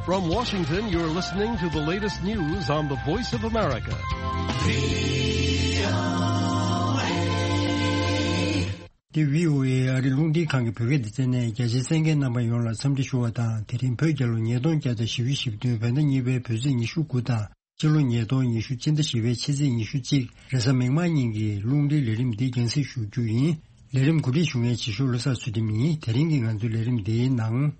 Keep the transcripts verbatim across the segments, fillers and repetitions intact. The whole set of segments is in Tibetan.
From Washington, you're listening to the latest news on the Voice of America. འདི་བྷི་ཨོ་ཨེ་ཨ་རིའི་རླུང་འཕྲིན་ཁང་གི་བོད་སྐད་སྡེ་ཚན་ནས། རྒྱ་ཆེའི་གསན་མཁན་རྣམ་པ་ཡོངས་ལ་འཚམས་འདྲི་ཞུ་བ་དང་། དེ་རིང་བོད་རྒྱལ་ལོ་ཉིས་སྟོང་བརྒྱ་དང་བཞི་བཅུ་ཞེ་བདུན། བོད་ཟླ་གཉིས་པའི་བོད་ཚེས་ཉི་ཤུ་དགུ་དང་། ཕྱི་ལོ་ཉིས་སྟོང་ཉི་ཤུ། སྤྱི་ཟླ་བཞི་པའི་ཕྱི་ཚེས་ཉི་ཤུ་གཅིག་རེས་གཟའ་མིག་དམར་ཉིན་གྱི་རླུང་འཕྲིན་ལས་རིམ་འདི་རྒྱང་སྲིང་ཞུ་རྒྱུ་ཡིན། ལས་རིམ་གོ་སྒྲིག་ཞུ་མཁན་བྱེད་ཤོག་བློ་བཟང་ཚུལ་ཁྲིམས་ཡིན། དེ་རིང་གི་ང་ཚོའི་ལས་རིམ་འདིའི་ནང་།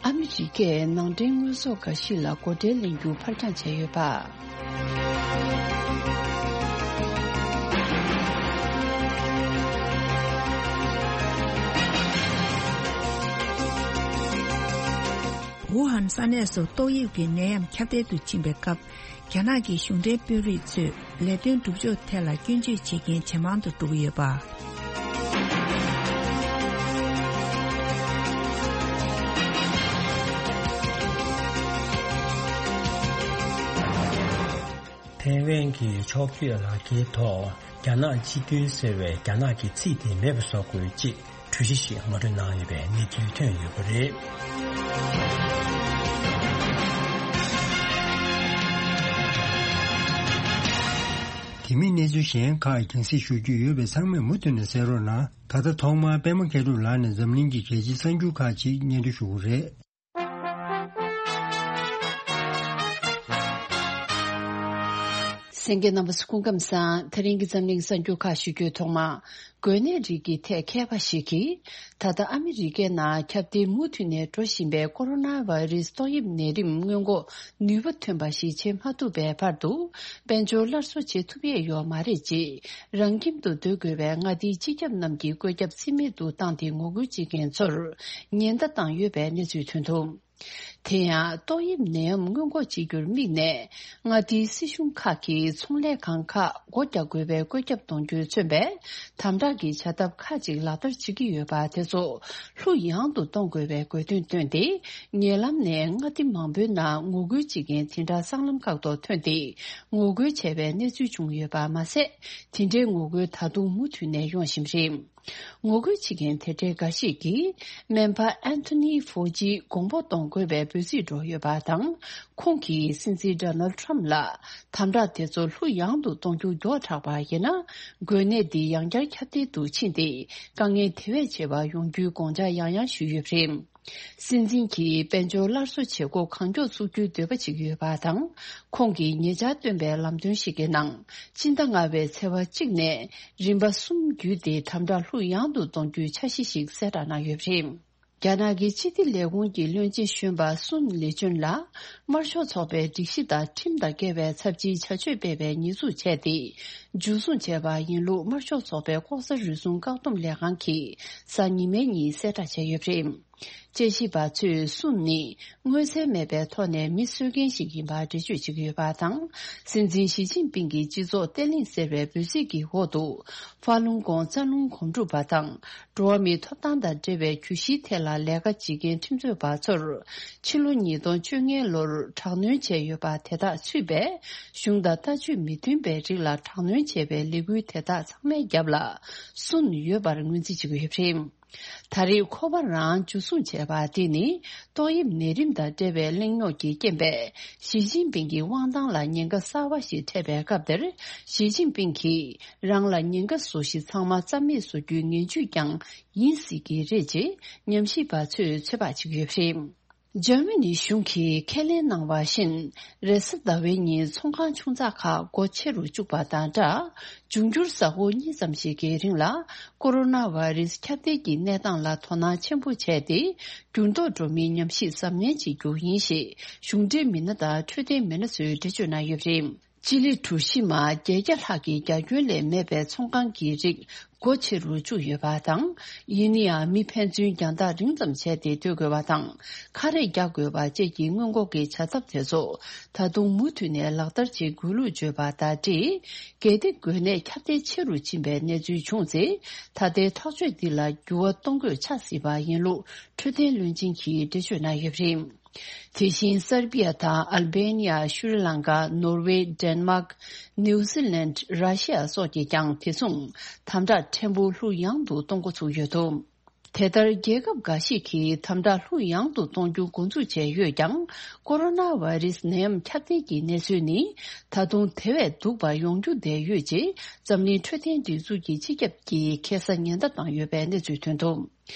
ཨ་མི་རི་ཀས་ནང་འདྲེན་དངོས་ཟོག་འགའ་ཞིག་ལ་སྒོ་ཁྲལ་ལེན་རྒྱུ་ཕར་འགྱངས་བྱས་ཡོད་པ། ཝུ་ཧན་ས་གནས་སུ་ཏོག་དབྱིབས་ཀྱི་ནད་ཡམས་ཁྱབ་གདལ་དུ་ཕྱིན་པའི་སྐབས། རྒྱ་ནག་གི་གཞུང་འབྲེལ་དཔོན་རིགས་ཚོས་ལས་དོན་སྒྲུབ་ཕྱོགས་ཐད་ལ་སྐྱོན་བརྗོད་བྱེད་མཁན་ཇེ་མང་དུ་འགྲོ་གི་ཡོད་པ། ཐའེ་ཝན་གྱི་ཕྱོགས་བསྐྱོད་ལག་འཁྱེར་ཐོག་རྒྱ་ནག་སྤྱི་མཐུན་ཟེར་བའི་རྒྱ་ནག་གི་ཚིག་དེ་མེད་པ་བཟོ་དགོས་ཅེས། གྲོས་གཞི་ཞིག་ངོ་སྤྲོད་གནང་ཡོད་པའི་གནས་ཚུལ་ཐོན་ཡོད་པ་རེད། དེ་མིན་གནས་ཚུལ་གཞན་ཁག་རྒྱང་སྲིང་ཞུ་རྒྱུ་ཡོད་པས་ཚང་མས་མུ་མཐུད་ནས་གསན་རོགས་གནང་། ད་ལྟ་ཐོག་མར་པད་མ་མཁས་གྲུབ་ལགས་ནས་འཛམ་གླིང་གི་གལ་ཆེའི་གསར་འགྱུར་ཁག་ཅིག་སྙན་སྒྲོན་ཞུ་གི་རེད། གསན་མཁན་རྣམ་པ་ཚོ་སྐུ་ཁམས་བཟང་། དེ་རིང་གི་འཛམ་གླིང་གསར་འགྱུར་ཁག་ཞུ་རྒྱུའི་ཐོག་མ། འགོས་ནད་རིགས་ཀྱི་ཐད་མཁས་པ་ཞིག་གིས། ད་ལྟ་ཨ་མི་རི་ཀའི་ནང་ཁྱབ་གདལ་མུ་མཐུད་ནས་འགྲོ་བཞིན་པའི་ཀོ་རོ་ན་བྷ་ཡི་རེ་སི་ཏོག་དབྱིབས་ནད་རིམས་སྔོན་འགོག་ནུས་པ་ཐོན་པ་ཞིག་བྱེད་མ་ཐུབ་པའི་བར་དུ། དཔལ་འབྱོར་སླར་གསོ་བྱེད་ཐུབ་ཡས་ཡོད་མ་རེད་ཅེས། རང་ཁྱིམ་དུ་སྡོད་དགོས་པའི་མངའ་སྡེའི་སྤྱི་ཁྱབ་རྣམས་ཀྱིས་བཀོད་ཁྱབ་ཚད་མེད་དུ་བཏང་སྟེ། ངོ་རྒོལ་བྱེད་མཁན་ཚོར་ཉེན་བརྡ་བཏང་ཡོད་པའི་གནས་ཚུལ་ཐོན་འདུག་དེ་ཡང་ཏོག་དབྱིབས་ནད་ཡམས་སྔོན་འགོག་བྱེད་རྒྱུར་དམིགས་ནས། མངའ་སྡེའི་སྲིད་གཞུང་ཁག་གིས་ཚོང་ལས་ཁང་ཁག་སྒོ་རྒྱག་དགོས་པའི་བཀོད་ཁྱབ་གཏོང་རྒྱུས་མཚོན་པའི་དམ་དྲག་གི་བྱ་ཐབས་ཁག་ཅིག་ལག་བསྟར་བྱེད་ཀྱི་ཡོད་པ་དེ་ཚོ་ལྷུག་ཡངས་དུ་གཏོང་དགོས་པའི་དགོས་འདུན་བཏོན་ཏེ། ཉེ་ལམ་ནས་མངའ་སྡེ་མང་པོའི་ནང་ངོ་རྒོལ་བྱེད་མཁན་དེ་འདྲ་སྲང་ལམ་ཁག་ཏུ་ཐོན་ཏེ། ངོ་རྒོལ་བྱས་པའི་གནས་ཚུལ་བྱུང་ཡོད་པ་མ་ཟད། དེ་འདྲའི་ངོ་རྒོལ་ད་དུང་མུ་མཐུད་ནས་ཡོང་བཞིན་རེད། ངོ་རྒོལ་བྱེད་མཁན་དེ་འདྲའི་འགའ་ཞིག་གིས། སྨན་པ་ཨན་ཐོ་ནི་ཧྥོ་ཇིའི་དགོངས་པ་གཏོང་དགོས་པའི་འབོད་ཚིག་སྒྲོག་ཡོད་པ་དང་། ཁོང་གིས་སྲིད་འཛིན་ཌོ་ནལ་ཁྲམ་ལ་དམ་དྲག་དེ་ཚོ་ལྷུག་ཡངས་དུ་གཏོང་རྒྱུ་མགྱོགས་དྲགས་པ་ཡིན་ན། འགོས་ནད་འདི་ཡང་བསྐྱར་ཁྱབ་གདལ་དུ་ཕྱིན་ཏེ། དཀའ་ངལ་དེ་བས་ཆེ་བ་ཡོང་རྒྱུའི་དགོངས་འཆར་ཡང་ཡང་ཞུས་ཡོད་པ་རེད། སྲིད་འཛིན་གྱིས་དཔལ་འབྱོར་སླར་གསོ་བྱེད་སྒོ་གང་མགྱོགས་བཙུགས་རྒྱུའི་འདོད་པ་བྱེད་ཀྱི་ཡོད་པ་དང་། ཁོང་གིས་ཉེ་ཆར་བཏོན་པའི་ལམ་སྟོན་ཞིག་གི་ནང་། སྤྱི་ཟླ་ལྔ་པའི་ཚེས་པ་གཅིག་ནས་རིམ་པ་གསུམ་བརྒྱུད་དེ་དམ་དྲག་ལྷུག་ཡངས་དུ་གཏོང་རྒྱུའི་འཆར་གཞི་ཞིག་གསལ་བསྒྲགས་གནང་ཡོད་པ་རེད། རྒྱ་ནག་གི་སྤྱི་བདེ་ལས་ཁུངས་ཀྱི་བློན་ཆེན་གཞོན་པ་སུན་ལི་ཅུན་ལ། དམར་ཤོག་ཚོགས་པའི་སྒྲིག་གཞི་དང་ཁྲིམས་དང་འགལ་བའི་ཚབས་ཆེའི་བྱ་སྤྱོད་སྤེལ་བའི་ཉེས་འཛུགས་བྱས་ཏེ། འཇུ་བཟུང་བྱས་པ་ཡིན་ལུགས། དམར་ཤོག་ཚོགས་པའི་ལྐོག་ཟ་རུལ་སུངས་བཀག་སྡོམ་ལས་ཁང་གིས་གཟའ་ཉི་མའི་ཉིན་གསལ་བསྒྲགས་བྱས་ཡོད་པ་རེད། དཔྱད་ཞིབ་པ་ཚོས་སུན་ནི་མངོན་གསལ་མེད་པའི་ཐོག་ནས་མི་གསོད་མཁན་ཞིག་ཡིན་པར་འགྲེལ་བརྗོད་བྱེད་ཀྱི་ཡོད་པ་དང་། སྲིད་འཛིན་ཞི་ཅིན་ཕིང་གི་སྤྱི་ཚོགས་བརྟན་ལྷིང་ཟེར་བའི་འབོད་ཚིག་གི་འོག་ཏུ། ཧྥ་ལུང་ཀོང་རྩ་རླུང་སྒོམ་སྒྲུབ་པ་དང་། འགྲོ་བ་མིའི་ཐོབ་ཐང་དང་འབྲེལ་བའི་གྱོད་གཞིའི་ཐད་ལ་ལས་ཀ་བྱེད་མཁན་ཁྲིམས་རྩོད་པ་ཚོར། ཕྱི་ལོ་ཉིས་སྟོང་བཅོ་ལྔའི་ལོར་དྲག་གནོན་བྱས་ཡོད་པ་དེ་དག་ཚུད་པའི། གཞུང་དང་ལྟ་སྤྱོད་མི་མཐུན་པའི་རིགས་ལ་དྲག་གནོན་བྱས་པའི་ལས་འགུལ་དེ་དག་ཚང་མའི་རྒྱབ་ལ་སུན་ཡོད་པར་ངོས་འཛིན་བྱེད་ཀྱི་ཡོད་པ་རེད། ད་རེས་ཁོ་པ་རང་འཇུ་བཟུང་བྱས་པ་དེ་ནི། ཏོག་དབྱིབས་ནད་རིམས་དང་འབྲེལ་བའི་གླེང་རྙོག་གི་རྐྱེན་པས། ཞི་ཅིན་ཕིང་གི་དབང་ཐང་ལ་ཉེན་ཁ་གསར་བ་ཞིག་འཕྲད་པའི་སྐབས་དེར། ཞི་ཅིན་ཕིང་གིས་རང་ལ་ཉེན་ཁ་བཟོ་གཞི་ཚང་མ་རྩ་མེད་བཟོ་རྒྱུའི་ངན་ཇུས་ཀྱང་ཡིན་སྲིད་ཀྱི་རེད་ཅེས་ཉམས་ཞིབ་པ་ཚོས་ཚོད་དཔག་བྱེད་ཀྱི་ཡོད་པ་རེད། འཇར་མ་ནི་གཞུང་གིས་ཁས་ལེན་གནང་བ་བཞིན། རེས་གཟའ་ཟླ་བའི་ཉིན་ཚོང་ཁང་ཆུང་ཙག་ཁག་སྒོ་ཕྱེ་རུ་བཅུག་པ་དང་སྦྲགས། འབྱུང་འགྱུར་གཟའ་འཁོར་གཉིས་ཙམ་ཞིག་གི་རིང་ལ། ཀོ་རོ་ན་བྷ་རེ་སི་ཁྱབ་གདལ་གྱི་གནས་སྟངས་ལ་དོ་སྣང་ཆེན་པོ་བྱས་ཏེ། འགྱུར་ལྡོག་འགྲོ་མིན་ཉམས་ཞིབ་གཟབ་ནན་བྱེད་རྒྱུ་ཡིན་ཞེས། གཞུང་འབྲེལ་མི་སྣ་དང་འཕྲོད་བསྟེན་མི་སྣ་ཚོས་འགྲེལ་བརྗོད་གནང་ཡོད་པ་རེད། སྤྱི་ལེ་གྲུ་བཞི་མ་བརྒྱད་བརྒྱ་ལྷག་གི་རྒྱ་ཁྱོན་ལས་མེད་པའི་ཚོང་ཁང་གི་རིགས་སྒོ་ཕྱེ་རུ་བཅུག་ཡོད་པ་དང་། ཡིན་ན་ཡང་མི་ཕན་ཚུན་རྒྱང་ཐག་རིང་ཙམ་བྱས་ཏེ་སྡོད་དགོས་པ་དང་། ཁ་རས་རྒྱག་དགོས་པ་བཅས་ཀྱི་སྔོན་འགོག་གི་བྱ་ཐབས་དེ་ཚོ་ད་དུང་མུ་མཐུད་ནས་ལག་བསྟར་བྱེད་དགོས་ལུགས་བརྗོད་པ་དང་འབྲེལ། གལ་ཏེ་འགོས་ནད་ཁྱབ་གདལ་ཆེ་རུ་ཕྱིན་པའི་གནས་ཚུལ་བྱུང་ཚེ། ད་ལྟའི་ཐག་གཅོད་འདི་ལ་འགྱུར་བ་གཏོང་དགོས་ཆགས་སྲིད་པ་ཡིན་ལུགས་འཕྲོད་བསྟེན་བློན་ཆེན་གྱིས་འགྲེལ་བརྗོད་གནང་ཡོད་པ་རེད། དེ་བཞིན་སར་བི་ཡ་དང་ཨལ་བེ་ནི་ཡ། ཤྲི་ལང་ཀ། ནོར་ཝེ། ཌེན་མཱག། ནིའུ་ཛི་ལན། ར་ཤི་ཡ་སོགས་ཀྱིས་ཀྱང་དེ་མཚུངས་དམ་དྲག་ཕྲན་བུ་ལྷུག་ཡངས་དུ་གཏོང་འགོ་ཚུགས་ཡོད་འདུག་དེ་ལྟར་རྒྱལ་ཁབ་འགའ་ཞིག་གིས་དམ་དྲག་ལྷུག་ཡངས་དུ་གཏོང་རྒྱུ་འགོ་འཛུགས་བྱས་ཡོད་ཀྱང་། ཀོ་རོ་ན་བྷ་རེ་སི་ནད་ཡམས་ཁྱབ་གདལ་གྱི་གནས་ཚུལ་ནི་ད་དུང་དེ་བས་སྡུག་པ་ཡོང་རྒྱུ་བསྡད་ཡོད་ཅེས་འཛམ་གླིང་འཕྲོད་བསྟེན་སྒྲིག་འཛུགས་ཀྱི་སྤྱི་ཁྱབ་ཀྱིས་ཁ་སང་ཉེན་བརྡ་བཏང་ཡོད་པའི་གནས་ཚུལ་ཐོན་འདུག་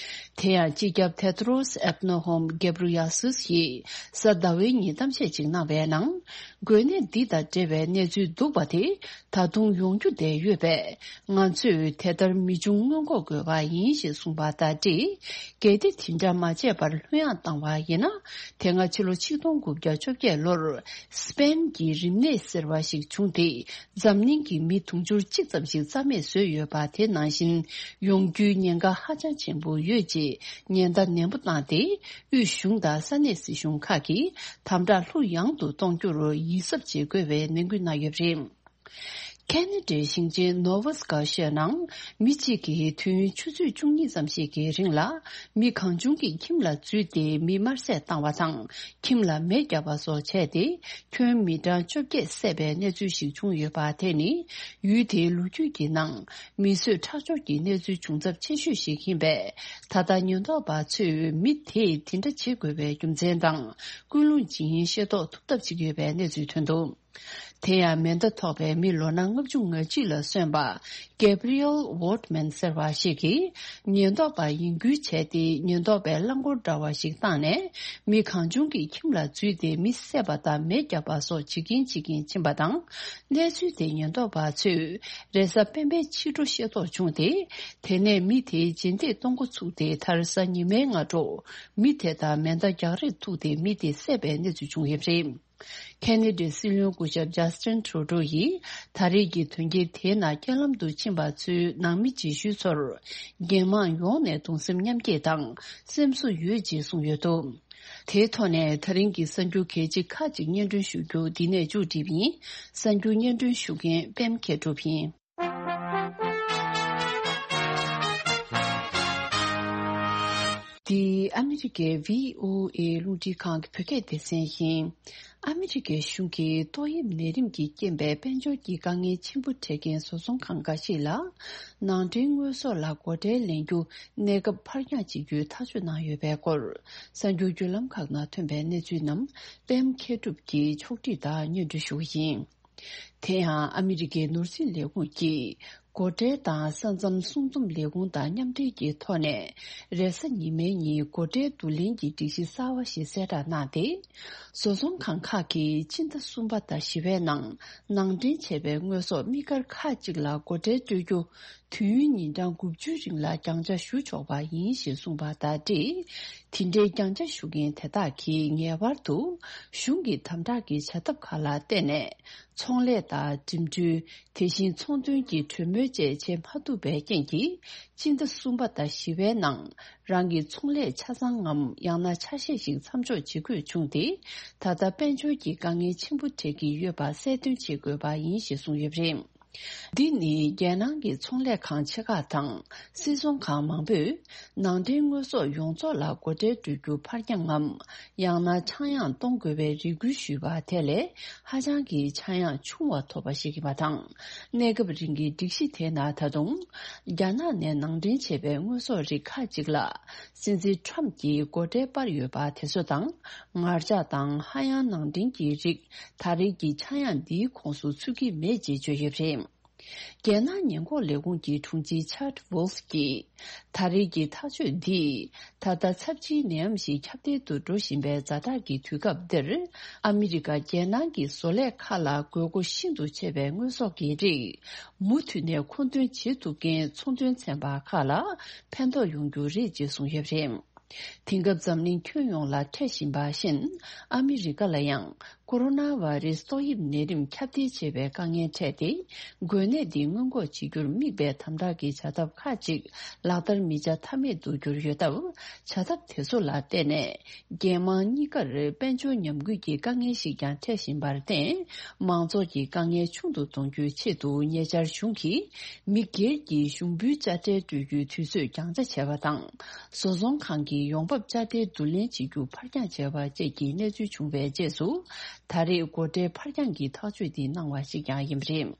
དེ་ཡང་སྤྱི་ཁྱབ་ཐེ་ཏྲོ་སི་ཨེད་ནོ་ཧོམ་གེབ་རུ་ཡ་སུས་ཀྱིས་གཟའ་ཟླ་བའི་ཉིན་གཏམ་བཤད་ཅིག་གནང་བའི་ནང་། འགོས་ནད་འདི་དང་འབྲེལ་བའི་གནས་ཚུལ་སྡུག་པ་དེ་ད་དུང་ཡོང་རྒྱུ་བསྡད་ཡོད་པས། ང་ཚོས་དེ་ལྟར་མི་འབྱུང་སྔོན་འགོག་དགོས་པ་ཡིན་ཞེས་གསུངས་པ་དང་འབྲེལ། གལ་ཏེ་དེ་འདྲ་མ་བྱས་པར་ལྷོད་ཡངས་བཏང་བ་ཡིན་ན། དེ་སྔ་ཕྱི་ལོ་ཆིག་སྟོང་དགུ་བརྒྱ་བཅོ་བརྒྱད་ལོར་སི་པེན་གྱི་རིམས་ནད་ཟེར་བ་ཞིག་བྱུང་སྟེ། འཛམ་གླིང་གི་མི་དུང་ཕྱུར་གཅིག་ཙམ་ཞིག་རྩ་མེད་བཟོས་ཡོད་པ་དེ་ནང་བཞིན་ཡོང་རྒྱུའི་ཉེན་ཁ་ཧ་ཅང་ཆེན་པོ་ཡོད་ཅེས་ཉེན་བརྡ་ནན་པོ་བཏང་སྟེ། དབུས་གཞུང་དང་ས་གནས་སྲིད་གཞུང་ཁག་གིས་དམ་དྲག་ལྷུག་ཡངས་དུ་གཏོང་རྒྱུར་ཡིད་གཟབ་བྱེད་དགོས་པའི་ནན་སྐུལ་གནང་ཡོད་པ་རེད། ཁེ་ན་ཌའི་ཞིང་ཆེན་ནོ་ཝ་སི་ཀ་ཤ་ནང་མི་གཅིག་གིས་དུས་ཡུན་ཆུ་ཚོད་བཅུ་གཉིས་ཙམ་ཞིག་གི་རིང་ལ་མི་གང་བྱུང་གི་ཁྱིམ་ལ་འཛུལ་ཏེ་མི་དམར་བསད་བཏང་བ་དང་། ཁྱིམ་ལ་མེ་བརྒྱབ་པ་སོགས་བྱས་ཏེ། ཁྱོན་མི་གྲངས་བཅོ་བརྒྱད་བསད་པའི་གནས་ཚུལ་ཞིག་བྱུང་ཡོད་པ་དེ་ནི། ཡུལ་དེའི་ལོ་རྒྱུས་ཀྱི་ནང་མི་གསོད་ཁྲག་སྦྱོར་གྱི་གནས་ཚུལ་བྱུང་ཚབས་ཆེ་ཤོས་ཤིག་ཡིན་པས། ད་ལྟ་ཉེན་རྟོག་པ་ཚོས་མི་དེས་དེ་འདྲ་བྱེད་དགོས་པའི་རྒྱུ་མཚན་དང་། ཀུན་སློང་ཇི་ཡིན་ཤེས་རྟོགས་ཐུབ་ཐབས་བྱེད་ཀྱི་ཡོད་པའི་གནས་ཚུལ་ཐོན་འདུག་དེ་ཡང་མེ་མདའ་ཐོགས་པའི་མི་ལོ་ན་ལྔ་བཅུ་ང་གཅིག་ལ་སོན་པ། Gabriel Wortman ཟེར་བ་ཞིག་གིས། ཉེན་རྟོག་པ་ཡིན་ཁུལ་བྱས་ཏེ། ཉེན་རྟོག་པའི་རླངས་འཁོར་འདྲ་བ་ཞིག་བཏང་ནས། མི་གང་བྱུང་གི་ཁྱིམ་ལ་འཛུལ་ཏེ། མི་བསད་པ་དང་མེ་བརྒྱབ་པ་སོགས་བྱེད་ཀྱིན་བྱེད་ཀྱིན་ཕྱིན་པ་དང་། གནས་ཚུལ་དེ་ཉེན་རྟོག་པ་ཚོས་རེས་གཟའ་སྤེན་པའི་ཕྱི་དྲོ་ཤེས་རྟོགས་བྱུང་སྟེ། དེ་ནས་མི་དེའི་རྗེས་འདེད་གཏོང་འགོ་ཚུགས་ཏེ། མཐར་གཟའ་ཉི་མའི་སྔ་དྲོ། མི་དེ་དང་མེ་མདའ་རྒྱག་རེས་ཐུག་སྟེ། མི་དེ་བསད་པའི་གནས་ཚུལ་བྱུང་ཡོད་པ་རེད། ཁེ་ན་ཌའི་སྲིད་བློན་སྐུ་ཞབས་ཇཱ་སི་ཊིན་ཊུ་རུ་ཌོ་ཡིས། ད་རེས་ཀྱི་དོན་རྐྱེན་དེའི་ནང་རྐྱེན་ལམ་དུ་ཕྱིན་པ་ཚོའི་ནང་མི་རྗེས་ཤུལ་ཚོར། རྒྱལ་དམངས་ཡོངས་ནས་གདུང་སེམས་མཉམ་སྐྱེད་དང་སེམས་གསོ་ཡོད་ཅེས་གསུངས་ཡོད་འདུག་དེའི་ཐོག་ནས་ད་རིང་གི་གསར་འགྱུར་གལ་ཆེ་ཁག་ཅིག་སྙན་སྒྲོན་ཞུ་རྒྱུ་འདི་ནས་མཇུག་སྒྲིལ་བ་ཡིན། གསར་འགྱུར་སྙན་སྒྲོན་ཞུ་མཁན་པད་མ་མཁས་གྲུབ་ཡིན། འདི་ཨ་མི་རི་ཀའི་ཝི་ཨོ་ཨེ་རླུང་འཕྲིན་ཁང་གི་བོད་སྐད་སྡེ་ཚན་ཡིན། ཨ་མི་རི་ཀའི་གཞུང་གིས་ཏོག་དབྱིབས་ནད་རིམས་ཀྱི་རྐྱེན་པས་དཔལ་འབྱོར་གྱི་དཀའ་ངལ་ཆེན་པོ་འཕྲད་མཁན་བཟོ་ཚོང་ཁང་འགའ་ཞིག་ལ། ནང་འདྲེན་དངོས་ཟོག་ལ་སྒོ་ཁྲལ་ལེན་རྒྱུ་གནས་སྐབས་ཕར་འགྱངས་བྱེད་རྒྱུའི་ཐག་གཅོད་གནང་ཡོད་པའི་སྐོར། གསར་འགྱུར་བརྒྱུད་ལམ་ཁག་ནང་ཐོན་པའི་གནས་ཚུལ་རྣམས་པད་མ་མཁས་གྲུབ་ཀྱིས་ཕྱོགས་སྒྲིག་དང་སྙན་སྒྲོན་ཞུ་བ་ཡིན། དེ་ཡང་ཨ་མི་རི་ཀའི་ནོར་སྲིད་ལས་ཁུངས་ཀྱིས། སྒོ་ཁྲལ་དང་ས་མཚམས་སྲུང་འཛོམས་ལས་ཁུངས་དང་མཉམ་འབྲེལ་གྱི་ཐོག་ནས། རེས་གཟའ་ཉི་མའི་ཉིན་སྒོ་ཁྲལ་བསྡུ་ལེན་གྱི་སྒྲིག་གཞི་གསར་བ་ཞིག་གསལ་བསྒྲགས་གནང་སྟེ། བཟོ་ཚོང་ཁང་ཁག་གིས་སྤྱི་ཟླ་གསུམ་པ་དང་བཞི་པའི་ནང་ནང་འདྲེན་བྱས་པའི་དངོས་ཟོག་དམིགས་བཀར་ཁག་ཅིག་ལ་སྒོ་ཁྲལ་སྤྲོད་རྒྱུ། དུས་ཡུན་ཉིན་གྲངས་དགུ་བཅུའི་རིང་ལ་རྒྱང་བསྒྲགས་ཞུ་ཆོག་པ་ཡིན་ཞེས་གསུངས་པ་དང་འབྲེལ། དེ་འདྲའི་རྒྱང་བསྒྲགས་ཞུ་མཁན་དེ་དག་གིས་ངེས་པར་དུ་གཞུང་གི་དམ་དྲག་གི་བྱ་ཐབས་ཁག་ལ་བརྟེན་ནས། ཚོང་ལས་དང་འགྲིམ་འགྲུལ། དེ་བཞིན་ཚོང་དོན་གྱི་གྲོས་མོལ་བཅས་བྱེད་མ་ཐུབ་པའི་རྐྱེན་གྱིས། སྤྱི་ཟླ་གསུམ་པ་དང་བཞི་པའི་ནང་རང་གི་ཚོང་ལས་ཆ་ཚང་ངམ། ཡང་ན་ཆ་ཤས་ཤིག་མཚམས་འཇོག་བྱེད་དགོས་བྱུང་སྟེ། ད་ལྟ་དཔལ་འབྱོར་གྱི་དཀའ་ངལ་ཆེན་པོ་འཕྲད་ཀྱི་ཡོད་པ་གསལ་སྟོན་བྱེད་དགོས་པ་ཡིན་ཞེས་གསུངས་ཡོད་པ་རེད། འདི་ནི་རྒྱལ་ནང་གི་ཚོང་ལས་ཁང་ཆེ་ཁག་དང་སིལ་ཚོང་ཁང་མང་པོས་ནང་འདྲེན་དངོས་ཟོག་ཡོངས་རྫོགས་ལ་སྒོ་ཁྲལ་སྤྲོད་རྒྱུ་ཕར་འགྱངས་ངམ། ཡང་ན་ཆག་ཡང་གཏོང་དགོས་པའི་རེ་སྐུལ་ཞུས་པ་དེ་ལས་ཧ་ཅང་གི་ཆག་ཡང་ཆུང་བ་ཐོབ་པ་ཞིག་ཡིན་པ་དང་། གནས་སྐབས་རིང་གི་སྒྲིག་གཞི་དེ་ནང་ད་དུང་རྒྱ་ནག་ནས་ནང་འདྲེན་བྱས་པའི་དངོས་ཟོག་རིགས་ཁག་ཅིག་ལ། སྲིད་འཛིན་ཁྲམ་གྱིས་སྒོ་ཁྲལ་སྤར་ཡོད་པ་དེ་ཚོ་དང་། ངར་ལྕགས་དང་ཧ་ཡང་ནང་འདྲེན་གྱི་རིགས་ད་རེས་ཀྱི་ཆག་ཡང་འདིའི་ཁོངས་སུ་ཚུད་ཀྱི་མེད་ཅེས་བརྗོད་ཡོད་པ་རེད། རྒྱལ་ནང་ཉེན་འགོག་ལས་ཁུངས་ཀྱི་དྲུང་ཆེ་ཆར་ཝོལ་ཕ་གྱིས། ད་རེས་ཀྱི་ཐག་གཅོད་འདིས། ད་ལྟ་ཚབས་ཆེའི་ནད་ཡམས་ཤིག་ཁྱབ་གདལ་དུ་འགྲོ་བཞིན་པའི་ཛ་དྲག་གི་དུས་སྐབས་འདིར། ཨ་མི་རི་ཀ་རྒྱལ་ནང་གི་བཟོ་ལས་ཁག་ལ་དགོས་མཁོ་ཤིན་ཏུ་ཆེ་བའི་དངོས་ཟོག་གི་རིགས། མུ་མཐུད་ནས་མཁོ་འདོན་བྱེད་ཐུབ་མཁན་ཚོང་དོན་ཚན་པ་ཁག་ལ་ཕན་ཐོགས་ཡོང་རྒྱུ་རེད་ཅེས་གསུངས་ཡོད་པ་རེད། དེང་སྐབས་འཛམ་གླིང་ཁྱོན་ཡོངས་ལ་འཕྲད་བཞིན་པ་བཞིན། ཨ་མི་རི་ཀ་ལ་ཡང་ ཀོ་རོ་ན་བྷ་རེ་སི་ཏོག་དབྱིབས་ནད་རིམས་ཁྱབ་གདལ་བྱེད་པའི་དཀའ་ངལ་འཕྲད་དེ། འགོས་ནད་འདི་སྔོན་འགོག་བྱེད་རྒྱུར་དམིགས་པའི་དམ་དྲག་གི་བྱ་ཐབས་ཁག་ཅིག་ལག་བསྟར་མི་བྱ་ཐབས་མེད་དུ་གྱུར་ཡོད་སྟབས། བྱ་ཐབས་དེ་ཚོ་ལ་བརྟེན་ནས། རྒྱལ་དམངས་གཉིས་ཀར་དཔལ་འབྱོར་ཉམས་རྒུད་ཀྱི་དཀའ་ངལ་ཞིག་ཀྱང་འཕྲད་བཞིན་པར་བརྟེན། མང་ཚོགས་ཀྱི་དཀའ་ངལ་ཆུང་དུ་གཏོང་རྒྱུའི་ཆེད་དུ། ཉེ་ཆར་གཞུང་གིས་མི་སྒེར་གྱི་ཞུགས་འབུལ་དཔྱ་ཁྲལ་སྤྲོད་རྒྱུའི་དུས་ཚོད་འགྱངས་ཆ་བྱས་པ་དང་། བཟོ་ཚོང་ཁང་གི་ཡོང་འབབ་དཔྱ་ཁྲལ་བསྡུ་ལེན་བྱེད་རྒྱུ་ཕར་འགྱངས་བྱས་པ་བཅས་ཀྱི་གནས་ཚུལ་བྱུང་བའི་རྗེས་སུ། ད་རེས་སྒོ་ཁྲལ་ཕར་འགྱངས་ཀྱི་ཐག་གཅོད་འདི་གནང་བ་ཞིག་ཀྱང་ཡིན་པ་རེད།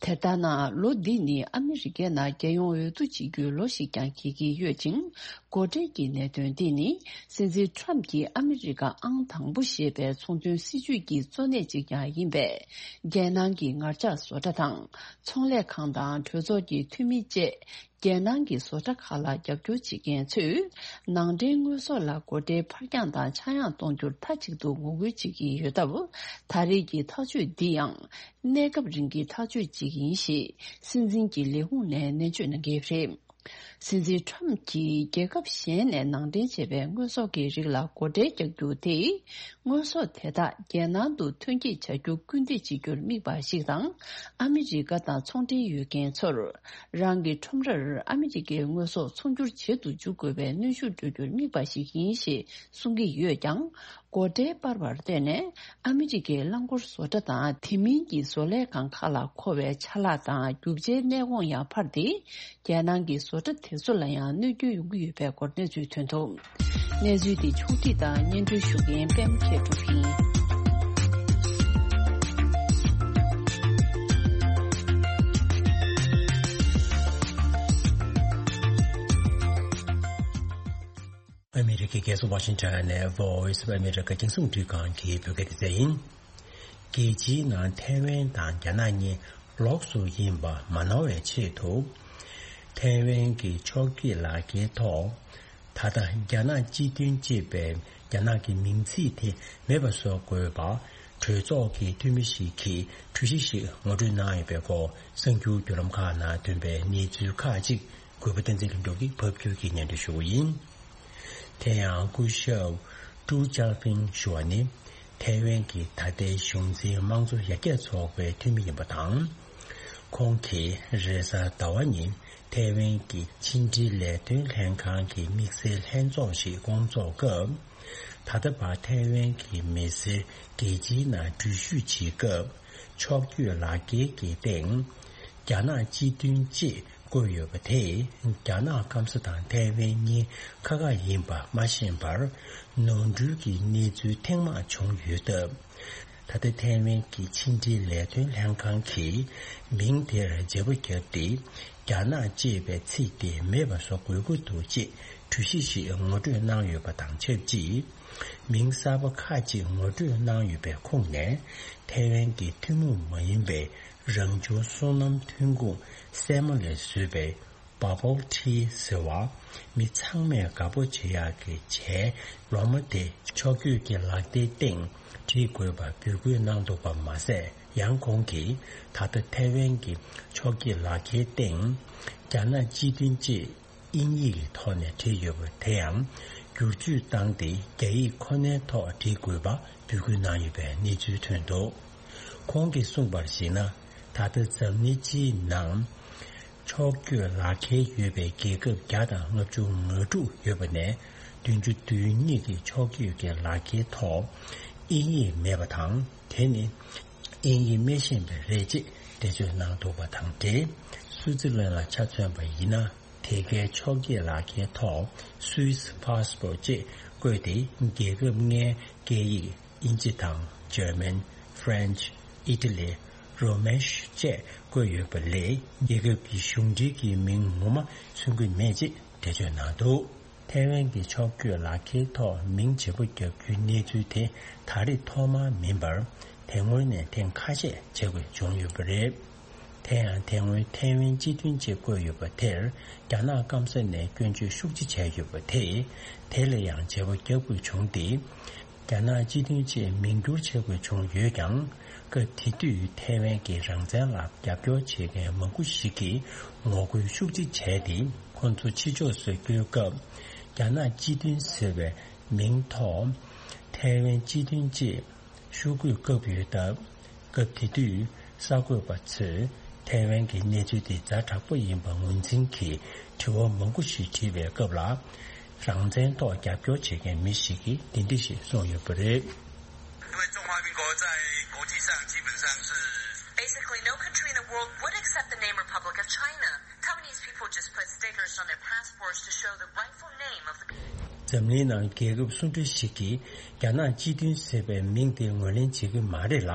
དེ་ལྟར་ན། ལོ་འདི་ནི་ཨ་མི་རི་ཀའི་ནང་རྒྱལ་ཡོངས་འོས་བསྡུ་བྱེད་རྒྱུའི་ལོ་ཞིག་ཀྱང་འགྱེལ་གྱི་ཡོད་ཅིང་། སྒོ་ཁྲལ་གྱི་གནད་དོན་འདི་ནི། སྲིད་འཛིན་ཁྲམ་གྱི་ཨ་མི་རི་ཀ་ཨང་དང་པོ་ཞེས་པའི་ཚོང་དོན་སྲིད་ཇུས་ཀྱི་གཙོ་གནད་ཅིག་ཀྱང་ཡིན་པས། རྒྱལ་ནང་གི་ངར་ལྕགས་བཟོ་གྲྭ་དང་། ཚོང་ལས་ཁང་དང་གྲོས་ཚོགས་ཀྱི་འཐུས་མི་བཅས། རྒྱལ་ནང་གི་བཟོ་གྲྭ་ཁག་ལ་རྒྱབ་སྐྱོར་བྱེད་མཁན་ཚོས། ནང་འདྲེན་དངོས་ཟོག་ལ་སྒོ་ཁྲལ་ཕར་འགྱངས་དང་ཆག་ཡང་གཏོང་རྒྱུར་མཐའ་གཅིག་ཏུ་ངོ་རྒོལ་བྱེད་ཀྱི་ཡོད་སྟབས། ད་རེས་ཀྱི་ཐག་གཅོད་འདི་ཡང་། གནས་སྐབས་རིང་གི་ཐག་གཅོད་ཅིག་ཡིན་ཞེས། སྲིད་འཛིན་གྱི་ལས་ཁུངས་ནས་ནན་བརྗོད་གནང་གི་རེད། སྲིད་འཛིན་ཁྲམ་གྱིས་རྒྱལ་ཁབ་གཞན་ནས་ནང་འདྲེན་བྱས་པའི་དངོས་ཟོག་གི་རིགས་ལ་སྒོ་ཁྲལ་རྒྱག་རྒྱུ་དེ། དངོས་ཟོག་དེ་དག་རྒྱལ་ནང་དུ་ཐོན་སྐྱེད་བྱ་རྒྱུར་སྐུལ་འདེད་བྱེད་རྒྱུར་དམིགས་པ་ཞིག་དང་། ཨ་མི་རི་ཀ་དང་ཚོང་འབྲེལ་ཡོད་མཁན་ཚོར། རང་གི་ཁྲོམ་རར་ཨ་མི་རི་ཀའི་དངོས་ཟོག་ཚོང་སྒྱུར་བྱེད་དུ་འཇུག་དགོས་པའི་གནོན་ཤུགས་སྤྲོད་རྒྱུར་དམིགས་པ་ཞིག་ཡིན་ཞེས་གསུང་གི་ཡོད་ཀྱང་། སྒོ་ཁྲལ་སྤར་བར་བརྟེན་ནས། ཨ་མི་རི་ཀའི་རླངས་འཁོར་བཟོ་གྲྭ་དང་། དེ་མིན་གྱི་བཟོ་ལས་ཁང་ཁག་ལ་མཁོ་བའི་ཆ་ལག་དང་། རྒྱུ་ཆའི་གནས་གོང་ཡང་འཕར་ཏེ། རྒྱལ་ནང་གི་བཟོ་གྲྭ་དེ་ཚོ་ལ་ཡང་གནོད་སྐྱོན་ཡོང་གི་ཡོད་པའི་སྐོར་གནས་ཚུལ་ཐོན་འདུག་གནས་ཚུལ་འདི་ཕྱོགས་སྒྲིག་དང་སྙན་སྒྲོན་ཞུ་མཁན་པད་མ་མཁས་གྲུབ་ཡིན། ཨ་མི་རི་ཀའི་རྒྱལ་ས་ཝ་ཤིང་ཊོན་ནས་Voice of America རྒྱང་སྲིང་རླུང་འཕྲིན་ཁང་གི་བོད་སྐད་སྡེ་ཚན་ཡིན། རྒྱལ་སྤྱིའི་ནང་ཐའེ་ཝན་དང་རྒྱ་ནག་གཉིས་ལོགས་སུ་ཡིན་པ་མ་སྣང་བའི་ཆེད་དུ། ཐའེ་ཝན་གྱི་ཕྱོགས་བསྐྱོད་ལག་འཁྱེར་ཐོག་ད་ལྟ་རྒྱ་ནག་སྤྱི་མཐུན་ཅེས་པའི་རྒྱ་ནག་གི་མིང་ཚིག་དེ་མེད་པ་བཟོ་དགོས་པ། གྲོས་ཚོགས་ཀྱི་འཐུས་མི་ཞིག་གིས་གྲོས་གཞི་ཞིག་ངོ་སྤྲོད་གནང་ཡོད་པའི་སྐོར། གསར་འགྱུར་བརྒྱུད་ལམ་ཁག་ནང་ཐོན་པའི་གནས་ཚུལ་ཁག་ཅིག་གུས་པ་བསྟན་འཛིན་ལྷུན་གྲུབ་ཀྱིས་ཕབ་སྒྱུར་གྱིས་སྙན་སྒྲོན་ཞུ་བ་ཡིན། དེ་ཡང་སྐུ་ཞབས་ཀྲུའུ་ཅཱ་ཕིང་ཞུ་བ་ནི། ཐའེ་ཝན་གྱི་ད་ལྟའི་གཞུང་འཛིན་དམངས་གཙོ་ཡར་རྒྱས་ཚོགས་པའི་འཐུས་མི་ཡིན་པ་དང་། ཁོང་གིས་རེས་གཟའ་ཟླ་བ་ཉིན་ཐའེ་ཝན་གྱི་ཕྱི་འབྲེལ་ལས་དོན་ལྷན་ཁང་གི་དམིགས་བསལ་ལྷན་ཚོགས་ཤིག་སྐོང་ཚོགས་སྐབས། ད་ལྟ་བར་ཐའེ་ཝན་གྱི་མི་སེར་རྒྱལ་སྤྱིའི་ནང་འགྲུལ་བཞུད་བྱེད་སྐབས། ཕྱོགས་བསྐྱོད་ལག་འཁྱེར་གྱི་སྟེང་། རྒྱ་ནག་སྤྱི་མཐུན་ཅེས་བཀོད་ཡོད་པ་དེས། རྒྱ་ནག་སྐམ་ས་དང་ཐའེ་ཝན་གཉིས་ཁ་ཁ་ཡིན་པ་མ་ཤེས་པར། ནོར་འཁྲུལ་གྱི་གནས་ཚུལ་ཐེངས་མང་བྱུང་ཡོད་སྟབས། ད་ལྟ་ཐའེ་ཝན་གྱི་ཕྱི་འབྲེལ་ལས་དོན་ལྷན་ཁང་གིས་མིང་དེར་བརྗེ་པོ་བརྒྱབ་སྟེ། རྒྱ་ནག་ཅེས་པའི་ཚིག་དེ་མེད་པ་བཟོ་དགོས་ཀྱི་འདུག་ཅེས་གྲོས་གཞི་ཞིག་ངོ་སྤྲོད་གནང་ཡོད་པ་དང་ཆབས་ཅིག་མིང་གསར་པ་ཁག་ཅིག་ངོ་སྤྲོད་གནང་ཡོད་པའི་ཁོངས་ནས། ཐའེ་ཝན་གྱི་ཐུན་མོང་མ་ཡིན་པའི་རང་བྱུང་སོ་ནམ་ཐོན་ཁུངས་སྲན་མ་ལས་བཟོས་པའི་Bubble Tea ཟེར་བ། མི་ཚང་མས་དགའ་པོ་བྱེད་ཡག་གི་ཇའི་ལོ་མ་དེ་ཕྱོགས་བསྐྱོད་ཀྱི་ལག་རྟགས་སྟེང་བྲིས་དགོས་པ་འབོད་སྐུལ་གནང་འདུག་པ་མ་ཟད། ཡང་ཁོང་གིས་ད་ལྟ་ཐའེ་ཝན་གྱི་ཕྱོགས་བསྐྱོད་ལག་འཁྱེར་སྟེང་རྒྱ་ནག་སྤྱི་མཐུན་ཅེས་དབྱིན་ཡིག་གི་ཐོག་ནས་བྲིས་ཡོད་པ་དེ་ཡང་བསྒྱུར་བཅོས་བཏང་སྟེ། རྒྱ་ཡིག་ཁོ་ནའི་ཐོག་བྲིས་དགོས་པ་འབོད་སྐུལ་གནང་ཡོད་པའི་གནས་ཚུལ་ཐོན་འདུག་ཁོང་གིས་གསུངས་པར་གཞིགས་ན། ད་ལྟ་འཛམ་གླིང་སྤྱིའི་ནང་ཕྱོགས་བསྐྱོད་ལག་འཁྱེར་ཡོད་པའི་རྒྱལ་ཁབ་བརྒྱ་དང་ལྔ་བཅུ་ང་དྲུག་ཡོད་པ་ནས། བདུན་ཅུ་དོན་གཉིས་ཀྱི་ཕྱོགས་བསྐྱོད་ཀྱི་ལག་འཁྱེར་ཐོག་དབྱིན་ཡིག་མེད་པ་དང་། དེ་ནི་དབྱིན་ཡིག་མི་ཤེས་པས་རེད་ཅེས་འགྲེལ་བརྗོད་གནང་འདུག་པ་དང་འབྲེལ། སུའུ་ཙི་ལན་ལ་ཆ་མཚོན་པ་ཡིན་ན། དེ་གའི་ཕྱོགས་བསྐྱོད་ལག་འཁྱེར་ཐོག་Swiss passport ཅེས་བཀོད་དེ། རྒྱལ་ཁབ་ལྔའི་སྐད་ཡིག་དབྱིན་ཇི་དང་། German, French, Italy, Romansh བཅས་བཀོད་ཡོད་པ་ལས། རྒྱལ་ཁབ་ཀྱི་གཞུང་འབྲེལ་གྱི་མིང་ངོ་མ་མཚོན་གྱི་མེད་ཅེས་འགྲེལ་བརྗོད་གནང་འདུག་ཐའེ་ཝན་གྱི་ཕྱོགས་བསྐྱོད་ལག་འཁྱེར་ཐོག་མིང་བརྗེ་པོ་བརྒྱབ་རྒྱུའི་གནས་ཚུལ་དེ་ད་རེས་ཐོག་མ་མིན་པར། དེ་སྔོན་ནས་ཐེངས་ཁ་ཤས་བྱེད་དགོས་བྱུང་ཡོད་པ་རེད། དེ་ཡང་དེ་སྔོན་ཐའེ་ཝན་སྤྱི་མཐུན་ཅེས་བཀོད་ཡོད་པ་དེར། རྒྱ་ནག་སྐམ་ས་ནས་སྐྱོན་བརྗོད་ཤུགས་ཆེ་བྱས་ཡོད་པ་དེས། དེ་ལ་ཡང་བརྗེ་པོ་བརྒྱབ་དགོས་བྱུང་སྟེ། རྒྱ་ནག་སྤྱི་མཐུན་ཅེས་མིང་བསྒྱུར་བྱེད་དགོས་བྱུང་ཡོད་ཀྱང་། སྐབས་དེ་དུས་ཐའེ་ཝན་གྱི་རང་བཙན་ལ་རྒྱབ་སྐྱོར་བྱེད་མཁན་མང་པོ་ཞིག་གིས་ངོ་རྒོལ་ཤུགས་ཆེ་བྱས་ཏེ། ཁོ་ཚོ་ཕྱི་ཕྱོགས་སུ་བསྐྱོད་སྐབས། རྒྱ་ནག་སྤྱི་མཐུན་ཟེར་བའི་མིང་ཐོག་ཐའེ་ཝན་སྤྱི་མཐུན་ཅེས་ ཤོག་གུས་བཀབ་ཡོད་སྟབས། སྐབས་དེ་དུས་གསར་འགོད་པ་ཚོས་ཐའེ་ཝན་གྱི་གནས་ཚུལ་དེ་ཛ་དྲག་པོ་ཡིན་པ་ངོས་འཛིན་གྱིས་དྲི་བ་མང་པོ་ཞིག་དྲིས་པའི་སྐབས་ལ། རང་བཙན་ཐོག་རྒྱབ་སྐྱོར་བྱེད་མཁན་མི་ཞིག་གིས་འདི་འདྲ་ཞིག་གསུངས་ཡོད་པ་རེད། 因为中华民国在国际上基本上是 Basically, no country in the world would accept the name Republic of China. Taiwanese people just put stickers on their passports to show the rightful name of the འཛམ་གླིང་ནང་རྒྱལ་ཁབ་སུ་འདྲ་ཞིག་གིས་རྒྱ་ནག་སྤྱི་མཐུན་ཟེར་བའི་མིང་དེ་ངོས་ལེན་བྱེད་ཀྱི་མ་རེད་ལ།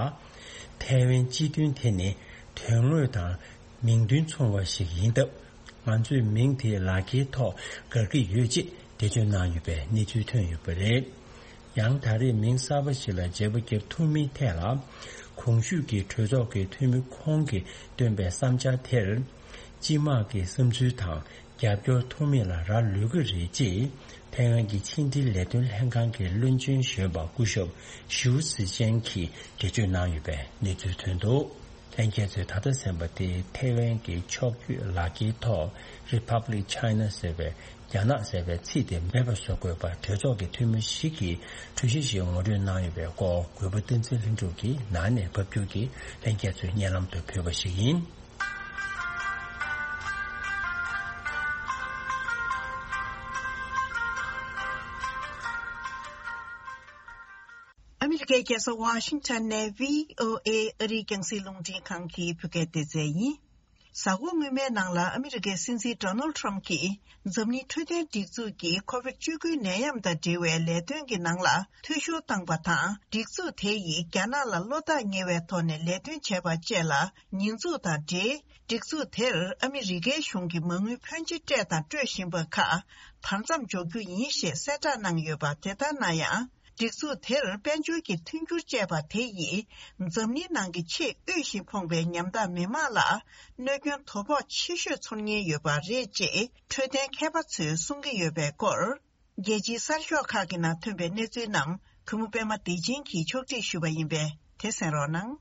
ཐའེ་ཝན་སྤྱི་མཐུན་དེ་ནི་དོན་དངོས་དང་མིང་དོན་མཚུངས་པ་ཞིག་ཡིན་སྟབས། ང་ཚོས་མིང་དེ་ལག་འཁྱེར་ཐོག་དགར་གྱི་ཡོད་ཅེས་འགྲེལ་བརྗོད་གནང་ཡོད་པའི་གནས་ཚུལ་ཐོན་ཡོད་པ་རེད། ཡང་ད་རེས་མིང་གསར་པ་ཞིག་ལ་བརྗེ་པོ་བརྒྱབ་ཐུབ་མིན་ཐད་ལ། གོང་ཞུས་ཀྱི་གྲོས་ཚོགས་ཀྱི་འཐུས་མི་ཁོང་གིས་བཏོན་པའི་བསམ་འཆར་དེར། སྤྱི་དམངས་ཀྱི་བསམ་ཚུལ་དང་རྒྱབ་སྐྱོར་ཐོབ་མེད་ལ་རག་ལུས་ཀྱི་རེད་ཅེས། ཐའེ་ཝན་གྱི་ཕྱི་འབྲེལ་ལས་དོན་ལྷན་ཁང་གི་བློན་ཆེན་གཞོན་པ་སྐུ་ཞབས་ཞིའུ་ཙི་ཅན་གྱིས་འགྲེལ་བརྗོད་གནང་ཡོད་པའི་གནས་ཚུལ་ཐོན་འདུག་ལྷན་རྒྱས་ཚོས་ད་ལྟ་གསན་པ་དེ་ཐའེ་ཝན་གྱི་ཕྱོགས་བསྐྱོད་ལག་འཁྱེར་ཐོག་Republic China ཟེར་བའི་རྒྱ་ནག་ཟེར་བའི་ཚིག་དེ་མེད་པ་བཟོ་དགོས་པར་གྲོས་ཚོགས་ཀྱི་འཐུས་མི་ཞིག་གིས་གྲོས་གཞི་ཞིག་ངོ་སྤྲོད་གནང་ཡོད་པའི་སྐོར་གུས་པ་བསྟན་འཛིན་ལྷུན་གྲུབ་ཀྱིས་ནང་ནས་ཕབ་སྒྱུར་གྱིས་ལྷན་རྒྱས་ཚོའི་སྙན་ལམ་དུ་ཕུལ་བ་ཞིག་ཡིན། ཨ་མི་རི་ཀའི་རྒྱལ་ས་ཝ་ཤིང་ཊོན་ནས་བྷི་ཨོ་ཨེ་ཨ་རིའི་རྒྱང་སྲིང་རླུང་འཕྲིན་ཁང་གི་བོད་སྐད་སྡེ་ཚན་ཡིན། གཟའ་འཁོར་སྔོན་མའི་ནང་ལ་ཨ་མི་རི་ཀའི་སྲིད་འཛིན་ཌོ་ནལ་ཊམ་གྱིས་འཛམ་གླིང་འཕྲོད་བསྟེན་སྒྲིག་འཛུགས་ཀྱི་ཁོ་ཝིཌ་བཅུ་དགུ་ནད་ཡམས་དང་འབྲེལ་བའི་ལས་དོན་གྱི་ནང་ལ་འཐུས་ཤོར་བཏང་པ་དང་། སྒྲིག་འཛུགས་དེ་ཡིས་རྒྱ་ནག་ལ་བློ་ཐག་ཉེ་བའི་ཐོག་ནས་ལས་དོན་བྱས་པ་བཅས་ལ་ཉེས་འཛུགས་དང་འབྲེལ། སྒྲིག་འཛུགས་དེར་ཨ་མི་རི་ཀའི་གཞུང་གིས་མ་དངུལ་ཕོན་ཆེ་སྤྲད་དང་སྤྲོད་བཞིན་པ་ཁག་བར་མཚམས་འཇོག་རྒྱུ་ཡིན་ཞེས་གསལ་བསྒྲགས་གནང་ཡོད་པ། དེ་ལྟར་ན་ཡང་། སྒྲིག་འཛུགས་དེར་དཔལ་འབྱོར་གྱི་མཐུན་འགྱུར་བཅས་པ་དེ་ཡིས་འཛམ་གླིང་ནང་གི་ཆེས་དབུལ་ཞིང་ཕོངས་པའི་ཉམ་ཐག་མི་དམངས་ལ་གནོད་སྐྱོན་དོ་ཕོག་ཆེ་ཤོས་ཚོར་ཉེན་ཡོད་པ་རེད་ཅེས་འཕྲོད་བསྟེན་མཁས་པ་ཚོས་གསུང་གི་ཡོད་པའི་སྐོར། རྒྱལ་སྤྱིའི་གསར་ཤོག་ཁག་གི་ནང་ཐོན་པའི་གནས་ཚུལ་རྣམས་གུས་མོ་པད་མ་བདེ་ཆེན་གྱིས་ཕྱོགས་སྒྲིག་ཞུས་པ་ཡིན་པས་དེ་གསན་རོགས་གནང་།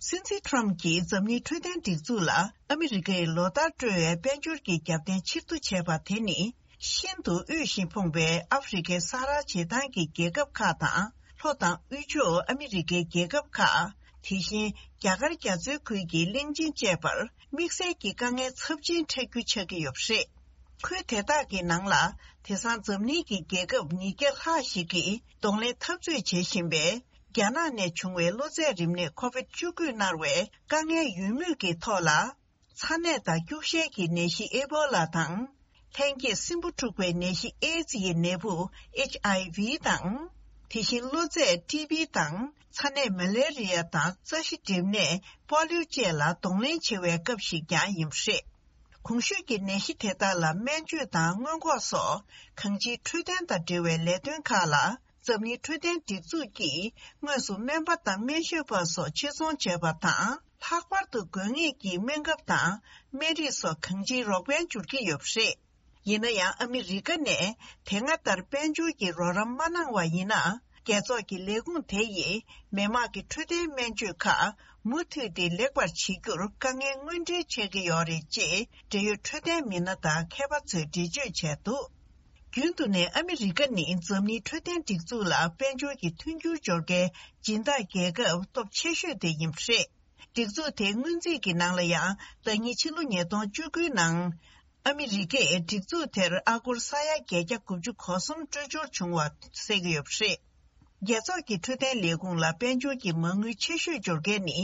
སྲིད་འཛིན་ཊམ་གྱིས་འཛམ་གླིང་འཕྲོད་བསྟེན་སྒྲིག་འཛུགས་ལ་ཨ་མི་རི་ཀས་ལོ་ལྟར་སྤྲོད་པའི་དཔལ་འབྱོར་གྱི་རྒྱབ་རྟེན་ཕྱིར་བསྡུ་བྱས་པ་དེ་ནི། ཤིན་ཏུ་དབུལ་ཞིང་ཕོངས་པའི་ཨ་ཧྥེ་རི་ཁའི་ས་ཧ་ར་བྱེ་ཐང་གི་རྒྱལ་ཁབ་ཁག་དང་། ལྷོ་དང་དབུས་ཕྱོགས་ཨ་མི་རི་ཀའི་རྒྱལ་ཁབ་ཁག་དེ་བཞིན་རྒྱ་གར་རྒྱ་མཚོའི་ཁུལ་གྱི་གླིང་ཆེན་བཅས་པར་དམིགས་བསལ་གྱི་དཀའ་ངལ་ཚབས་ཆེན་འཕྲད་རྒྱུ་ཆགས་ཀྱི་ཡོད་པ་རེད། ཁུལ་དེ་དག་གི་ནང་ལ་དེང་སང་འཛམ་གླིང་གི་རྒྱལ་ཁབ་ཉིས་བརྒྱ་ལྷག་ཞིག་གིས་གདོང་ལེན་འཐབ་རྩོད་བྱེད་བཞིན་པའི་རྒྱ་ནག་ནས་བྱུང་བའི་གློ་ཚད་རིམས་ནད་ཁོ་ཝིཌ་བཅུ་དགུས་མནར་བའི་དཀའ་ངལ་ཡོད་མུས་ཀྱི་ཐོག་ལ། ཚ་ནད་དང་སྐྱུག་བཤལ་གྱི་ནད་གཞི་ཨེ་བོ་ལ་དང་། ལྷན་སྐྱེས་སྲིན་འབུ་འཁྲུགས་པའི་ནད་གཞི་ཨེ་ཛི་ཡི་ནད་འབུ་ཨེཆ་ཨའི་ཝི་དང་། དེ་བཞིན་གློ་ཚད་ཊི་བི་དང་། ཚ་ནད་མ་ལེ་རི་ཡ་དང་རྩ་ཤེད་འགྲིབ་ནད་པོ་ལིའུ་བཅས་ལ་གདོང་ལེན་བྱེད་པའི་སྐབས་ཤིག་ཀྱང་ཡིན་པ་རེད། གོང་ཞུས་ཀྱི་ནད་གཞི་དེ་དག་ལ་སྨན་བཅོས་དང་སྔོན་འགོག་སོགས་གང་ཅིའི་འཕྲོད་བསྟེན་དང་འབྲེལ་བའི་ལས་དོན་ཁག་ལ། འཛམ་གླིང་འཕྲོད་བསྟེན་སྒྲིག་འཛུགས་ཀྱིས་དངོས་སུ་སྨན་པ་དང་སྨན་ཞབས་པ་སོགས་ཆེད་ཚོང་བྱས་པ་དང་། ལྷག་པར་དུ་དགོས་ངེས་ཀྱི་སྨན་ཁབ་དང་སྨན་རིགས་སོགས་གང་ཅིའི་རོགས་ཕན་སྦྱོར་གྱི་ཡོད་པ་རེད། ཡིན་ན་ཡང་ཨ་མི་རི་ཀ་ནས་དེ་སྔ་ལྟར་དཔལ་འབྱོར་གྱི་རོགས་རམ་མ་གནང་བ་ཡིན་ན། རྒྱལ་ཚོགས་ཀྱི་ལས་ཁུངས་དེ་ཡིས་མི་དམངས་ཀྱི་འཕྲོད་བསྟེན་སྨན་བཅོས་ཁག་མུ་མཐུད་དེ་ལེགས་པར་བྱེད་རྒྱུར་དཀའ་ངལ་དངོས་འབྲེལ་འཕྲད་ཀྱི་ཡོད་རེད་ཅེས་འབྲེལ་ཡོད་འཕྲོད་བསྟེན་མི་སྣ་དང་མཁས་པ་ཚོས་འགྲེལ་བརྗོད་བྱས་འདུག་རྒྱུན་དུ་ནས་ཨ་མི་རི་ཀ་ནི་འཛམ་གླིང་འཕྲོད་བསྟེན་སྒྲིག་འཛུགས་ལ་དཔལ་འབྱོར་གྱི་མཐུན་འགྱུར་སྦྱོར་མཁན་སྦྱིན་བདག་རྒྱལ་ཁབ་སྟོབས་ཆེ་ཤོས་དེ་ཡིན་པ་རེད། སྒྲིག་འཛུགས་དེའི་སྔོན་རྩིས་ཀྱི་ནང་ལ་ཡང་ཟླ་ཉིན་ཕྱི་ལོ་ཉིས་སྟོང་བཅུ་དགུའི་ནང་ཨ་མི་རི་ཀས་སྒྲིག་འཛུགས་དེར་ཨ་སྒོར་ས་ཡ་བརྒྱད་བརྒྱ་དགུ་བཅུ་གོ་གསུམ་སྤྲོད་འབྱོར་བྱུང་བ་གསལ་གྱི་ཡོད་པ་རེད། རྒྱལ་ཚོགས་ཀྱི་འཕྲོད་བསྟེན་ལས་ཁུངས་ལ་དཔལ་འབྱོར་གྱི་མ་དངུལ་ཆེ་ཤོས་འབྱོར་མཁན་ནི་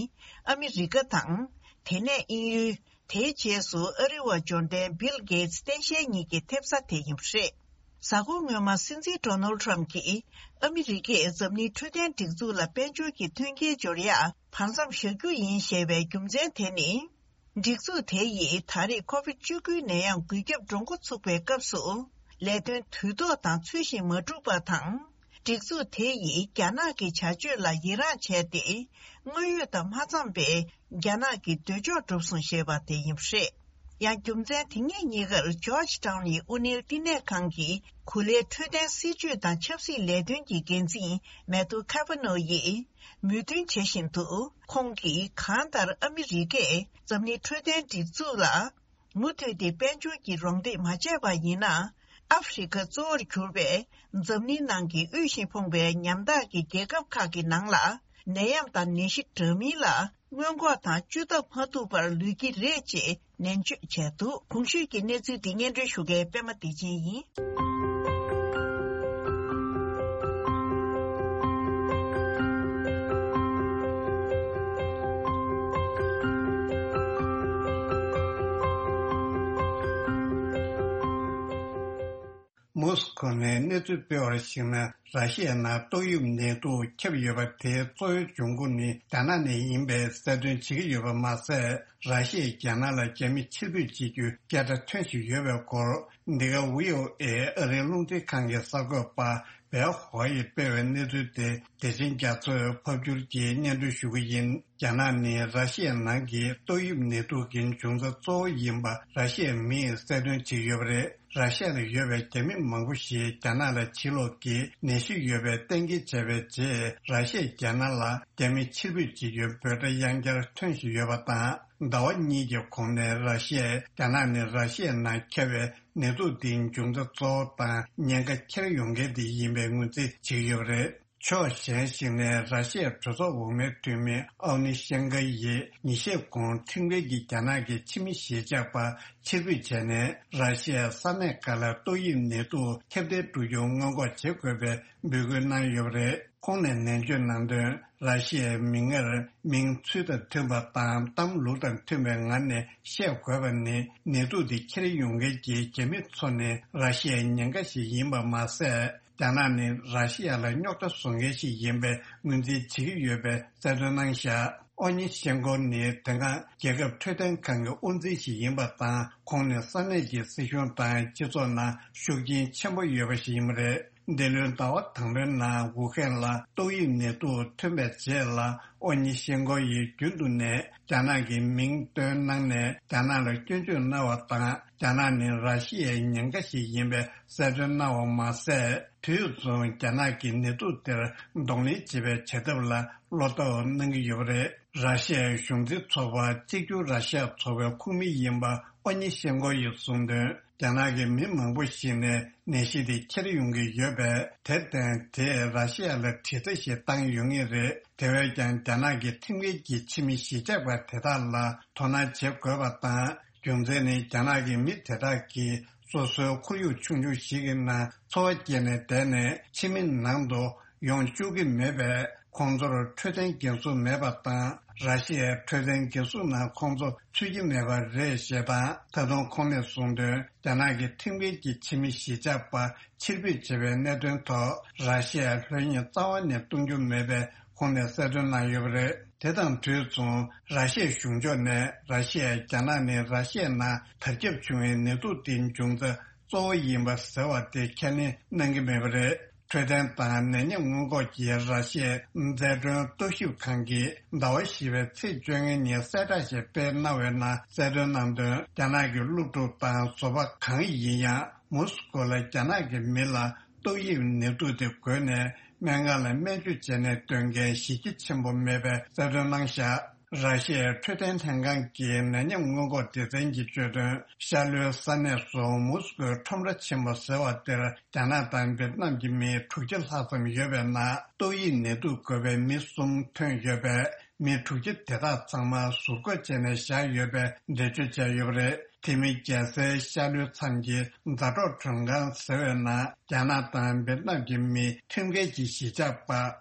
ཨ་མི་རི་ཀ་དང་། དེ་ནས་དབྱིན་ཡུལ། དེའི་རྗེས་སུ་ཨ་རི་བ་འབྱོར་ལྡན་བྷིལ་གེ་ཊི་སྟངས་དཔྱལ་གཉིས་ཀྱི་ཐེབས་རྩ་དེ་ཡིན་པ་རེད། གཟའ་འཁོར་སྔོན་མ་སྲིད་འཛིན་ཌོ་ནལ་ཊམ་གྱིས་ཨ་མི་རི་ཀས་འཛམ་གླིང་འཕྲོད་བསྟེན་སྒྲིག་འཛུགས་ལ་དཔལ་འབྱོར་གྱི་མཐུན་རྐྱེན་སྦྱོར་ཡག་བར་མཚམས་བཞག་རྒྱུ་ཡིན་ཞེས་པའི་རྒྱུ་མཚན་དེ་ནི། སྒྲིག་འཛུགས་དེ་ཡིས་ད་རེས་ཁོ་ཝིཌ་བཅུ་དགུའི་ནད་ཡམས་འགོས་ཁྱབ་འགྲོ་འགོ་ཚུགས་པའི་སྐབས་སུ། ལས་དོན་དུས་ཐོག་དང་ཚུལ་བཞིན་མ་བསྒྲུབས་པ་དང་། སྒྲིག་འཛུགས་དེ་ཡིས་རྒྱ་ནག་གི་བྱ་སྤྱོད་ལ་ཡི་རངས་བྱས་ཏེ། དངོས་ཡོད་དང་མ་འཚམས་པའི་རྒྱ་ནག་གི་འདོད་ཕྱོགས་བསྒྲུབས་སོང་ཞེས་པ་དེ་ཡིན་པ་རེད། ཡང་རྒྱུ་མཚན་དེ་ཉིད་གཉིས་ཀར་ཇོརྗ་ཊའུན་ཡི་དབུ་ནེལ་བསྟི་གནས་ཁང་གི་གོ་ལའི་འཕྲོད་བསྟེན་སྲིད་ཇུས་དང་ཆབ་སྲིད་ལས་དོན་གྱི་འགན་འཛིན་མེ་ཐུ་ཁ་ཕ་ནོ་ཡིས། མོས་མཐུན་བྱེད་བཞིན་དུ། ཁོང་གིས་གང་ལྟར་ཨ་མི་རི་ཀས་འཛམ་གླིང་འཕྲོད་བསྟེན་སྒྲིག་འཛུགས་ལ། མུ་མཐུད་དེ་དཔལ་འབྱོར་གྱི་རོགས་འདེགས་མ་བྱས་པ་ཡིན་ན། ཨ་ཧྥེ་རི་ཁ་གཙོ་བོར་གྱུར་པའི་འཛམ་གླིང་ནང་གི་དབུལ་ཞིང་ཕོངས་པའི་ཉམ་ཐག་གི་རྒྱལ་ཁབ་ཁག་གི་ནང་ལ། ནད་ཡམས་དང་ནད་གཞི་འདྲ་མིན་ལ་སྔོན་འགོག་དང་བཅོས་ཐབས་མ་ཐུབ་པར་ལུས་ཀྱི་རེད་ཅེས་ནན་བརྗོད་བྱས་འདུག་གོང་ཞུས་ཀྱི་གནས་ཚུལ་འདི་སྙན་སྒྲོན་ཞུ་མཁན་པད་མ་བདེ་ཆེན་ཡིན། མོ་སི་ཁོ་ནས་གནས་ཚུལ་སྤེལ་བར་གཞིགས་ན། ར་ཤི་ཡའི་ནང་ཏོག་དབྱིབས་ནད་དུག་ཁྱབ་ཡོད་པ་དེའི་གཙོ་བོའི་འབྱུང་ཁུངས་ནི་རྒྱ་ནག་ནས་ཡིན་པའི་གསལ་སྟོན་བྱེད་ཀྱི་ཡོད་པ་མ་ཟད། ར་ཤི་ཡས་རྒྱ་ནག་ལ་རྒྱ་མི་ཕྱིར་འབུད་བྱེད་རྒྱུའི་སྐད་སྒྲ་ཐོན་བཞིན་ཡོད་པའི་སྐོར། འདི་ག་ཝི་ཨོ་ཨེ་ཨ་རིའི་རླུང་འཕྲིན་ཁང་གི་གསར་འགོད་པ་བེ་ཧོ་ཡིས་སྤེལ་བའི་གནས་ཚུལ་དེ། བདེ་ཆེན་རྒྱ་མཚོས་ཕབ་བསྒྱུར་གྱིས་སྙན་སྒྲོན་ཞུ་གི་ཡིན། རྒྱ་ནག་ནི་ར་ཤི་ཡའི་ནང་གི་ཏོག་དབྱིབས་ནད་དུག་གི་འབྱུང་རྩ་གཙོ་བོ་ཡིན་པ་ར་ཤི་ཡའི་མིས་གསལ་སྟོན་བྱེད་ཀྱི་ཡོད་པ་རེད། ར་ཤི་ཡ་ལ་ཡོད་པའི་རྒྱ་མི་མང་པོ་ཞིག་རྒྱ་ནག་ལ་ཕྱིར་ལོག་གིས་ནད་གཞི་ཡོད་པའི་གཏན་འཁེལ་བྱས་པའི་རྗེས། ར་ཤི་ཡས་རྒྱ་ནག་ལ་རྒྱ་མི་ཕྱིར་འབུད་བྱེད་རྒྱུའི་འབོད་སྒྲ་ཡང་བསྐྱར་ཐོན་བཞིན་ཡོད་པ་དང་། ཟླ་བ་གཉིས་ཀྱི་གོང་ནས་ར་ཤི་ཡས་རྒྱ་ནག་ནས་ར་ཤི་ཡའི་ནང་ཁྱབ་པའི་ནད་དུག་འདིའི་འབྱུང་རྩ་གཙོ་བོ་དང་ཉེན་ཁ་འཁྱེར་ཡོང་མཁན་དེ་ཡིན་པའི་ངོས་འཛིན་བྱེད་ཀྱི་ཡོད་པ་རེད། ཕྱོགས་གཞན་ཞིག་ནས་ར་ཤི་ཡའི་གྲོས་ཚོགས་འོག་མའི་འཐུས་མི་ཨའོ་ནི་ཤན་ཀ་ཡིས་ཉིན་ཤས་གོང་ཁྲིམས་འགལ་གྱིས་རྒྱ་ནག་གི་ཕྱི་མི་གཞིས་ཆགས་པ་ཕྱིར་འབུད་བྱས་ནས། ར་ཤི་ཡའི་ས་གནས་ཁག་ལ་ཏོག་དབྱིབས་ནད་དུག་ཁྱབ་གདལ་འགྲོ་རྒྱུ་སྔོན་འགོག་བྱེད་དགོས་པའི་འབོད་སྐུལ་གནང་ཡོད་པ་རེད། ཁོང་ནས་ནན་བརྗོད་གནང་དོན། ར་ཤི་ཡའི་མིང་ངེར་མིང་ཚུལ་དང་མཐུན་པ་དང་གཏམ་ལུགས་དང་མཐུན་པའི་ངང་ནས་བཤད་དགོས་པ་ནི། ནད་དུག་འདི་འཁྱེར་ཡོང་མཁན་གྱི་རྒྱ་མི་ཚོ་ནི་ར་ཤི་ཡའི་ཉེན་ཁ་ཞིག་ཡིན་པ་མ་ཟད། རྒྱ་ནག་ནི་ར་ཤི་ཡ་ལ་རྙོག་དྲ་བཟོ་མཁན་ཞིག་ཡིན་པའི་ངོས་འཛིན་བྱེད་ཀྱི་ཡོད་པའི་གསལ་སྟོན་གནང་བཞག་ཨོ་ཉི་ཤེན་ཀོ་ནི་དེ་སྔ་རྒྱལ་ཁབ་འཕྲོད་བསྟེན་ཁང་གི་དབུ་འཛིན་ཞིག་ཡིན་པ་དང་། ཁོང་ནི་ས་གནས་ཀྱི་སྲིད་གཞུང་དང་སྤྱི་ཚོགས་ནང་ཤུགས་རྐྱེན་ཆེན་པོ་ཡོད་པ་ཞིག་ཡིན་པ་རེད། འདི་ལོའི་ཟླ་བ་དང་པོའི་ནང་ཝུ་ཧན་ལ་ཏོག་དབྱིབས་ནད་དུག་ཐོན་པའི་རྗེས་ལ། ཨོ་ཉི་ཤེན་ཀོ་ཡིས་རྒྱུན་དུ་ནས་རྒྱ་ནག་གི་མིང་བཏོན་གནང་ནས། རྒྱ་ནག་ལ་སྐྱོན་བརྗོད་གནང་བ་དང་། རྒྱ་ནག་ནི་ར་ཤི་ཡའི་ཉེན་ཁ་ཞིག་ཡིན་པའི་གསལ་སྟོན་གནང་བ་མ་ཟད། དུས་མཚུངས་རྒྱ་ནག་གིས་ནད་དུག་དེར་གདོང་ལེན་བྱེད་པའི་བྱ་ཐབས་ལ་བློ་དོགས་གནང་གི་ཡོད་པ་རེད། ར་ཤི་ཡའི་གཞུང་འཛིན་ཚོགས་པ་གཅིག་གྱུར་ར་ཤི་ཡ་ཚོགས་པའི་ཁོངས་མི་ཡིན་པ་ཨོ་ཉི་ཤེན་ཀོ་ཡིས་གསུངས་དོན། རྒྱ་ནག་གི་མི་མང་པོ་ཞིག་ནས་ནད་གཞི་དེ་འཁྱེར་ཡོང་གི་ཡོད་པས། དེར་བརྟེན་དེས་ར་ཤི་ཡ་ལ་དྲི་རྩད་ཞིག་བཏང་ཡོད་ངེས་རེད། དེ་བས་ཀྱང་རྒྱ་ནག་གི་ཁྲིམས་འགལ་གྱི་ཕྱི་མི་གཞིས་ཆགས་པ་དེ་དག་ལ་དོ་སྣང་བྱེད་དགོས་པ་དང་། རྒྱུ་མཚན་ནི་རྒྱ་ནག་གི་མི་དེ་དག་གིས་སོ་སོའི་ཁོར་ཡུག་ཆུང་ཆུང་ཞིག་གི་ནང་འཚོ་བ་སྐྱེལ་ནས་བསྡད་ནས་ཕྱི་མི་ནང་དུ་ཡོང་བཅུག་གི་མེད་པས། ཁོང་ཚོར་འཕྲོད་བསྟེན་འགན་སྲུང་མེད་པ་དང་། ར་ཤི་ཡའི་འཕྲོད་བསྟེན་འགན་སྲུང་ནང་ཁོང་ཚོ་ཚུད་ཀྱི་མེད་པ་རེད་ཞེས་དང་། ད་དུང་ཁོང་ནས་གསུངས་དོན། རྒྱ་ནག་གི་ཁྲིམས་འགལ་གྱི་ཕྱི་མི་གཞིས་ཆགས་པ་ཕྱིར་འབུད་བྱས་པའི་གནད་དོན་ཐོག་ར་ཤི་ཡས་ལྷོད་གཡེང་རྩ་བ་ནས་གཏོང་རྒྱུ་མེད་པའི་ཁོང་ནས་གསལ་སྟོན་གནང་ཡོད་པ་རེད། དེ་དང་དུས་མཚུངས། ར་ཤི་ཡའི་གཞུང་ཕྱོགས་ནས་ར་ཤི་ཡས་རྒྱ་ནག་ནི་ར་ཤི་ཡའི་ནང་དར་ཁྱབ་བྱུང་བའི་ནད་དུག་དེའི་འབྱུང་རྩ་གཙོ་བོ་ཡིན་པ་ཟེར་བ་དེ་ཁས་ལེན་གནང་གི་མེད་པ་རེད། འཕྲོད་བསྟེན་དང་ནད་ཡམས་སྔོན་འགོག་གི་ར་ཤི་ཡའི་རྩལ་གྲོན་རྟོག་ཞིབ་ཁང་གིས་ཟླ་བ་བཞི་པའི་ཚེས་བཅོ་ལྔ་ཉིན་གསལ་བསྒྲགས་ཤིག་སྤེལ་གནང་བའི་ནང་གསལ་སྟོན་གནང་དོན། རྒྱ་ནག་གི་སློབ་ཕྲུག་དང་བཟོ་པ་གང་ཡིན་ཡང་། མོ་སི་ཀོ་ལ་རྒྱ་ནག་གི་མི་ལ་ཏོག་དབྱིབས་ནད་དུག་དེ་འགོས་ནས་སྨན་ཁང་ལ་སྨན་བཅོས་བྱས་ནས་སྡོད་མཁན་གཞི་རྒྱ་ཆེན་པོ་མེད་པའི་གསལ་སྟོན་གནང་བཞག་ར་ཤི་ཡའི་འཕྲོད་བསྟེན་ལྷན་ཁང་གི་ནད་ཡམས་སྔོན་འགོག་སྡེ་ཚན་གྱིས་བརྗོད་དོན། ཤར་ལྷོའི་ས་གནས་སུ་མོ་སི་ཀོའི་ཁྲོམ་ར་ཆེན་པོ་ཟེར་བ་དེར་རྒྱ་ནག་དང་ཝེ་ཏི་ནམ་གྱི་མི་དྲུག་ཅུ་ལྷག་ཙམ་ཡོད་པའི་ནང་ཏོག་དབྱིབས་ནད་དུག་འགོས་པའི་མི་གསུམ་ཐོན་ཡོད་པས། མི་དྲུག་ཅུ་དེ་དག་ཚང་མ་ཟུར་འགོག་བྱས་ནས་བཞག་ཡོད་པའི་འགྲེལ་བརྗོད་བྱས་ཡོད་པ་རེད། དེ་མིན་རྒྱལ་སའི་ཤར་ལྷོའི་མཚམས་ཀྱི་མཛའ་གྲོགས་མགྲོན་ཁང་ཟེར་བའི་ནང་རྒྱ་ནག་དང་ཝེ་ཏི་ནམ་གྱི་མི་ཁྲིམས་འགལ་གྱི་གཞིས་ཆགས་པ་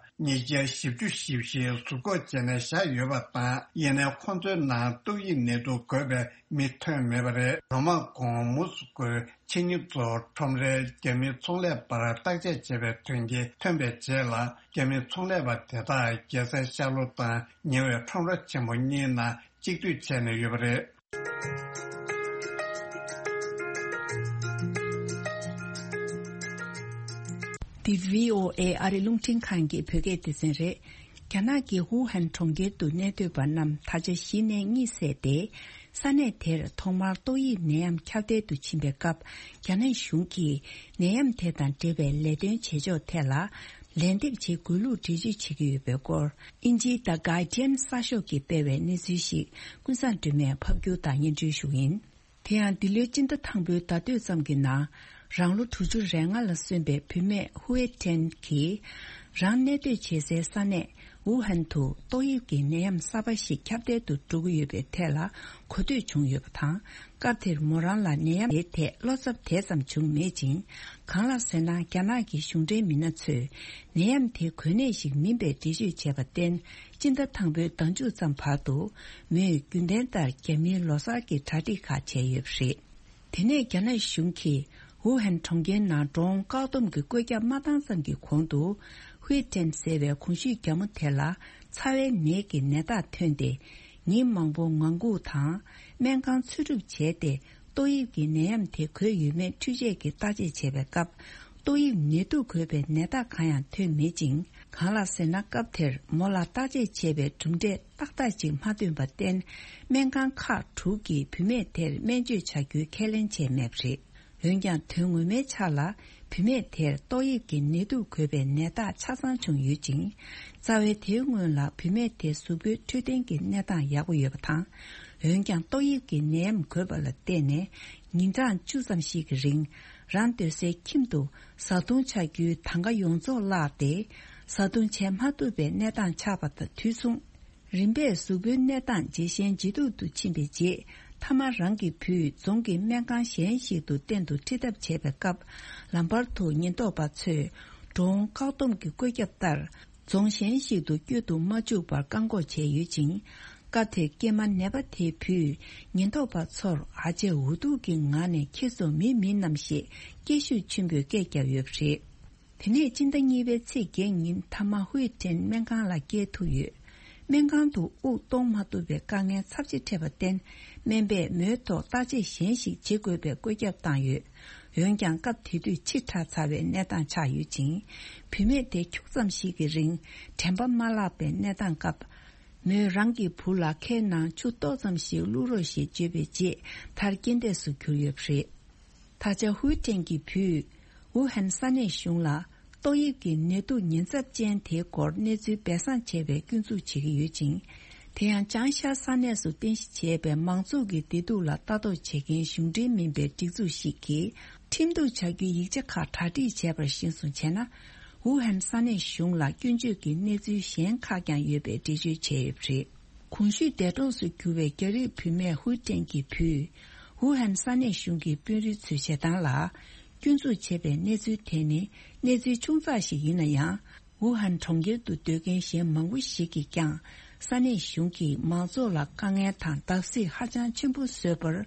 ཉིས་བརྒྱ་བཞི་བཅུ་ཞེ་བཞི་ཟུར་འགོག་བྱས་ནས་བཞག་ཡོད་པ་དང་། ཡིན་ནའི་ཁོང་ཚོའི་ནང་ཏོག་དབྱིབས་ནད་དུག་འགོས་པའི་མི་ཐོན་མེད་པ་རེད། ལོ་མང་གོང་མོ་སི་ཀོའི་ཆེད་གཉེར་གཙོ་ཁྲོམ་རའི་རྒྱ་མི་ཚོང་ལས་པར་བརྟག་དཔྱད་བྱས་པའི་དོན་རྐྱེན་ཐོན་པའི་རྗེས་ལ། རྒྱ་མི་ཚོང་ལས་པ་དེ་དག་རྒྱལ་སའི་ཤར་ལྷོ་དང་ཉེ་བའི་ཁྲོམ་ར་ཆེན་པོ་གཉིས་ནང་གཅིག་སྡུད་བྱས་ནས་ཡོད་པ་རེད། འདི་བྷི་ཨོ་ཨེ་ཨ་རི་རླུང་འཕྲིན་ཁང་གི་བོད་སྐད་སྡེ་ཚན་རེད། རྒྱ་ནག་གི་ཝུ་ཧན་གྲོང་ཁྱེར་དུ་གནས་སྡོད་པ་རྣམས་ད་ཆ་གཞི་ནས་གཉིད་སད་དེ། ས་གནས་དེར་ཐོག་མར་ཏོག་དབྱིབས་ནད་ཡམས་ཁྱབ་གདལ་དུ་ཕྱིན་པའི་སྐབས། རྒྱ་ནག་གཞུང་གིས་ནད་ཡམས་དེ་དང་འབྲེལ་བའི་ལས་དོན་བྱེད་ཕྱོགས་ཐད་ལ། ལན་འདེབས་བྱེད་དགོས་ལུགས་འགྲེལ་བརྗོད་བྱེད་ཀྱི་ཡོད་པའི་སྐོར། དབྱིན་ཇིའི་The Guardian་གསར་ཤོག་གིས་སྤེལ་བའི་གནས་ཚུལ་ཞིག་ཀུན་བཟང་སྒྲོལ་མས་ཕབ་སྒྱུར་དང་སྙན་སྒྲོན་ཞུ་གི་ཡིན། དེ་ཡང་འདི་ལོའི་སྤྱི་ཟླ་དང་པོའི་ཟླ་སྟོད་ཙམ་གྱི་ནང་། རང་ལོ་དྲུག་ཅུ་རེ་ལྔ་ལ་སོན་པའི་བུད་མེད་ཧུའེ་ཁྲེན་གྱིས། རང་གནས་སྡོད་བྱེད་སའི་ས་གནས་ ཝུ་ཧན་དུ་ཏོག་དབྱིབས་ཀྱི་ནད་ཡམས་གསར་པ་ཞིག་ཁྱབ་གདལ་དུ་འགྲོ་གི་ཡོད་པའི་ཐད་ལ་གོ་ཐོས་བྱུང་ཡོད་པ་དང་། སྐབས་དེར་མོ་རང་ལ་ནད་ཡམས་དེའི་ཐད་བློ་འཚབ་དེ་ཙམ་བྱུང་མེད་ཅིང་། གང་ལགས་ཟེར་ན། རྒྱ་ནག་གི་གཞུང་འབྲེལ་མི་སྣ་ཚོས་ནད་ཡམས་དེ་འགོས་ནད་ཞིག་མིན་པའི་འགྲེལ་བརྗོད་བྱས་པར་བརྟེན། སྤྱི་ཟླ་དང་པོའི་ཟླ་མཇུག་ཙམ་བར་དུ་མོས་རྒྱུན་ལྡན་ལྟར་རྒྱ་མིའི་ལོ་གསར་གྱི་གྲ་སྒྲིག་ཁག་བྱས་ཡོད་པ་རེད། དེ་ནས་རྒྱ་ནག་གཞུང་གིས་ཝུ་ཧན་གྲོང་ཁྱེར་ནང་ཌོ་རོན་བཀག་སྡོམ་གྱི་བཀོད་ཁྱབ་མ་བཏང་ཙམ་གྱི་གོང་དུ། ཧུའེ་ཀྲེན་ཟེར་བའི་གོང་ཞུས་རྒྱ་མོ་དེ་ལ་ཚ་བའི་ནད་ཀྱི་ནད་རྟགས་ཐོན་ཏེ། ཉིན་མང་པོ་ངང་སྒུག་དང་། སྨན་ཁང་འཚོལ་སྒྲུབ་བྱས་ཏེ། ཏོག་དབྱིབས་ཀྱི་ནད་ཡམས་དེ་འགོས་ཡོད་མེད་འཕྲུལ་ཆས་ཀྱིས་བརྟག་དཔྱད་བྱས་པའི་སྐབས། ཏོག་དབྱིབས་ནད་དུག་འགོས་པའི་ནད་རྟགས་གང་ཡང་ཐོན་མེད་ཅིང་། གང་ལགས་ཟེར་ན། སྐབས་དེར་མོ་ལ་བརྟག་དཔྱད་བྱས་པའི་གྲུབ་འབྲས་ཏག་ཏག་ཅིག་མ་ཐོན་པར་བརྟེན། སྨན་ཁང་ཁག་དྲུག་གིས་བུད་མེད་དེར་སྨན་བཅོས་བྱ་རྒྱུའི་ཁས་ལེན་བྱས་མེད་པ་རེད། འོན་ཀྱང་། དོན་ངོ་མའི་ཆ་ལ་བུད་མེད་དེར་ཏོག་དབྱིབས་ཀྱི་ནད་དུག་འགོས་པའི་ནད་རྟགས་ཆ་ཚང་བྱུང་ཡོད་ཅིང་། རྩ་བའི་དེའི་སྔོན་ལ་བུད་མེད་དེ་གཟུགས་པོའི་འཕྲོད་བསྟེན་གྱི་གནས་སྟངས་ཡག་པོ་ཡོད་པ་དང་། འོན་ཀྱང་། ཏོག་དབྱིབས་ཀྱི་ནད་ཡམས་འགོས་པ་ལ་བརྟེན་ནས། ཉིན་གྲངས་བཅུ་ཙམ་ཞིག་གི་རིང་། རང་སྡོད་སའི་ཁྱིམ་དུ་བཟའ་བཏུང་བྱ་རྒྱུའི་དང་ག་ཡོངས་རྫོགས་བརླགས་ཏེ། བཟའ་བཏུང་བྱས་མ་ཐུབ་པའི་གནས་སྟངས་ཆགས་པ་དང་དུས་མཚུངས། རིམ་པས་གཟུགས་པོའི་གནས་སྟངས་ཇེ་ཞན་ཇེ་སྡུག་ཏུ་ཕྱིན་པའི་རྗེས། མཐའ་མ་རང་གི་བུས་རྫོང་གི་སྨན་ཁང་གཞན་ཞིག་ཏུ་གཏན་དུ་ཁྲིད་ཐབས་བྱས་པའི་སྐབས། ལམ་བར་དུ་ཉེན་རྟོག་པ་ཚོས་འགྲོ་འོང་བཀག་སྡོམ་གྱི་བཀོད་ཁྱབ་ལྟར། རྫོང་གཞན་ཞིག་ཏུ་བསྐྱོད་དུ་མ་བཅུག་པར་བཀག་འགོག་བྱས་ཡོད་ཅིང་། སྐབས་དེར་སྐྱེས་མ་ནད་པ་དེའི་བུས་ཉེན་རྟོག་པ་ཚོར་ཨ་ཅེ་འུ་ཐུག་གི་ངང་ནས་ཁྱེད་ཚོ་མི་མིན་ནམ་ཞེས་སྐད་ཤུགས་ཆེན་པོས་སྐད་བརྒྱབ་ཡོད་པ་རེད། དེ་ནས་སྤྱི་ཟླ་གཉིས་པའི་ཚེས་བརྒྱད་ཉིན་མཐའ་མ་ཧུའེ་ཀྲེན་སྨན་ཁང་ལ་བསྐྱལ་ཐུབ་ཡོད། སྨན་ཁང་དུ་དབུགས་གཏོང་མ་ཐུབ་པའི་དཀའ་ངལ་ཚབས་ཆེ་འཕྲད་པར་བརྟེན། སྨན་པས་མོའི་ཐོག་བརྟག་དཔྱད་གཞན་ཞིག་བྱེད་དགོས་པའི་བཀོད་ཁྱབ་བཏང་ཡོད། འོན་ཀྱང་། སྐབས་དེ་དུས་ཕྱི་དྲགས་ཚར་བའི་གནས་སྟངས་ཆགས་ཡོད་ཅིང་། བུད་མེད་དེ་ཁྱུག་ཙམ་ཞིག་གི་རིང་དྲན་པ་མ་བརླག་པའི་གནས་སྟངས་སྐབས། མོས་རང་གི་བུ་ལ་ཁའི་ནང་ཆུ་ཏོག་ཙམ་ཞིག་བླུག་རོགས་ཞེས་བརྗོད་པའི་རྗེས། མཐར་རྐྱེན་འདས་སུ་གྱུར་ཡོད་པ་རེད། ད་ཆ་ཧུའེ་ཀྲེན་གྱི་བུས་ཝུ་ཧན་ས་གནས་གཞུང་ལ་ཏོག་དབྱིབས་ཀྱི་ནད་དུག་ཉེན་ཚབས་ཅན་དེའི་སྐོར་གནས་ཚུལ་སྦས་གསང་བྱས་པའི་སྐྱོན་འཛུགས་བྱེད་ཀྱི་ཡོད་ཅིང་། དེ་ཡང་ཅང་ཤ་ས་གནས་སུ་རྟེན་གཞི་བྱས་པའི་མང་ཚོགས་ཀྱི་བདེ་སྡུག་ལ་ལྟ་རྟོག་བྱེད་མཁན་གཞུང་འབྲེལ་མིན་པའི་སྒྲིག་འཛུགས་ཤིག་གིས་ཁྲིམས་གཏུག་བྱ་རྒྱུའི་ཡིག་ཆ་ཁག་གྲ་སྒྲིག་བྱས་པར་གཞིར་བཟུང་བྱས་ན། ཝུ་ཧན་ས་གནས་གཞུང་ལ་སྐྱོན་བརྗོད་ཀྱི་གནས་ཚུལ་གཞན་ཁག་ཀྱང་ཡོད་པའི་འགྲེལ་བརྗོད་བྱས་ཡོད་པ་རེད། གོང་ཞུས་འདས་གྲོངས་སུ་གྱུར་བའི་རྒྱ་རིགས་བུད་མེད་ཧུའེ་ཀྲེན་གྱི་བུས། ཝུ་ཧན་ས་གནས་གཞུང་གི་དཔོན་རིགས་ཚོའི་བྱེད་སྟངས་ལ་སྐྱོན་འཛུགས་བྱས་པའི་གནས་ཚུལ་དེ་ནི་གནས་ཚུལ་ཆུང་ཙག་ཞིག་ཡིན་ན་ཡང་། ཝུ་ཧན་གྲོང་ཁྱེར་དུ་སྡོད་མཁན་གཞན་མང་པོ་ཞིག་གིས་ཀྱང་། ས་གནས་གཞུང་གིས་མང་ཚོགས་ལ་དཀའ་ངལ་དང་བརྡབ་གསིག་ཧ་ཅང་ཆེན་པོ་བཟོས་པར།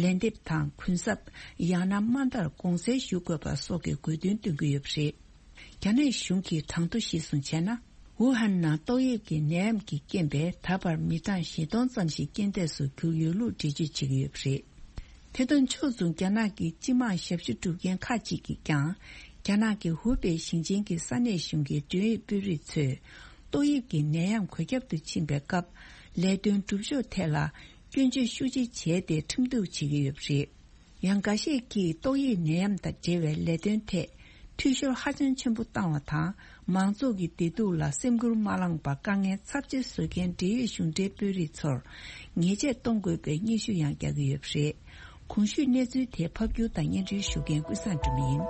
ལན་འདེབས་དང་གུན་གསབ། ཡང་ན་དམའ་མཐར་དགོངས་སེལ་ཞུ་དགོས་པ་སོགས་ཀྱི་དགོས་འདུན་བཏོན་གྱི་ཡོད་པ་རེད། རྒྱ་ནག་གཞུང་གི་གྲངས་ཐོ་གཞིར་བཟུང་བྱས་ན། ཝུ་ཧན་ནང་ཏོག་དབྱིབས་ཀྱི་ནད་ཡམས་ཀྱི་རྐྱེན་པས་ད་བར་མི་གྲངས་བཞི་སྟོང་ཙམ་ཞིག་རྐྱེན་འདས་སུ་གྱུར་ཡོད་ལུགས་འགྲེལ་བརྗོད་བྱེད་ཀྱི་ཡོད་པ་རེད། དེ་དང་ཕྱོགས་མཚུངས། རྒྱ་ནག་གི་སྤྱི་དམངས་ཞབས་ཞུ་སྒྲུབ་མཁན་ཁག་ཅིག་གིས་ཀྱང་། རྒྱ་ནག་གི་ཧུའུ་པེ་ཞིང་ཆེན་གྱི་ས་གནས་གཞུང་གི་མགྲོན་ཡིག་དཔོན་རིགས་ཚོས། ཏོག་དབྱིབས་ཀྱི་ནད་ཡམས་འགོས་ཁྱབ་ཏུ་ཕྱིན་པའི་སྐབས། ལས་དོན་སྒྲུབ་ཕྱོགས་ཐད་ལ་སྐྱོན་བརྗོད་ཤུགས་ཆེ་བྱས་ཏེ་ཁྲིམས་གཏུག་བྱེད་ཀྱི་ཡོད་པ་རེད། ཡང་། འགའ་ཤས་ཀྱིས་ཏོག་དབྱིབས་ནད་ཡམས་དང་འབྲེལ་བའི་ལས་དོན་ཐད་འཐུས་ཤོར་ཧ་ཅང་ཆེན་པོ་བཏང་བ་དང་། མང་ཚོགས་ཀྱི་བདེ་སྡུག་ལ་སེམས་ཁུར་མ་བླངས་པར་དཀའ་ངལ་ཚབས་ཆེ་བཟོ་མཁན་འབྲེལ་ཡོད་གཞུང་འབྲེལ་དཔོན་རིགས་ཚོར་ཉེས་ཆད་གཏོང་དགོས་པའི་སྙན་ཞུ་ཡང་རྒྱག་གི་ཡོད་པ་རེད། གོང་ཞུས་གནས་ཚུལ་དེ་ཕབ་སྒྱུར་དང་སྙན་སྒྲོན་ཞུ་མཁན་ཀུན་བཟང་སྒྲོལ་མ་ཡིན།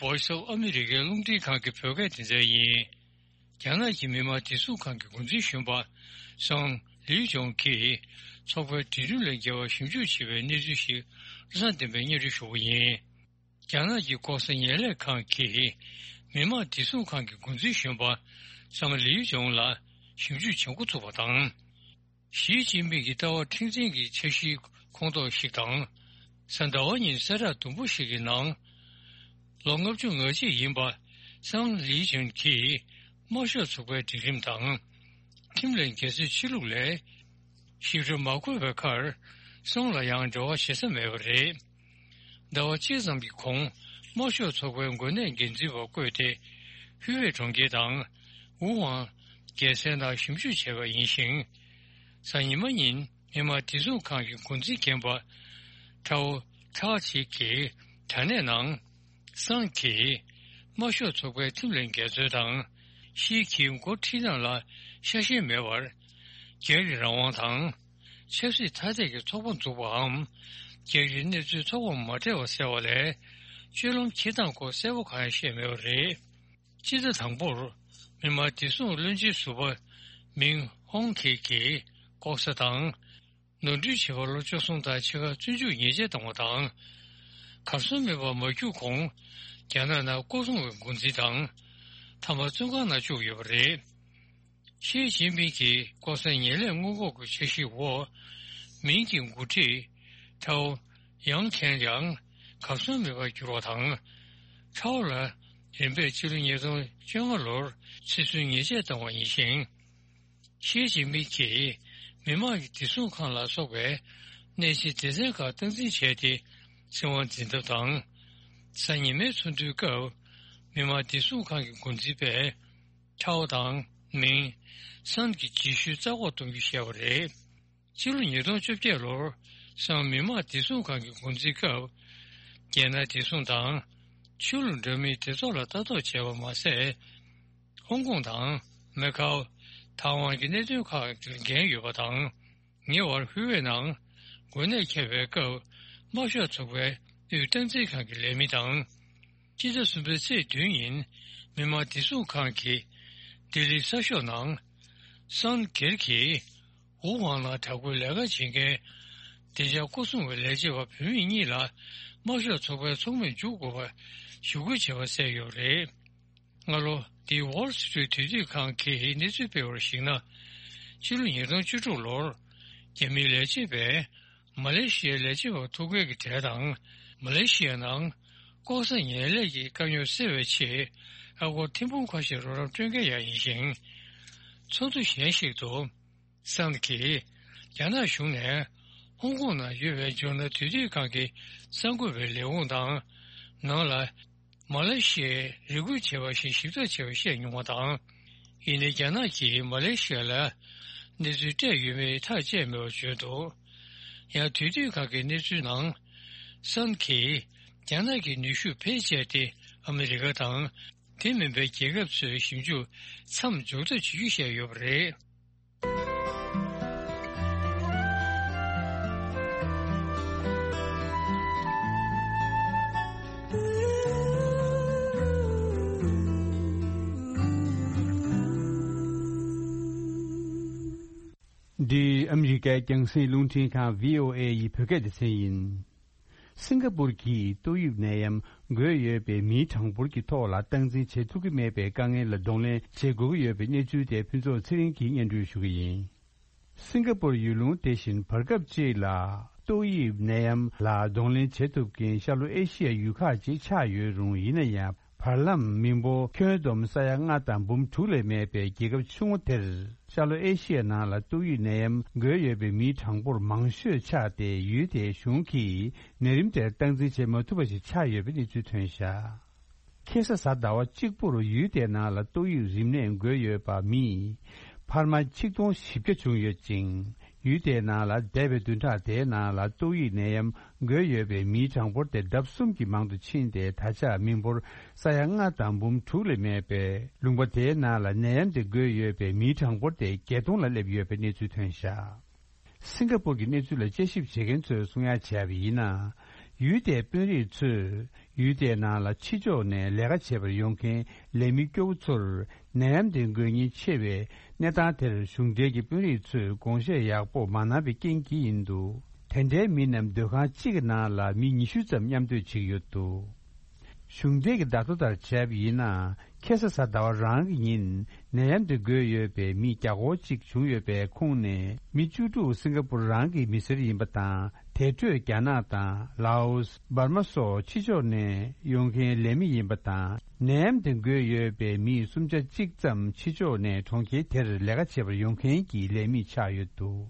Voice of America རླུང་འཕྲིན་ཁང་གི་བོད་སྐད་སྡེ་ཚན་ཡིན། རྒྱ་ནག་གི་མི་དམངས་བདེ་སྲུང་ཁང་གི་འགོ་འཛིན་གཞོན་པ་སང་ལིའུ་ཅུང་གིས་ཚོགས་པའི་འབྲེལ་འདྲིས་ལས་འགལ་བ་ཞིབ་འཇུག་བྱེད་པའི་གནས་ཚུལ་ཞིག་བློ་བཟང་བསྟན་པས་སྙན་སྒྲོན་ཞུ་གི་ཡིན། རྒྱ་ནག་གི་ལྐོག་ཟ་ངན་ལས་ཁང་གིས་མི་དམངས་བདེ་སྲུང་ཁང་གི་འགོ་འཛིན་གཞོན་པ་སང་ལིའུ་ཅུང་ལ་ཞིབ་འཇུག་བྱེད་འགོ་ཚུགས་པ་དང་། ཞི་ཅིན་ཕིང་གི་ལྟ་བ་མཁྲེགས་འཛིན་གྱི་འཆར་གཞིའི་ཁོངས་གཏོགས་ཤིག་དང་། གཟའ་ཟླ་བ་ཉིན་གསལ་བསྒྲགས་དུམ་བུ་ཞིག་གི་ནང་། ལོ་ལྔ་བཅུ་ང་གཅིག་ཡིན་པ་སང་ལི་ཅུན་གྱིས་དམར་ཤོག་ཚོགས་པའི་སྒྲིག་ཁྲིམས་དང་། ཁྲིམས་ལས་འགལ་ཚུལ་ཕྱི་ལུགས་ལས་ཞིབ་ཕྲ་མ་འཁོད་པའི་ཁར། སང་ལ་ཡང་འབྲེལ་བ་བྱེད་ས་མེད་པ་རེད། ཟླ་བ་གཅིག་ཙམ་གྱི་གོང་། དམར་ཤོག་ཚོགས་པའི་འགོ་ནས་འགན་འཛིན་པ་བསྐོས་ཏེ། ཧུའེ་གྲོང་ཁྱེར་དང་། ཝུ་ཝང་རྒྱལ་མཚན་ནང་ཞིབ་འཇུག་བྱས་པ་ཡིན་ཞིང་། གཟའ་ཉི་མ་ཉིན། མི་དམངས་བདེ་སྲུང་ཁང་གི་འགོ་འཛིན་རྒན་པ་ཁྲའོ་ཁྲ་ཅིག་གིས་དྲ་གནས་ནང་། སང་གིས་དམར་ཤོག་ཚོགས་པའི་ཁྲིམས་ལས་འགལ་ཚུལ་དང་། ཞི་གིས་འགོ་ཁྲིད་སྟངས་ལ་ཤ་ཞེན་མེད་པར། སྒེར་གྱི་རང་དབང་དང་ ཆབ་སྲིད་ཐ་དད་ཀྱི་ཚོགས་པ་འཛུགས་པའམ། རྒྱལ་སྤྱིའི་གནས་ཚུལ་ཚོགས་པ་མ་སྤྲད་པ་གསལ་བ་ལས། སྤྱོད་ལམ་འཁྱེར་སྟངས་སྐོར་གསལ་པོ་གང་ཡང་བཤད་མེད་པ་རེད། སྤྱི་ཟླ་དང་པོར་མི་དམངས་བདེ་སྲུང་བློན་ཆེན་ཟུར་པ་མིང་ཧོང་ཁེ་གིས་ལྐོག་ཟ་དང་། ནོར་འཁྲུལ་བྱས་པ་ལོ་བཅུ་གསུམ་དང་ཕྱེད་ཀ་བཙོན་འཇུག་ཉེས་ཆད་བཏང་བ་དང་། གར་སོང་མེད་པར་མ་རྒྱུག་གོང་རྒྱ་ནག་ནང་ལྐོག་སྲུང་བའི་འགོ་འཛིན་དང་། མཐའ་མ་བཙོན་ཁང་ནང་བཅུག་ཡོད་པ་རེད། ཞི་ཅིན་ཕིང་གིས་ལྐོག་ཟ་ངན་ལས་སྔོན་འགོག་གི་འཆར་གཞིའི་འོག་མིང་གི་འགོ་ཁྲིད་ཐའོ་ཡང་ཁྲེན་ཡང་གར་སོང་མེད་པར་གྱུར་བ་དང་། ཐའོ་ལ་རིམ་པས་ཕྱི་ལོ་ཉིས་སྟོང་བཅོ་ལྔ་ལོར་ཕྱིར་བཙོན་ཉེས་ཆད་བཏང་བ་ཡིན་ཞིང་། ཞི་ཅིན་ཕིང་གིས་མི་དམངས་ཀྱི་བདེ་སྲུང་ཁང་ལ་སོགས་པའི་གནས་ཆེན་སྡེ་ཚན་ཁག་སྟངས་འཛིན་བྱས་ཏེ། བཙན་དབང་འཛིན་ཐབས་དང་། གཟའ་ཉི་མའི་ཚོགས་འདུའི་སྐབས་མི་དམངས་བདེ་སྲུང་ཁང་གི་འགོ་འཛིན་པས། ཁྲའོ་དང་མིང་སན་གྱི་རྗེས་ཤུལ་རྩ་འགོག་གཏོང་རྒྱུ་བཤད་པ་རེད། ཕྱི་ལོ་ཉིས་སྟོང་བཅོ་བརྒྱད་ལོར་སང་མི་དམངས་བདེ་སྲུང་ཁང་གི་འགོ་འཛིན་སྐབས། རྒྱལ་ནང་བདེ་སྲུང་དང་། ཆོས་ལུགས་འདྲ་མིན་སྡེ་ཚོགས་ལ་ལྟ་རྟོག་བྱས་པ་མ་ཟད། ཧོང་ཀོང་དང་མེ་ཁའོ། ཐའེ་ཝན་གྱི་གནད་དོན་ཁག་ལ་འགན་ཡོད་པ་དང་། ཉེ་བར་ཧུའེ་ནང་འགོས་ནད་ཁྱབ་པའི་སྐབས། དམར་ཤོག་ཚོགས་པའི་དབུས་སྟངས་འཛིན་ཁང་གི་ལས་མི་དང་། སྤྱི་ཟླ་གསུམ་པའི་ཚེས་བདུན་ཉིན་མི་དམངས་བདེ་སྲུང་ཁང་གིས་ལྡི་ལི་གསར་ཤོག་ནང་། སན་སྒེར་གྱིས་ཝུ་ཝང་ནང་དྲག་པོའི་ལས་ཀ་བྱེད་མཁན་བདེ་འཇགས་སྐོར་སྲུང་བའི་ལས་བྱེད་པ་བུད་མེད་གཉིས་ལ་དམར་ཤོག་ཚོགས་པའི་ཚོགས་མིར་འཇུག་དགོས་པ་ཞུ་སྐུལ་བྱས་པ་གསལ་ཡོད་པ་རེད། སྔ་ལོ་འདིའི་Wall Street དུས་དུས་ཁང་གིས་གནས་ཚུལ་སྤེལ་བར་གཞིགས་ན། ཕྱི་ལོ་ཉིས་སྟོང་བཅུ་དྲུག་ལོར་རྒྱ་མིའི་ལས་བྱེད་པས་མ་ལེ་ཤི་ཡའི་ལས་བྱེད་པ་ཐོ་འགོད་ཀྱི་གྲས་དང་། མ་ལེ་ཤི་ཡ་ནང་ལྐོག་ཟ་ངན་ལས་ཀྱི་དཀའ་རྙོག་སེལ་བའི་ཆེད། ཨ་སྒོར་ཐེར་འབུམ་ཁ་ཤས་རོགས་རམ་སྤྲོད་མཁན་ཡང་ཡིན་ཞིང་། ཚོགས་འདུ་གཞན་ཞིག་ཏུ། སན་གྱིས་རྒྱ་ནག་གཞུང་ནས་ཧོང་ཀོང་ནང་ཡོད་པའི་ཇོར་ནལ་དུས་དུས་ཁང་གི་གསར་འགོད་པའི་ལས་ཁུངས་དང་། ནང་ལ་མ་ལེ་ཤི་ཡས་རེ་སྐུལ་བྱས་པ་བཞིན་ཞིབ་ཕྲ་བྱས་པ་བཤད་མྱོང་བ་དང་། ཡིན་ནའི་རྒྱ་ནག་གིས་མ་ལེ་ཤི་ཡ་ལ་གནས་ཚུལ་སྤྲད་ཡོད་མེད་ཐག་བཅད་མེད་པར་བརྗོད་འདུག་ཡང་དུས་དུས་ཁང་གི་གནས་ཚུལ་ནང་། སན་གྱིས་རྒྱ་ནག་གི་ནུས་ཤུགས་བེད་སྤྱད་དེ་ཨ་མི་རི་ཀ་དང་། དེ་མིན་པའི་རྒྱལ་ཁབ་ཚོའི་ཞིབ་འཇུག་མཚམས་འཇོག་ཐབས་བྱེད་རྒྱུ་བཤད་ཡོད་པ་རེད། འདི་ཨ་མི་རི་ཀའི་རྒྱང་སྲིང་རླུང་འཕྲིན་ཁང་བྷི་ཨོ་ཨེ་ཡི་བོད་སྐད་སྡེ་ཚན་ཡིན། སིང་ག་པུར་གྱིས་ཏོག་དབྱིབས་ནད་ཡམས་འགོས་ཡོད་པའི་མིའི་གྲངས་འབོར་གྱི་ཐོག་ལ་སྟངས་འཛིན་བྱེད་ཐུབ་ཀྱི་མེད་པའི་དཀའ་ངལ་ལ་གདོང་ལེན་བྱེད་དགོས་ཀྱི་ཡོད་པའི་གནས་ཚུལ་དེ་ཕུན་ཚོགས་ཚེ་རིང་གིས་སྙན་སྒྲོན་ཞུ་གི་ཡིན། སིང་ག་པུར་ཡུལ་ལུང་དེ་བཞིན་བར་སྐབས་གཅིག་ལ་ཏོག་དབྱིབས་ནད་ཡམས་ལ་གདོང་ལེན་བྱེད་ཐུབ་མཁན་ཤར་ལྷོ་ཨེ་ཤི་ཡའི་ཡུལ་ཁག་ཅིག་ཆགས་ཡོད་རུང་། ཡིན་ན་ཡང་བར་ལམ་མི་འབོར་ཁྱོན་བསྡོམས་ས་ཡ་ལྔ་དང་འབུམ་དྲུག་ལས་མེད་པའི་རྒྱལ་ཁབ་ཆུང་ངུ་དེར། ཤར་ལྷོ་ཨེ་ཤི་ཡའི་ནང་ལ་ཏོག་དབྱིབས་ནད་ཡམས་འགོས་ཡོད་པའི་མིའི་གྲངས་འབོར་མང་ཤོས་ཆགས་ཏེ། ཡུལ་དེའི་གཞུང་གིས་ནད་རིམས་དེར་སྟངས་འཛིན་བྱེད་མ་ཐུབ་པ་ཞིག་ཆགས་ཡོད་པའི་གནས་ཚུལ་ཐོན་བཞག་ཁ་སང་གཟའ་ཟླ་བ་གཅིག་པུར་ཡུལ་དེའི་ནང་ལ་ཏོག་དབྱིབས་རིམས་ནད་འགོས་ཡོད་པ་མི་འཕར་མ་ཆིག་སྟོང་བཞི་བརྒྱ་བྱུང་ཡོད་ཅིང་། ཡུལ་དེའི་ནང་ལ་འདས་པའི་བདུན་ཕྲག་དེའི་ནང་ལ་ཏོག་དབྱིབས་ནད་ཡམས་འགོས་ཡོད་པའི་མིའི་གྲངས་འབོར་དེ་ལྡབ་གསུམ་གྱིས་མང་དུ་ཕྱིན་ཏེ། ད་ཆ་མི་འབོར་ས་ཡ་ལྔ་དང་འབུམ་དྲུག་ལས་མེད་པའི་ལུང་པ་དེའི་ནང་ལ་ནད་ཡམས་དེ་འགོས་ཡོད་པའི་མིའི་གྲངས་འབོར་དེ་བརྒྱད་སྟོང་ལ་སླེབས་ཡོད་པའི་གནས་ཚུལ་ཐོན་བཞག་སིང་ག་པུར་གྱི་གནས་ཚུལ་ལ་དཔྱད་ཞིབ་བྱེད་མཁན་ཚོས་གསུང་ཡ་བྱས་པ་ཡིན་ན། ཡུལ་དེའི་དཔོན་རིགས་ཚོས་ཡུལ་དེའི་ནང་ལ་ཕྱི་ཕྱོགས་ནས་ལས་ཀ་བྱེད་པར་ཡོང་མཁན་ལས་མི་སྐྱོ་བོ་ཚོར་ནད་ཡམས་དེ་འགོས་ཉེན་ཆེ་བའི་གནས་སྟངས་དེར་གཞུང་འབྲེལ་གྱི་དཔོན་རིགས་ཚོས་དགོངས་བཞེས་ཡག་པོ་མ་གནང་བའི་རྐྱེན་གྱིས་ཡིན་འདུག་དེ་འདྲའི་མི་རྣམས་སྡོད་ཁང་གཅིག་གི་ནང་ལ་མི་ཉི་ཤུ་ཙམ་མཉམ་སྡོད་བྱེད་ཀྱི་ཡོད་འདུག་གཞུང་འབྲེལ་གྱི་བརྡ་ཐོ་ལྟར་བྱས་པ་ཡིན་ན། ཁ་སང་གཟའ་ཟླ་བ་རང་གི་ཉིན་ནད་ཡམས་དེ་འགོས་ཡོད་པའི་མི་བརྒྱ་སྐོར་གཅིག་བྱུང་ཡོད་པའི་ཁོངས་ནས་མི་བཅུ་དྲུག་སིང་ག་པུར་རང་གི་མི་སེར་ཡིན་པ་དང་། དེ་འཕྲོས་རྒྱ་ནག་དང་ལའོ་སི། འབར་མ་སོགས་ཕྱི་ཕྱོགས་ནས་ཡོང་མཁན་ལས་མི་ཡིན་པ་དང་། ནད་ཡམས་དེ་འགོས་ཡོད་པའི་མི་སུམ་ཆ་གཅིག་ཙམ་ཕྱི་ཕྱོགས་ནས་གྲོང་ཁྱེར་དེར་ལས་ཀ་བྱེད་པར་ཡོང་མཁན་གྱི་ལས་མི་ཆགས་ཡོད་འདུག་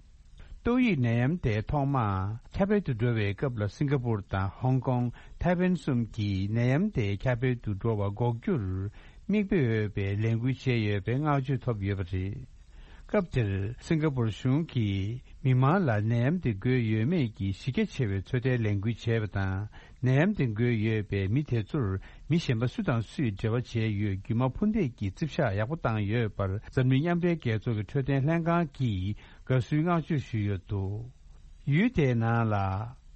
ཏོག་དབྱིབས་ནད་ཡམས་དེ་ཐོག་མར་ཁྱབ་སྤེལ་དུ་འགྲོ་བའི་སྐབས་ལ། སིང་ག་པུར་དང་ཧོང་ཀོང་། ཐའེ་ཝན་གསུམ་གྱིས་ནད་ཡམས་དེ་ཁྱབ་སྤེལ་དུ་འགྲོ་བ་འགོག་རྒྱུར་མིག་དཔེ་འོས་པའི་ལས་འགུལ་བྱས་ཡོད་པའི་བསྔགས་བརྗོད་ཐོབ་ཡོད་པ་རེད། སྐབས་དེར་སིང་ག་པུར་གཞུང་གིས་མི་མང་ལ་ནད་ཡམས་དེ་འགོས་ཡོད་མེད་ཀྱི་གཞི་རྒྱ་ཆེ་བའི་ཚོད་ལྟའི་ལས་འགུལ་བྱས་པ་དང་། ནད་ཡམས་དེ་འགོས་ཡོད་པའི་མི་དེ་ཚོར་མི་གཞན་པ་སུ་དང་སུས་འབྲེལ་བ་བྱས་ཡོད་རྒྱུ་མ་ཕུ་འདེད་ཀྱི་རྩིབ་ཤག་ཡག་པོ་བཏང་ཡོད་པར། འཛམ་གླིང་མཉམ་འབྲེལ་རྒྱལ་ཚོགས་ཀྱི་འཕྲོད་བསྟེན་ལྷན་ཁང་གིས་ དགའ་བསུའི་བསྔགས་བརྗོད་ཞུས་ཡོད་འདུག་ཡུལ་དེའི་ནང་ལ་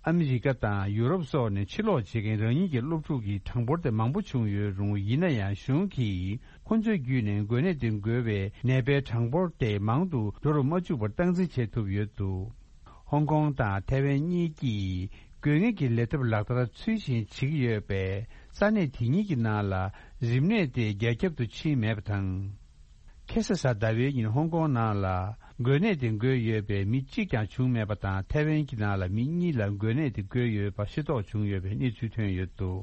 ཨ་མི་རི་ཀ་དང་ཡུ་རོབ་སོགས་ནས་ཕྱིར་ལོག་བྱེད་མཁན་རང་ཉིད་ཀྱི་སློབ་ཕྲུག་གི་གྲངས་འབོར་དེ་མང་པོ་བྱུང་ཡོད་རུང་། ཡིན་ན་ཡང་གཞུང་གིས་ཁོ་ཚོའི་བརྒྱུད་ནས་འགོས་ནད་དེ་འགོས་པའི་ནད་པའི་གྲངས་འབོར་དེ་མང་དུ་འགྲོ་རུ་མ་བཅུག་པར་སྟངས་འཛིན་བྱེད་ཐུབ་ཡོད་འདུག་ཧོང་ཀོང་དང་ཐའེ་ཝན་གཉིས་ཀྱིས་དགོས་ངེས་ཀྱི་ལས་ཐབས་ལག་བསྟར་ཚུལ་བཞིན་བྱེད་ཀྱི་ཡོད་པས། ས་གནས་དེ་གཉིས་ཀྱི་ནང་ལ་རིམས་ནད་དེ་རྒྱ་ཁྱབ་ཏུ་ཕྱིན་མེད་པ་དང་། ཁ་སང་གཟའ་ཟླ་བའི་ཉིན་ཧོང་ཀོང་ནང་ལ་འགོས་ནད་དེ་འགོས་ཡོད་པའི་མི་གཅིག་ཀྱང་བྱུང་མེད་པ་དང་། ཐའེ་ཝན་གྱི་ནང་ལ་མི་གཉིས་ལ་འགོས་ནད་དེ་འགོས་ཡོད་པ་ཤེས་རྟོགས་བྱུང་ཡོད་པའི་གནས་ཚུལ་ཐོན་ཡོད་འདུག་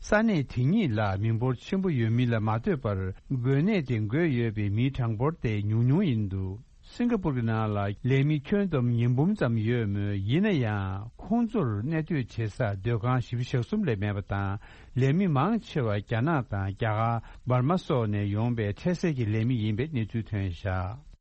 ས་གནས་དེ་གཉིས་ལ་མི་འབོར་ཆེན་པོ་ཡོད་མིན་ལ་མ་ལྟོས་པར། འགོས་ནད་དེ་འགོས་ཡོད་པའི་མིའི་གྲངས་འབོར་དེ་ཉུང་ཉུང་ཡིན་འདུག་སིང་ག་པུར་གྱི་ནང་ལ་ལས་མི་ཁྱོན་བསྡོམས་ཉིས་འབུམ་ཙམ་ཡོད་མོད། ཡིན་ན་ཡང་ཁོང་ཚོར་གནས་སྡོད་བྱེད་ས་སྡོད་ཁང་བཞི་བཅུ་ཞེ་གསུམ་ལས་མེད་པ་དང་། ལས་མི་མང་ཆེ་བ་རྒྱ་ནག་དང་རྒྱ་གར། འབར་མ་སོགས་ནས་ཡོང་པའི་འཕྲལ་སེལ་གྱི་ལས་མི་ཡིན་པའི་གནས་ཚུལ་ཐོན་བཞག་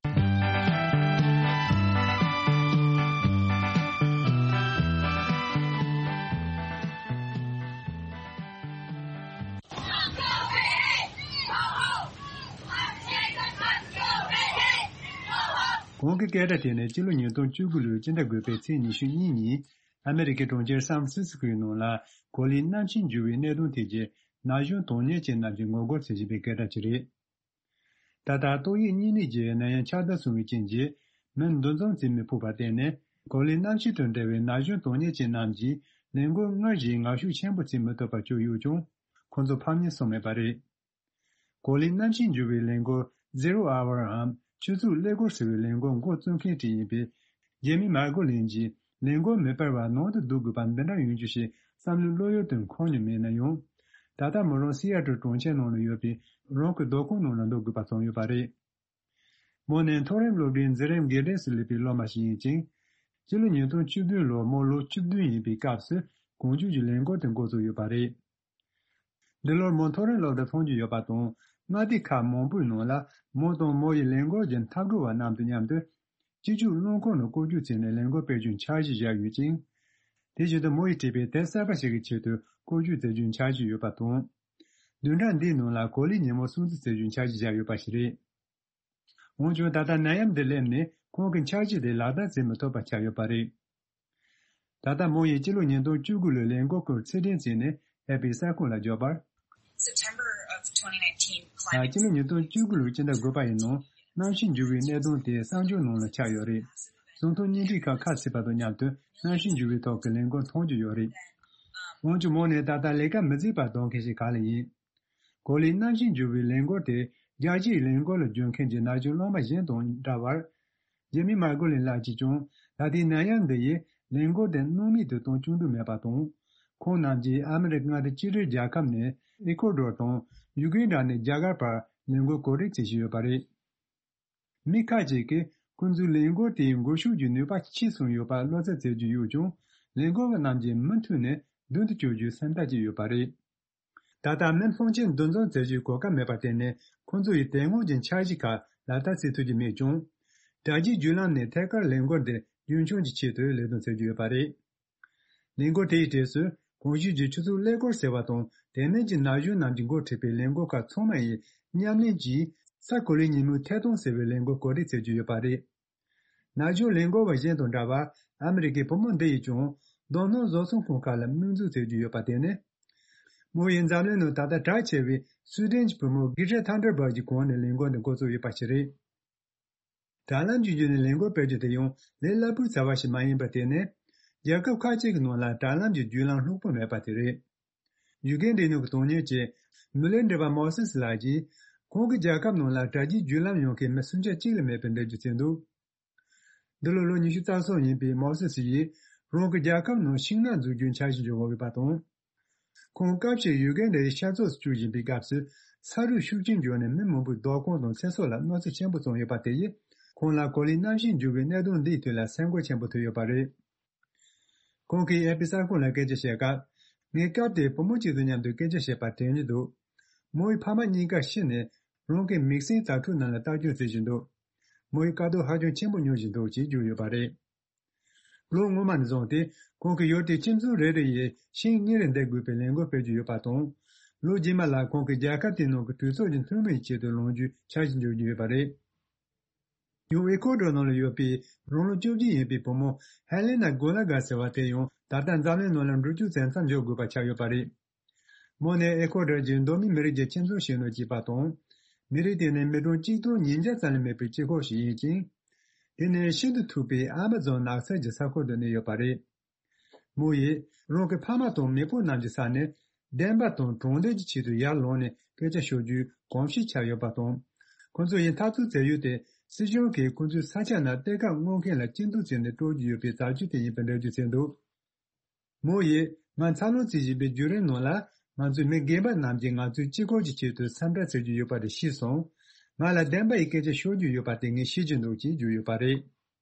གོང་གི་སྐད་སྒྲ་དེ་ནི་སྤྱི་ལོ་ཉིས་སྟོང་བཅུ་དགུ་ལོའི་སྤྱི་ཟླ་དགུ་པའི་ཚེས་ཉི་ཤུ་གཉིས་ཉིན། ཨ་མེ་རི་ཁའི་གྲོང་ཁྱེར་སན་ཧྥ་རན་སི་སི་ཀོའི་ནང་ལ་གོ་ལའི་གནམ་གཤིས་འགྱུར་བའི་གནད་དོན་ཐད་ཀྱི་ན་གཞོན་དོན་གཉེར་ཅན་རྣམས་ཀྱིས་ངོ་རྒོལ་བྱེད་བཞིན་པའི་སྐད་སྒྲ་ཅིག་རེད། ད་ལྟ་ཏོག་དབྱིབས་གཉན་ནད་ཀྱི་ནད་ཡམས་ཁྱབ་གདལ་སོང་བའི་རྐྱེན་གྱིས་མི་འདུ་འཛོམས་བྱེད་མི་ཕོད་པར་བརྟེན་ནས། གོ་ལའི་གནམ་གཤིས་དང་འབྲེལ་བའི་ན་གཞོན་དོན་གཉེར་ཅན་རྣམས་ཀྱིས་ལས་འགུལ་སྔར་བཞིན་ངར་ཤུགས་ཆེན་པོ་བྱེད་མི་ཐུབ་པར་གྱུར་ཡོད་ཀྱང་། ཁོང་ཚོ་ཕམ་ཉེས་སོང་མེད་པ་རེད། གོ་ལའི་གནམ་གཤིས་འགྱུར་བའི་ལས་འགུལ་Zero Hour འམ་ཆུ་ཚོད་ཀླད་ཀོར་ཟེར་བའི་ལས་འགུལ་འགོ་བཙུགས་མཁན་ཞིག་ཡིན་པའི་ཇེ་མི་མར་གོ་ལིན་གྱིས། ལས་འགུལ་མི་སྤེལ་བར་ནང་དུ་སྡོད་དགོས་པ་འདི་འདྲ་ཡོང་རྒྱུ་ཞིག་བསམ་བློའི་བློ་ཡུལ་དུ་འཁོར་མྱོང་མེད་ན་ཡང་། ད་ལྟ་མོ་རང་སི་ཨ་ཏྲལ་གྲོང་ཁྱེར་ནང་ལ་ཡོད་པའི་རང་གི་སྡོད་ཁང་ནང་ལ་སྡོད་དགོས་པ་བྱུང་ཡོད་པ་རེད། མོ་ནི་མཐོ་རིམ་སློབ་གྲྭའི་འཛིན་རིམ་དགེ་རྒན་སུ་སླེབས་པའི་སློབ་མ་ཞིག་ཡིན་ཅིང་། སྤྱི་ལོ་ཉིས་སྟོང་བཅུ་བདུན་ལོར་མོ་ལོ་བཅུ་བདུན་ཡིན་པའི་སྐབས་སུ་གོང་བརྗོད་ཀྱི་ལས་འགུལ་དེ་འགོ་བཙུགས་ཡོད་པ་རེད། འདི་ལོར་མོ་མཐོ་རིམ་སློབ་གྲྭ་མཐོང་རྒྱུ་ཡོད་པ་དང་། མངའ་སྡེ་ཁག་མང་པོའི་ནང་ལ་མོ་དང་མོ་ཡི་ལས་འགུལ་གྱི་འཐབ་གྲོགས་པ་རྣམས་དང་མཉམ་དུ་སྤྱི་སྤྱོད་རླངས་འཁོར་ནང་བཀོལ་སྤྱོད་བྱས་ནས་ལས་འགུལ་སྤེལ་རྒྱུའི་འཆར་གཞི་བཞག་ཡོད་ཅིང་། དེ་བཞིན་དུ་མོ་ཡིས་བྲིས་པའི་དེབ་གསར་པ་ཞིག་གི་ཆེད་དུ་བཀོལ་སྤྱོད་མཛད་རྒྱུའི་འཆར་གཞི་ཡོད་པ་དང་། བདུན་ཕྲག་འདིའི་ནང་ལ་གོ་ལའི་ཉིན་མོ་སྲུང་བརྩི་མཛད་རྒྱུའི་འཆར་གཞི་བཞག་ཡོད་པ་ཞིག་རེད། འོན་ཀྱང་ད་ལྟ་ནད་ཡམས་འདི་སླེབས་ནས་ཁོང་གི་འཆར་གཞི་དེ་ལག་བསྟར་བྱེད་མི་ཐུབ་པ་ཆགས་ཡོད་པ་རེད། ད་ལྟ་མོ་ཡིས་སྤྱི་ལོ་ཉིས་སྟོང་བཅུ་དགུ་ལོའི་ལས་འགུལ་སྐོར་ཕྱིར་དྲན་བྱས་ནས་ཨེ་ཕིའི་གསར་ཁང་ལ་བརྗོད་པར། September of twenty nineteen ད་climate སྤྱི་ལོ་ཉིས་སྟོང་བཅུ་དགུ་ལོའི་སྤྱི་ཟླ་དགུ་པ་ཡི་ནང་གནམ་གཤིས་འགྱུར་བའི་གནད་དོན་དེ་གསར་འགྱུར་ནང་ལ་ཆགས་ཡོད་རེད། གསང་མཐོང་བརྙན་འཕྲིན་ཁག་ཁ་ཕྱེས་པ་དང་མཉམ་དུ་གནམ་གཤིས་འགྱུར་བའི་ཐོག་གི་ལས་འགུལ་མཐོང་རྒྱུ་ཡོད་རེད། འོན་ཀྱང་མོ་ནི་ད་ལྟ་ལས་ཀ་མི་བྱེད་པར་སྡོད་མཁན་ཞིག་ག་ལ་ཡིན། གོ་ལའི་གནམ་གཤིས་འགྱུར་བའི་ལས་འགུལ་དེ་རྒྱལ་སྤྱིའི་ལས་འགུལ་ལ་འཇུག་མཁན་གྱི་ན་གཞོན་སློབ་མ་གཞན་དང་འདྲ་བར། ཇེ་མི་མར་གོ་ལིན་ལགས་ཀྱིས་ཀྱང་ད་ལྟའི་ནད་ཡམས་འདི་ཡིས་ལས་འགུལ་དེ་སྣང་མེད་དུ་གཏོང་བཅུག་འདོད་མེད་པ་དང་། ཁོང་རྣམས་ཀྱིས་ཨ་མི་རི་ཀ་མངའ་སྡེ་ཕྱི་འབྲེལ་རྒྱལ་ཁབ་ནས་ཨི་ཀོ་ཌོར་དང་ཡུ་གན་ཌ་ནས་རྒྱ་གར་བར་ལས་འགུལ་གོ་སྒྲིག་བྱེད་བཞིན་ཡོད་པ་རེད། མི་ཁག་ཅིག་གིས་ཁོང་ཚོའི་ལས་འགུལ་དེའི་འགུལ་ཤུགས་ཀྱི་ནུས་པ་ཆེ་སོང་ཡོད་པ་བློ་འཚབ་བྱེད་ཀྱི་ཡོད་ཀྱང་། ལས་འགུལ་བ་རྣམས་ཀྱིས་མུ་མཐུད་ནས་མདུན་དུ་སྐྱོད་རྒྱུའི་སེམས་ཐག་བཅད་ཡོད་པ་རེད། ད་ལྟ་མི་མང་ཆེ་འདུ་འཛོམས་མཛད་རྒྱུའི་གོ་སྐབས་མེད་པར་བརྟེན་ནས། ཁོང་ཚོ་ཡིས་དེ་སྔོན་གྱི་འཆར་གཞི་ཁག་ལག་བསྟར་བྱེད་ཐུབ་ཀྱི་མེད་ཀྱང་། དྲ་རྒྱའི་བརྒྱུད་ལམ་ནས་ཐད་ཀར་ལས་འགུལ་འདི་རྒྱུན་འཁྱོངས་ཀྱི་ཆེད་དུ་ལས་དོན་བྱེད་ཀྱི་ཡོད་པ་རེད། ལས་འགུལ་དེའི་གྲས་སུ་གོང་ཞུས་ཀྱི་ཆུ་ཚོད་ཀླད་ཀོར་ཟེར་བ་དང་། དེ་མིན་གྱི་ན་གཞོན་རྣམས་ཀྱིས་འགོ་ཁྲིད་པའི་ལས་འགུལ་ཁག་ཚང་མ་ཡིས་མཉམ་ལེན་གྱིས་ས་གོ་ལའི་ཉིན་མོའི་ཐད་གཏོང་ཟེར་བའི་ལས་འགུལ་གོ་སྒྲིག་བྱེད་ཀྱི་ཡོད་པ་རེད། ན་གཞོན་ལས་འགུལ་བ་གཞན་དང་འདྲ་བར། ཨ་མི་རི་ཀའི་བུ་མོ་འདི་ཡིས་ཀྱང་རྡོ་སྣུམ་བཟོ་ཚོང་ཁང་ཁག་ལ་དམིགས་འཛུགས་བྱེད་ཀྱི་ཡོད་པ་དེ་ནི། མོ་ཡིས་འཛམ་གླིང་ནང་ད་ལྟ་གྲགས་ཆེ་བའི་སུའེ་ཌེན་གྱི་བུ་མོ་གྷི་ཊ་ཐན་ཌར་བྷག་གི་གོང་ནས་ལས་འགུལ་འདི་འགོ་བཙུགས་ཡོད་པ་ཞིག་རེད། དྲ་ལམ་གྱི་བརྒྱུད་ནས་ལས་འགུལ་སྤེལ་རྒྱུ་དེ་ཡང་ལས་སླ་པོའི་བྱ་བ་ཞིག་མ་ཡིན་པར་བརྟེན་ནས། རྒྱལ་ཁབ་ཁག་ཅིག་གི་ནང་ལ་དྲ་ལམ་གྱི་བརྒྱུད་ལམ་ལྷུག་པོ་མེད་པ་དེ་རེད། ཡུ་གན་རིག་ནུས་ཀྱི་དོན་གཉེར་ཅན་མི་ལི་འདྲེ་བ་མོ་སེ་སི་ལགས་ཀྱིས། ཁོང་གི་རྒྱལ་ཁབ་ནང་ལ་དྲ་རྒྱའི་བརྒྱུད་ལམ་ཡོང་མཁན་མི་སུམ་ཆ་གཅིག་ལས་མེད་པའི་འགྲེལ་བརྗོད་བྱས་འདུག་འདི་ལོ་ལོ་ཉི་ཤུ་རྩ་གསུམ་ཡིན་པའི་མོ་སེ་སི་ཡིས། རང་གི་རྒྱལ་ཁབ་ནང་ཤིང་ནགས་འཛུགས་རྒྱུའི་འཆར་གཞི་འཇོག་འོང་བ་དང་། ཁོང་སྐབས་ཤིག་ཡུ་གན་ཌའི་ཤར་ཕྱོགས་སུ་བསྐྱོད་བཞིན་པའི་སྐབས་སུ། ས་རུད་ཤུགས་ཆེན་བྱུང་ནས་མི་མང་པོའི་སྡོད་ཁང་དང་ཚེ་སྲོག་ལ་གནོད་འཚེ་ཆེན་པོ་བྱུང་ཡོད་པ་དེ་ཡིས། ཁོང་ལ་གོ་ལའི་གནམ་གཤིས་འགྱུར་བའི་གནད་དོན་འདིའི་དོན་ལ་སེམས་ཁུར་ཆེན་པོ་ཐོབ་ཡོད་པ་རེད། ཁོང་གིས་ཨེ་ཕི་གསར་ཁང་ལ་སྐད་ཆ་བཤད་སྐབས། ངས་སྐབས་དེར་བུ་མོ་གཅིག་དང་མཉམ་དུ་སྐད་ཆ་བཤད་པ་དྲན་གྱི་འདུག་མོ་ཡི་ཕ་མ་གཉིས་ཀ་ཤི་ནས། རང་གི་མིག་སེར་ཛ་དྲག་རྣམས་ལ་ལྟ་སྐྱོང་བྱེད་བཞིན་འདུག་མོ་ཡི་དཀའ་སྡུག་ཧ་ཅང་ཆེན་པོ་མྱོང་བཞིན་འདུག་ཅེས་བརྗོད་ཡོད་པ་རེད། ལོ་སྔོན་མ་ནས་བཟུང་སྟེ། ཁོང་གིས་ཡུལ་དེའི་ཁྱིམ་ཚང་རེ་རེ་ཡིས་ཤིང་གཉེར་བསྡད་དགོས་པའི་ལས་འགུལ་སྤེལ་གྱི་ཡོད་པ་དང་། ལོ་རྗེས་མ་ལ་ཁོང་གིས་རྒྱལ་ཁབ་དེའི་ནང་གི་གྲོས་ཚོགས་ཀྱི་འཐུས་མི་ཡི་ཆེད་དུ་ལངས་རྒྱུའི་འཆར་གཞི་འཇོག་རྒྱུ་ཡོད་པ་རེད། ཡང་ཨེ་ཁོ་ཌོར་ནང་ལ་ཡོད་པའི་རང་ལོ་བཅོ་བརྒྱད་ཡིན་པའི་བུ་མོ་ཧེ་ལེ་ན་གོ་ལ་གྷ་ཟེར་བ་དེ་ཡང་ད་ལྟ་འཛམ་གླིང་ནང་ལ་འགྲོ་རྒྱུ་བཙན་ས་འཇོག་དགོས་པ་ཆགས་ཡོད་པ་རེད། མོ་ནི་ཨེ་ཁོ་ཌོར་གྱི་མདོ་སྨད་མི་རིགས་ཀྱི་ཁྱིམ་ཚང་ཞིག་ནང་སྐྱེས་པ་དང་། མི་རིགས་དེ་ནི་མི་གྲངས་གཅིག་སྟོང་ཉིས་བརྒྱ་ཙམ་ལས་མེད་པའི་སྤྱི་ཁོག་ཞིག་ཡིན་ཅིང་། དེ་ནི་ཤིན་ཏུ་མཐུག་པའི་ཨ་མ་ཛོན་ནགས་ཚལ་གྱི་ས་ཁུལ་དུ་གནས་ཡོད་པ་རེད། མོ་ཡིས་རང་གི་ཕ་མ་དང་མེས་པོ་རྣམས་ཀྱི་ས་ནས་བདེན་པ་དང་དྲང་བདེན་གྱི་ཆེད་དུ་ཡར་ལངས་ནས་སྐད་ཆ་ཤོད་རྒྱུའི་གོམས་གཤིས་ཆགས་ཡོད་པ་དང་། ཁོ་ཚོ་ཡི་འཐབ་རྩོད་བྱ་ཡུལ་དེ་སྲིད་གཞུང་གིས་ཁོ་ཚོའི་ས་ཆ་ནང་གཏེར་ཁ་སྔོག་མཁན་ལ་སྐྱིད་སྡུག་བྱས་ནས་སྤྲོད་ཀྱི་ཡོད་པའི་རྩ་ཆེན་དེ་ཡིན་པའི་འགྲེལ་བརྗོད་བྱས་འདུག་མོ་ཡིས་ང་འཚར་ལོངས་བྱེད་བཞིན་པའི་བརྒྱུད་རིམ་ནང་ལ་ང་ཚོའི་མི་རྒན་པ་རྣམས་ཀྱིས་ང་ཚོའི་སྤྱི་ཁོག་གི་ཆེད་དུ་འཚམས་འདྲི་བྱེད་ཀྱི་ཡོད་པ་དེ་ཤེས་སོང་། ང་ལ་བདེན་པ་ཡི་སྐད་ཆ་ཤོད་རྒྱུ་ཡོད་པ་དེ་ངས་ཤེས་ཀྱི་འདུག་ཅེས་བརྗོད་ཡོད་པ་རེད།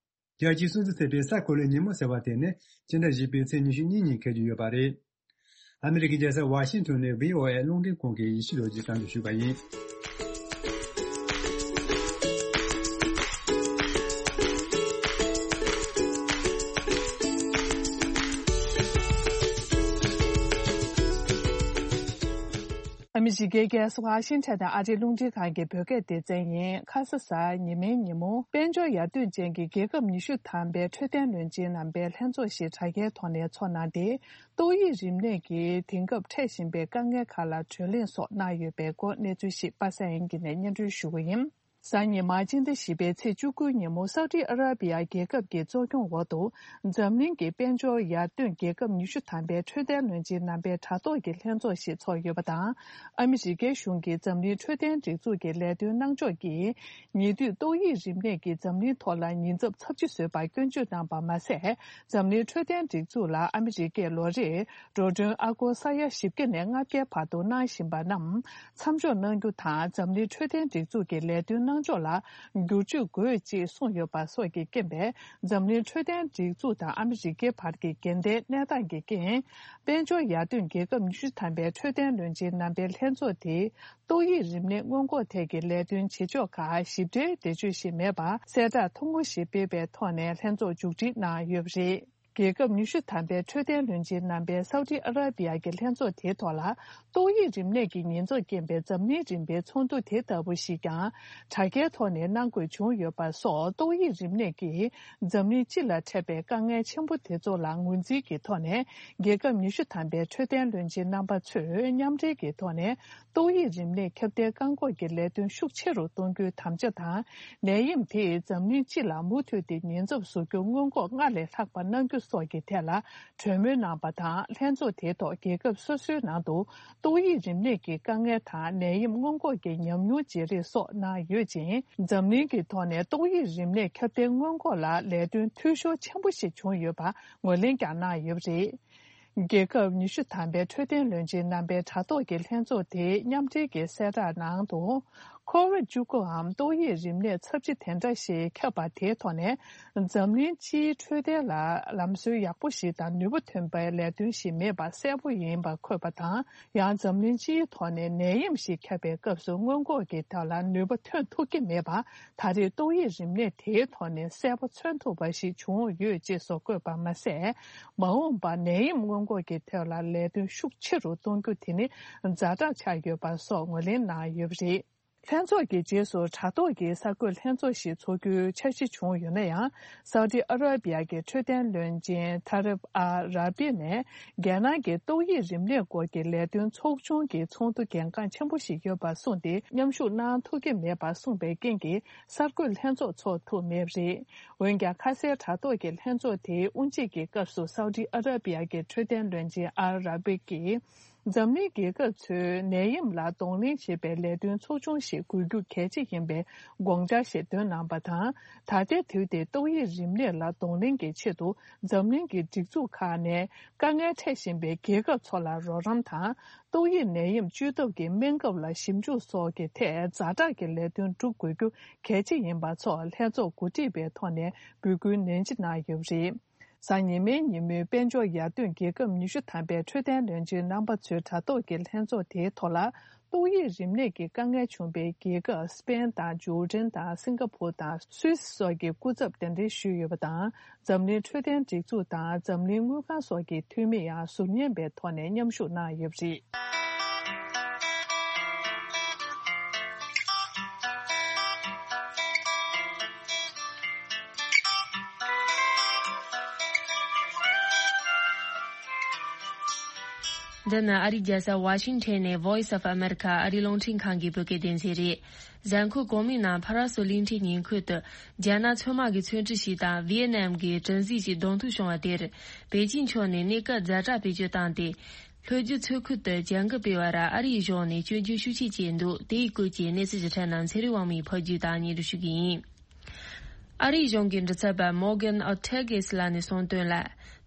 རྒྱལ་སྤྱིའི་སྲུང་བརྩི་ཐེབས་པའི་ས་གོ་ལའི་ཉིན་མོ་ཟེར་བ་དེ་ནི་སྤྱི་ཟླ་བཞི་པའི་ཚེས་ཉི་ཤུ་གཉིས་ཉིན་འཁེལ་རྒྱུ་ཡོད་པ་རེད། ཨ་མི་རི་ཀའི་རྒྱལ་ས་ཝ་ཤིང་ཊོན་ནས་བྷི་ཨོ་ཨེ་རླུང་འཕྲིན་ཁང་གི་ཡེ་ཤེས་རྡོ་རྗེས་གསར་འགོད་ཞུས་པ་ཡིན། ཨ་མི་རི་ཀའི་རྒྱལ་ས་ཝ་ཤིང་ཊོན་ནས་ཨ་རིའི་རླུང་འཕྲིན་ཁང་གི་བོད་སྐད་སྡེ་ཚན་ཡིན། ཁ་ས་གཟའ་ཉི་མའི་ཉིན་མོ་དཔལ་འབྱོར་ཡར་ཐོན་ཅན་གྱི་རྒྱལ་ཁབ་ཉི་ཤུ་ཐམ་པའི་འཕྲོད་བསྟེན་བློན་ཆེན་རྣམ་པའི་ལྷན་ཚོགས་ཤིག་དྲ་རྒྱའི་ཐོག་ནས་འཚོགས་གནང་སྟེ། ཏོག་དབྱིབས་རིམས་ནད་ཀྱིས་དེང་སྐབས་འཕྲད་བཞིན་པའི་དཀའ་ངལ་ཁག་ལ་གྲོས་གླེང་སོགས་གནང་ཡོད་པའི་སྐོར་གནས་ཚུལ་ཞིག་པ་སངས་དབྱངས་སྐྱིད་ནས་སྙན་སྒྲོན་ཞུ་གི་ཡིན། གཟའ་ཉི་མ་སྤྱི་ཟླ་བཞི་པའི་ཚེས་བཅུ་དགུ་ཉིན་མོ་སའུ་ཏི་ཨ་ར་པི་ཡ་རྒྱལ་ཁབ་ཀྱི་གཙོ་སྐྱོང་འོག་ཏུ་འཛམ་གླིང་གི་དཔལ་འབྱོར་ཡར་ཐོན་རྒྱལ་ཁབ་ཉི་ཤུ་ཐམ་པའི་འཕྲོད་བསྟེན་བློན་ཆེན་རྣམ་པའི་དྲ་ཐོག་གི་ལྷན་ཚོགས་ཤིག་འཚོགས་ཡོད་པ་དང་། ཨ་མི་རི་ཀའི་གཞུང་གིས་འཛམ་གླིང་འཕྲོད་བསྟེན་སྒྲིག་འཛུགས་ཀྱི་ལས་དོན་གནང་ཕྱོགས་ཀྱིས་ཉེ་དུས་ཏོག་དབྱིབས་རིམས་ནད་ཀྱིས་འཛམ་གླིང་ཐོག་ལ་ཉེན་ཚབས་ཚབས་ཆེ་བཟོས་པར་སྐྱོན་བརྗོད་གནང་པ་མ་ཟད། འཛམ་གླིང་འཕྲོད་བསྟེན་སྒྲིག་འཛུགས་ལ་ཨ་མི་རི་ཀས་ལོ་རེར་འགྲོ་གྲོན་ཨ་སྒོར་ས་ཡ་བཞི་བརྒྱ་ནས་ལྔ་བརྒྱའི་བར་དུ་གནང་བཞིན་པ་རྣམས་མཚམས་འཇོག་གནང་རྒྱུ་དང་། འཛམ་གླིང་འཕྲོད་བསྟེན་སྒྲིག་འཛུགས་ཀྱི་ལས་དོན་གནང་ཕྱོགས་ལ་བསྒྱུར་བཅོས་དགོས་ཅེས་གསུངས་ཡོད་པ་སོགས་ཀྱི་རྐྱེན་པས། འཛམ་གླིང་འཕྲོད་བསྟེན་སྒྲིག་འཛུགས་དང་ཨ་མི་རི་ཀའི་བར་གྱི་འགལ་ཟླའི་གནས་སྟངས་ཀྱི་རྐྱེན། དཔལ་འབྱོར་ཡར་ཐོན་རྒྱལ་ཁབ་ཉི་ཤུ་ཐམ་པའི་འཕྲོད་བསྟེན་བློན་ཆེན་རྣམ་པའི་ལྷན་ཚོགས་དེས་ཏོག་དབྱིབས་རིམས་ནད་སྔོན་འགོག་ཐད་ཀྱི་ལས་དོན་བྱེད་ཕྱོགས་ཁག་ཞིབ་ཕྲའི་འགྲེལ་བརྗོད་ཞིག་མེད་པར། གསལ་བསྒྲགས་ཐུང་ངུ་ཞིག་སྤེལ་བའི་ཐོག་ནས་ལྷན་ཚོགས་མཇུག་སྒྲིལ་གནང་ཡོད་པ་རེད། རྒྱལ་ཁབ་ཉི་ཤུ་ཐམ་པའི་འཕྲོད་བསྟེན་བློན་ཆེན་རྣམ་པའི་སའུ་ཏི་ཨ་ར་པི་ཡ་གི་ལྷན་ཚོགས་དེའི་ཐོག་ལ། ཏོག་དབྱིབས་རིམས་ནད་ཀྱི་ཉེན་ཚབས་རྐྱེན་པས་འཛམ་གླིང་རིམ་པའི་ཚོགས་འདུ་དེ་ལྟ་བུ་ཞིག་ཀྱང་དྲ་རྒྱའི་ཐོག་ནས་གནང་དགོས་བྱུང་ཡོད་པ་སོགས། ཏོག་དབྱིབས་རིམས་ནད་ཀྱིས་འཛམ་གླིང་སྤྱི་ལ་འཕྲད་པའི་དཀའ་ངལ་ཆེན་པོ་དེ་ཚོ་ལ་ངོས་འཛིན་གྱི་ཐོག་ནས། རྒྱལ་ཁབ་ཉི་ཤུ་ཐམ་པའི་འཕྲོད་བསྟེན་བློན་ཆེན་རྣམ་པ་ཚོས་མཉམ་འབྲེལ་གྱི་ཐོག་ནས། ཏོག་དབྱིབས་རིམས་ནད་ཁྱབ་གདལ་བཀག་འགོག་གི་ལས་དོན་ཤུགས་ཆེ་རུ་གཏོང་རྒྱུའི་དམ་བཅའ་དང་། ནད་ཡམས་དེས་འཛམ་གླིང་སྤྱི་ལ་མུ་མཐུད་དེ་ཉེན་ཚབས་བཟོ་རྒྱུ་སྔོན་འགོག་སྔར་ལས་ལྷག་པ་གནང་རྒྱུ་སོགས་ཀྱི་ཐད་ལ་གྲོས་མོལ་གནང་པ་དང་། ལྷན་ཚོགས་དེའི་ཐོག་རྒྱལ་ཁབ་སོ་སོའི་ནང་དུ་ཏོག་དབྱིབས་རིམས་ནད་ཀྱི་དཀའ་ངལ་དང་ནད་ཡམས་སྔོན་འགོག་གི་ཉམས་མྱོང་བརྗེ་རེས་སོགས་གནང་ཡོད་ཅིང་། འཛམ་གླིང་གི་ཐོག་ནས་ཏོག་དབྱིབས་རིམས་ནད་ཁྱབ་གདལ་སྔོན་འགོག་ལ་ལས་དོན་འཐུས་ཤོར་ཆེན་པོ་ཞིག་བྱུང་ཡོད་པ་ངོས་ལེན་ཀྱང་གནང་ཡོད་པ་རེད། རྒྱལ་ཁབ་ཉི་ཤུ་ཐམ་པའི་འཕྲོད་བསྟེན་བློན་ཆེན་རྣམ་པའི་དྲ་ཐོག་གི་ལྷན་ཚོགས་དེའི་མཉམ་འབྲེལ་གྱི་གསལ་བསྒྲགས་ནང་དུ། ཁོ་ཝིད་བཅུ་དགུའམ་ཏོག་དབྱིབས་རིམས་ནད་ཚབས་ཆེ་དེ་འདྲ་ཞིག་ཁྱབ་པ་དེའི་ཐོག་ནས། འཛམ་གླིང་སྤྱིའི་འཕྲོད་བསྟེན་ལ་ལམ་སྲོལ་ཡག་པོ་ཞིག་དང་ནུས་པ་ཐོན་པའི་ལས་དོན་ཞིག་མེད་པ་གསལ་པོ་ཡིན་པ་འཁོད་པ་དང་། ཡང་འཛམ་གླིང་སྤྱིའི་ཐོག་ནས་ནད་ཡམས་ཤིག་ཁྱབ་པའི་སྐབས་སུ་སྔོན་འགོག་གི་ཐབས་ལ་ནུས་པ་ཐོན་ཐུབ་ཀྱི་མེད་པ། ད་རེས་ཏོག་དབྱིབས་རིམས་ནད་དེའི་ཐོག་ནས་གསལ་པོ་མཚོན་ཐུབ་པ་ཞིག་བྱུང་ཡོད་ཅེས་སོགས་བཀོད་པ་མ་ཟད། མ་འོངས་པར་ནད་ཡམས་སྔོན་འགོག་གི་ཐད་ལ་ལས་དོན་ཤུགས་ཆེ་རུ་གཏོང་རྒྱུ་དེ་ནི་ཛ་དྲག་ཆགས་ཡོད་པ་སོགས་ངོས་ལེན་གནང་ཡོད་པ་རེད། ལྷན་ཚོགས་ཀྱི་རྗེས་སུ་དྲ་ཐོག་གི་གསར་འགོད་ལྷན་ཚོགས་ཤིག་འཚོགས་རྒྱུའི་འཆར་གཞི་བྱུང་ཡོད་ན་ཡང་། སའུ་ཏི་ཨ་ར་པི་ཡ་གི་འཕྲོད་བསྟེན་བློན་ཆེན་ཐ་རིབ་ཨ་ར་པི་ནས། རྒྱལ་ནང་གི་ཏོག་དབྱིབས་རིམས་ནད་སྐོར་གྱི་ལས་དོན་ཚོགས་ཆུང་གི་ཚོགས་འདུ་གལ་འགངས་ཆེན་པོ་ཞིག་ཡོད་པར་གསུངས་ཏེ། མཉམ་ཞུགས་གནང་ཐུབ་ཀྱི་མེད་པར་གསུངས་པའི་རྐྱེན་གྱིས། གསར་འགོད་ལྷན་ཚོགས་འཚོགས་ཐུབ་མེད་པ་རེད། འོན་ཀྱང་། ཁ་སའི་དྲ་ཐོག་གི་ལྷན་ཚོགས་དེའི་དབུ་འབྱེད་ཀྱི་སྐབས་སུ། སའུ་ཏི་ཨ་ར་པི་ཡ་གི་འཕྲོད་བསྟེན་བློན་ཆེན་ཨལ་ར་བྷི་ཀྱིས། འཛམ་གླིང་རྒྱལ་ཁབ་ཚོས་ནད་ཡམས་ལ་གདོང་ལེན་བྱེད་པའི་ལས་དོན་ཚོགས་ཆུང་ཞིག་དགོས་རྒྱུ་གལ་ཆེ་ཡིན་པའི་དགོངས་འཆར་ཞིག་བཏོན་གནང་པ་དང་། ད་ལྟའི་དུས་དེ་ཏོག་དབྱིབས་རིམས་ནད་ལ་གདོང་ལེན་གྱི་ཆེད་དུ། འཛམ་གླིང་གི་སྒྲིག་འཛུགས་ཁག་ནས་དཀའ་ངལ་འཕྲད་བཞིན་པའི་རྒྱལ་ཁབ་ཚོ་ལ་རོགས་རམ་དང་། ཏོག་དབྱིབས་ནད་ཡམས་བཅོས་ཐབས་ཀྱི་སྨན་ཁབ་ལ་ཞིབ་འཇུག་སོགས་ཀྱི་ཐད་ཛ་དྲག་གི་ལས་དོན་སྒྲུབ་དགོས་རྒྱུ་གལ་ཆེ་ཡིན་པ་སོགས་ལྷན་ཚོགས་གོ་སྒྲིག་པའི་ཐོག་ནས་འབོད་སྐུལ་ནན་ཆེ་གནང་ཡོད་པ་རེད། གཟའ་ཉི་མའི་ཉིན་མོའི་དཔལ་འབྱོར་ཡར་ཐོན་རྒྱལ་ཁབ་ཉི་ཤུ་ཐམ་པའི་འཕྲོད་བསྟེན་བློན་ཆེན་རྣམ་པ་ཚོའི་དྲ་ཐོག་གི་ལྷན་ཚོགས་དེའི་ཐོག་ལ། ཏོག་དབྱིབས་རིམས་ནད་ཀྱི་དཀའ་ངལ་བྱུང་པའི་རྒྱལ་ཁབ་སི་པེན་དང་ཇོར་ཌན་དང་སིང་ག་ཕོར་དང་སུད་སི་སོགས་ཀྱི་སྐུ་ཚབ་གདན་འདྲེན་ཞུས་ཡོད་པ་དང་། འཛམ་གླིང་འཕྲོད་བསྟེན་སྒྲིག་འཛུགས་དང་འཛམ་གླིང་དངུལ་ཁང་སོགས་ཀྱི་འཐུས་མི་ཡང་ཟུར་ཉན་པའི་ཐོག་ནས་མཉམ་ཞུགས་གནང་ཡོད་པ་རེད། འདི་ནི་ཨ་རིའི་རྒྱལ་ས་ཝ་ཤིང་ཊོན་ནས་Voice of America ཨ་རིའི་རླུང་འཕྲིན་ཁང་གི་བོད་སྐད་སྡེ་ཚན་རེད། གཟའ་འཁོར་གོང་མའི་ནང་ཕ་ར་སོ་གླིང་ཕྲན་ཉེ་འཁོར་དུ་རྒྱ་ནག་མཚོ་དམག་གི་མཚོན་ཁྲི་ཞིག་དང་ཝི་ཡེ་ནམ་གྱི་གྲུ་གཟིངས་ཤིག་གདོང་ཐུག་བྱུང་བ་དེར། པེ་ཅིང་ཕྱོགས་ནས་གནས་སྐབས་ཛ་དྲག་བེད་སྤྱོད་བཏང་སྟེ། ལྷོ་རྒྱུད་མཚོ་ཁུལ་དུ་བྱ་འགུལ་སྤེལ་བར་ཨ་རིའི་གཞུང་ནས་སྐྱོན་བརྗོད་ཤུགས་ཆེ་བྱས་འདུག་དེའི་སྐོར་གྱི་གནས་ཚུལ་ཞིབ་ཕྲ་རྣམས་ཚེ་རིང་དབང་མོས་ཕབ་སྒྱུར་དང་སྙན་སྒྲོན་ཞུ་གི་ཡིན། ཨ་རིའི་གཞུང་གི་མགྲིན་ཚབ་པ་Morgan Ortagus ལགས་ནས་གསུངས་དོན་ལ།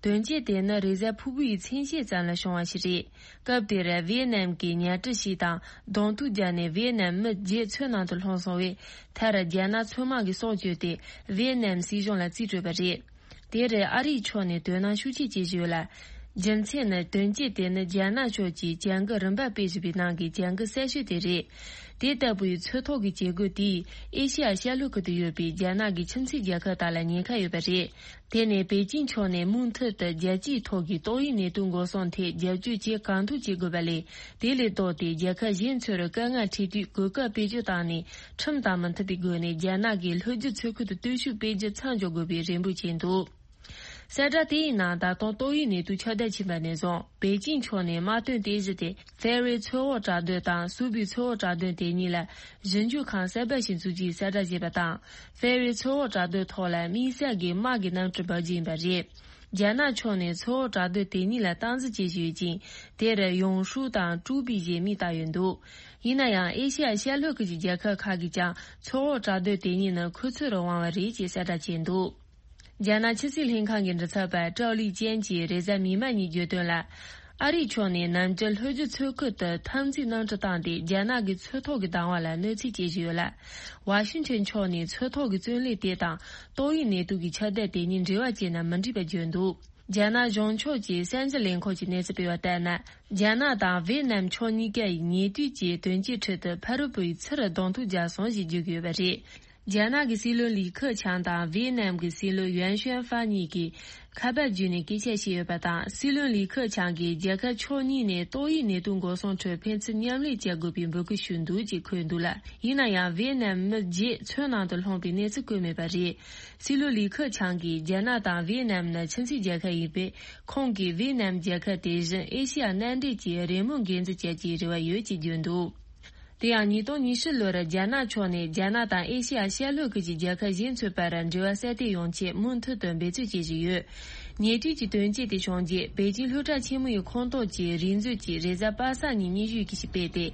དོན་རྐྱེན་དེ་ནི་རེས་གཟའ་ཕུར་བུའི་མཚན་ཕྱེད་ཙམ་ལ་བྱུང་བ་ཞིག་རེད། སྐབས་དེར་ཝི་ཡེ་ནམ་གྱི་ཉ་གྲུ་ཞིག་དང་གདོང་ཐུག་བརྒྱབ་ནས་ཝི་ཡེ་ནམ་མི་བརྒྱད་མཚོའི་ནང་དུ་ལྷུང་སོང་བས། མཐར་རྒྱ་ནག་མཚོ་དམག་གིས་སྲོག་བཅད་དེ་ཝི་ཡེ་ནམ་སྲིད་གཞུང་ལ་རྩིས་སྤྲོད་པ་རེད། དེར་ཨ་རིའི་ཕྱོགས་ནས་དོ་སྣང་ཤུགས་ཆེ་བྱེད་བཞིན་ཡོད་ལ། རྒྱུ་མཚན་ནི་དོན་རྐྱེན་དེ་ནི་རྒྱ་ནག་ཕྱོགས་ཀྱིས་བྱ་འགུལ་རིམ་པ་སྤེལ་བཞིན་པའི་ནང་གི་བྱ་འགུལ་གསར་ཤོས་དེ་རེད། དེ་ལྟ་བུའི་མཚོ་ཐོག་གི་བྱེད་སྒོ་དེས་ཨེ་ཤེ་ཡ་ཤར་ལྷོ་ཁུལ་དུ་ཡོད་པའི་རྒྱ་ནག་གི་ཁྱིམ་མཚེས་རྒྱལ་ཁབ་དག་ལ་ཉེན་ཁ་ཡོད་པ་རེད། དེ་ནས་པེ་ཅིང་ཕྱོགས་ནས་མུ་མཐུད་དུ་རྒྱལ་སྤྱིའི་ཐོག་གི་ཏོག་དབྱིབས་ནད་དུག་འགོག་སྲུང་ཐད་རྒྱབ་སྐྱོར་བྱེད་གང་ཐུབ་བྱེད་དགོས་པ་ལས། དེ་ལས་ལྡོག་སྟེ་རྒྱལ་ཁབ་གཞན་ཚོར་དཀའ་ངལ་འཕྲད་དུས་གོ་སྐབས་བེད་སྤྱོད་བཏང་ནས་ཁྲིམས་དང་མི་མཐུན་པའི་སྒོ་ནས་རྒྱ་ནག་གིས་ལྷོ་རྒྱུད་མཚོ་ཁུལ་དུ་སྟོབས་ཤུགས་སྤེལ་རྒྱུ་མཚམས་འཇོག་དགོས་པའི་རེ་འབོད་བྱས་འདུག་གསལ་བསྒྲགས་དེའི་ནང་ད་དུང་ཏོག་དབྱིབས་ནད་དུག་ཁྱབ་གདལ་ཕྱིན་པ་ནས་བཟུང་པེ་ཅིང་ཕྱོགས་ནས་དམག་དོན་རྟེན་གཞི་དེ་ཧྥེ་རེ་མཚོ་འོག་བྲག་རྡོ་དང་སུའུ་པི་མཚོ་འོག་བྲག་རྡོ་དེ་གཉིས་ལ་ཞིབ་འཇུག་ཁང་གསར་པ་ཞིག་འཛུགས་རྒྱུའི་གསལ་བསྒྲགས་བྱས་པ་དང་། ཧྥེ་རེ་མཚོ་འོག་བྲག་རྡོའི་ཐོག་ལ་དམིགས་བསལ་གྱི་དམག་གི་གནམ་གྲུ་འབབ་རྒྱུ་ཡིན་པ་རེད། རྒྱ་ནག་ཕྱོགས་ནས་མཚོ་འོག་བྲག་རྡོ་དེ་གཉིས་ལ་སྟངས་འཛིན་བྱེད་བཞིན་ཡོད་ཅིང་། དེར་ཡོང་ཧྲུའུ་དང་ཀྲུའུ་པི་ཞེས་མིང་བཏགས་ཡོད་འདུག་ཡིན་ན་ཡང་ཨེ་ཤེ་ཡ་ཤར་ལྷོ་ཁུལ་གྱི་རྒྱལ་ཁབ་ཁག་གིས་ཀྱང་མཚོ་འོག་བྲག་རྡོ་དེ་གཉིས་ནི་ཁོ་ཚོར་དབང་བ་རེད་ཅེས་གསལ་བསྒྲགས་བྱས་འདུག་རྒྱ་ནག་ཕྱི་སྲིད་ལྷན་ཁང་གི་མགྲིན་ཚབ་པ་ཀྲའོ་ལི་ཅན་གྱིས་རེས་གཟའ་མིག་དམར་ཉིན་བརྗོད་དོན་ལ། ཨ་རིའི་ཕྱོགས་ནས་ནམ་རྒྱུན་ལྷོ་རྒྱུད་མཚོ་ཁུལ་དུ་འཐབ་འཛིང་གནམ་གྲུ་བཏང་སྟེ་རྒྱ་ནག་གི་མཚོ་ཐོག་གི་བདག་དབང་ལ་གནོད་འཚེ་བྱེད་བཞིན་ཡོད་ལ། ཝ་ཤིང་ཊོན་ཕྱོགས་ནས་མཚོ་ཐོག་གི་བཙོན་ལས་དེ་དང་ཏོག་དབྱིབས་ནད་དུག་གི་ཁྱབ་གདལ་དེ་གཉིས་འབྲེལ་བ་བྱས་ན་མི་འགྲིག་པ་བརྗོད་འདུག་རྒྱ་ནག་གཞུང་ཕྱོགས་ཀྱི་གསར་འགྱུར་ལས་ཁང་གིས་གནས་ཚུལ་སྤེལ་བ་ལྟར་ན། རྒྱ་ནག་དང་ཝེ་ནམ་ཕྱོགས་གཉིས་ཀ་ཡིས་ཉེ་དུས་ཀྱི་དོན་རྐྱེན་ཁྲོད་དུ་ཕ་རོལ་པོའི་ཚུར་གདོང་ཐུག་བརྒྱབ་སོང་ཞེས་བརྗོད་ཀྱི་ཡོད་པ་རེད། རྒྱ་ནག་གི་སྲིད་བློན་ལི་ཁེ་ཆང་དང་ཝེ་ནམ་གྱི་སྲིད་བློན་ཡུན་ཤུན་ཧྥ་གཉིས་ཀྱིས་ཁ་པར་བརྒྱུད་ནས་སྐད་ཆ་བཤད་ཡོད་པ་དང་། སྲིད་བློན་ལི་ཁེ་ཆང་གིས་རྒྱལ་ཁབ་ཕྱོགས་གཉིས་ནས་ཏོག་དབྱིབས་ནད་དུག་འགོག་སྲུང་ཁྲོད་ཕན་ཚུན་མཉམ་ལས་བྱ་དགོས་པའི་འབོད་སྐུལ་ཞུས་འདུག་ཅེས་འཁོད་འདུག་ལ། ཡིན་ན་ཡང་ཝེ་ནམ་མི་བརྒྱད་མཚོའི་ནང་དུ་ལྷུང་པའི་གནས་ཚུལ་བཀོད་མེད་པ་རེད། སྲིད་བློན་ལི་ཁེ་ཆང་གིས་རྒྱ་ནག་དང་ཝེ་ནམ་ནི་ཁྱིམ་མཚེས་རྒྱལ་ཁབ་ཡིན་པས། ཁོང་གིས་ཝེ་ནམ་རྒྱལ་ཁབ་དེ་བཞིན་ཨེ་ཤེ་ཡ་མནའ་འབྲེལ་གྱི་རེས་མོས་འགན་འཛིན་བྱ་རྒྱུའི་རེ་བ་ཡོད་ཅེས་བརྗོད་འདུག་དེ་ཡང་ཉིས་སྟོང་ཉི་ཤུ་ལོར་རྒྱ་ནག་ཕྱོགས་ནས་རྒྱ་ནག་དང་ཨེ་ཤེ་ཡ་ཤར་ལྷོ་ཁུལ་གྱི་རྒྱལ་ཁབ་གཞན་ཚོའི་བར་འབྲེལ་བ་གསར་གཏོད་ཡོང་ཆེད་མུ་མཐུད་དུ་འབད་རྩོལ་བྱེད་བཞིན་ཡོད། ཉེ་དུས་ཀྱི་དོན་རྐྱེན་དེ་བྱུང་རྗེས་པེ་ཅིང་སློབ་གྲྭ་ཆེན་མོའི་ཁོངས་གཏོགས་ཀྱི་རིག་མཛོད་ཀྱིས་རེས་གཟའ་པ་སངས་ཉིན་སྙན་ཞུ་ཡི་གེ་ཞིག་སྤེལ་ཏེ།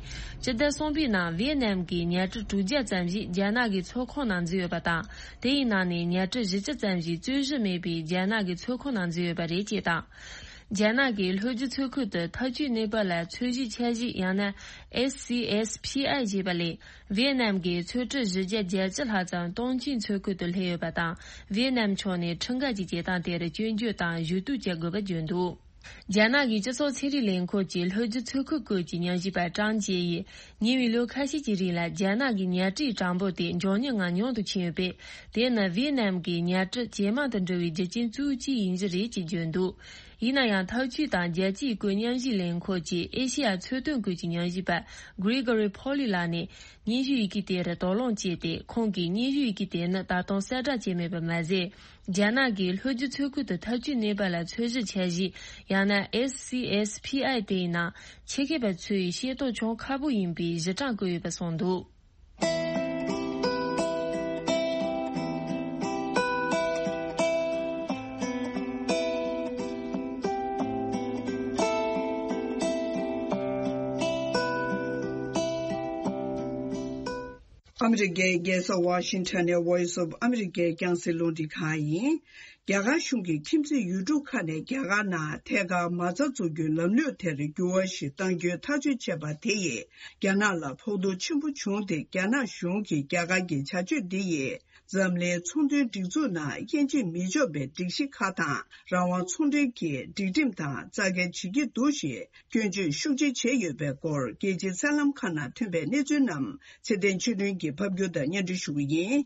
སྤྱི་ཟླ་གསུམ་པའི་ནང་ཝེ་ནམ་གྱི་ཉ་གྲུ་དྲུག་བརྒྱ་ཙམ་ཞིག་རྒྱ་ནག་གི་མཚོ་ཁོངས་ནང་འཛུལ་ཡོད་པ་དང་། དེའི་ནང་ནས་ཉ་གྲུ་བཞི་བཅུ་ཙམ་ཞིག་རྩོད་གཞི་མེད་པའི་རྒྱ་ནག་གི་མཚོ་ཁོངས་ནང་འཛུལ་ཡོད་པ་རེད་ཅེས་དང་། རྒྱ་ནག་གིས་ལྷོ་རྒྱུད་མཚོ་ཁུལ་དུ་འཐབ་ཇུས་གནས་བབ་ལ་ཚོས་གཞིའི་འཆར་གཞི་ཡང་ན་S C S P I ཞེས་པ་ལས། ཝེ་ནམ་གྱི་མཚོ་གྲུ་བཞི་བརྒྱ་བརྒྱད་ཅུ་ལྷག་ཙམ་ཏུང་ཅིང་མཚོ་ཁུལ་དུ་སླེབས་ཡོད་པ་དང་། ཝེ་ནམ་ཕྱོགས་ནས་ཁྲིམས་འགལ་གྱི་བྱེད་སྟངས་དེར་སྐྱོན་བརྗོད་དང་ཞུ་གཏུག་བྱེད་དགོས་པ་བརྗོད་འདུག་རྒྱ་ནག་གི་སྤྱི་ཚོགས་ཚན་རིག་ལས་ཁུངས་ཀྱི་ལྷོ་རྒྱུད་མཚོ་ཁུལ་སྐོར་གྱི་ཉམས་ཞིབ་པ་ཀྲང་ཅེ་ཡིས། ཉེ་བའི་ལོ་ཁ་ཤས་ཀྱི་རིང་ལ་རྒྱ་ནག་གི་ཉ་གྲུའི་གྲངས་འབོར་དེ་མགྱོགས་མྱུར་ངང་ཉུང་དུ་ཕྱིན་ཡོད་པས། དེ་ནི་ཝེ་ནམ་གྱི་ཉ་གྲུ་ཇེ་མང་དུ་འགྲོ་བའི་རྒྱུ་རྐྱེན་གཙོ་བོ་གཅིག་ཡིན་གྱི་རེད་ཅེས་བརྗོད་འདུག་ཡིན་ན་ཡང་། འཐབ་ཇུས་དང་རྒྱལ་སྤྱིའི་བཀོད་ཉམས་ཞིབ་ལས་ཁུངས་ཀྱི་ཨེ་ཤེ་ཡ་མཚོ་དོན་ཁུལ་གྱི་ཉམས་ཞིབ་པ་Gregory Poli ལགས་ནས། སྙན་ཞུ་ཡི་གེ་དེར་དོགས་སློང་བྱས་ཏེ། ཁོང་གིས་སྙན་ཞུ་ཡི་གེ་དེ་ནི་ད་དུང་གསལ་བསྒྲགས་བྱས་མེད་པ་མ་ཟད། རྒྱ་ནག་གིས་ལྷོ་རྒྱུད་མཚོ་ཁུལ་དུ་འཐབ་ཇུས་གནས་བབ་ལ་ཚོས་གཞི་འཆར་གཞི། ཡང་ན་S C S P I དེའི་ནང་ཆེད་མཁས་པ་ཚོས་ཤེས་རྟོགས་བྱུང་ཁག་པོ་ཡིན་པའི་གཞི་གྲངས་བཀོད་ཡོད་པ་གསུངས་འདུག་ཨ་མི་རི་ཀའི་རྒྱལ་ས་ཝ་ཤིང་ཊོན་ནས་Voice of America རྒྱང་སྲིང་རླུང་འཕྲིན་ཁང་ཡིན། རྒྱ་གར་གཞུང་གིས་ཁྱིམ་མཚེས་ཡུལ་གྲུ་ཁག་ནས་རྒྱ་གར་ནང་ཐད་ཀར་མ་རྩ་འཛུགས་རྒྱུའི་ལམ་ལུགས་དེར་འགྱུར་བ་ཞིག་གཏང་རྒྱུའི་ཐག་གཅོད་བྱས་པ་དེ་ཡིས། རྒྱ་ནག་ལ་ཕོག་ཐུག་ཆེན་པོ་བྱུང་སྟེ། རྒྱ་ནག་གཞུང་གིས་རྒྱ་གར་གྱི་བྱ་སྤྱོད་འདི་ཡིས། འཛམ་གླིང་ཚོང་དོན་སྒྲིག་འཛུགས་ནང་དབྱེ་འབྱེད་མི་ཆོག་པའི་སྒྲིག་གཞི་ཁག་དང་། རང་དབང་ཚོང་འབྲེལ་གྱི་སྒྲིག་ཁྲིམས་དང་རྩ་འགལ་བྱེད་ཀྱི་འདུག་ཞེས་སྐྱོན་བརྗོད་ཤུགས་ཆེ་བྱས་ཡོད་པའི་སྐོར། རྒྱལ་སྤྱིའི་གསར་ལམ་ཁག་ནང་ཐོན་པའི་གནས་ཚུལ་རྣམས་ཚེ་བརྟན་ཆོས་སྒྲོན་གྱིས་ཕབ་སྒྱུར་དང་སྙན་སྒྲོན་ཞུ་གི་ཡིན།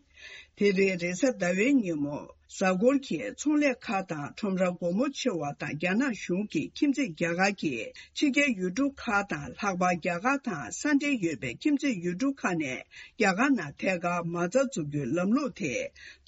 དེ་རིང་རེས་གཟའ་ཟླ་བའི་ཉིན་མོ། གཟའ་འཁོར་གྱི་ཚོང་ལས་ཁག་དང་ཁྲོམ་ར་སྒོ་མོ་ཕྱེ་བ་དང་། རྒྱ་ནག་གཞུང་གིས་ཁྱིམ་མཚེས་རྒྱ་གར་གྱི་ཕྱི་རྒྱལ་ཡུལ་གྲུ་ཁག་དང་། ལྷག་པར་རྒྱ་གར་དང་ས་འབྲེལ་ཡོད་པའི་ཁྱིམ་མཚེས་ཡུལ་གྲུ་ཁག་ནས་རྒྱ་གར་ནང་ཐད་ཀར་མ་རྩ་འཛུགས་རྒྱུའི་ལམ་ལུགས་དེ་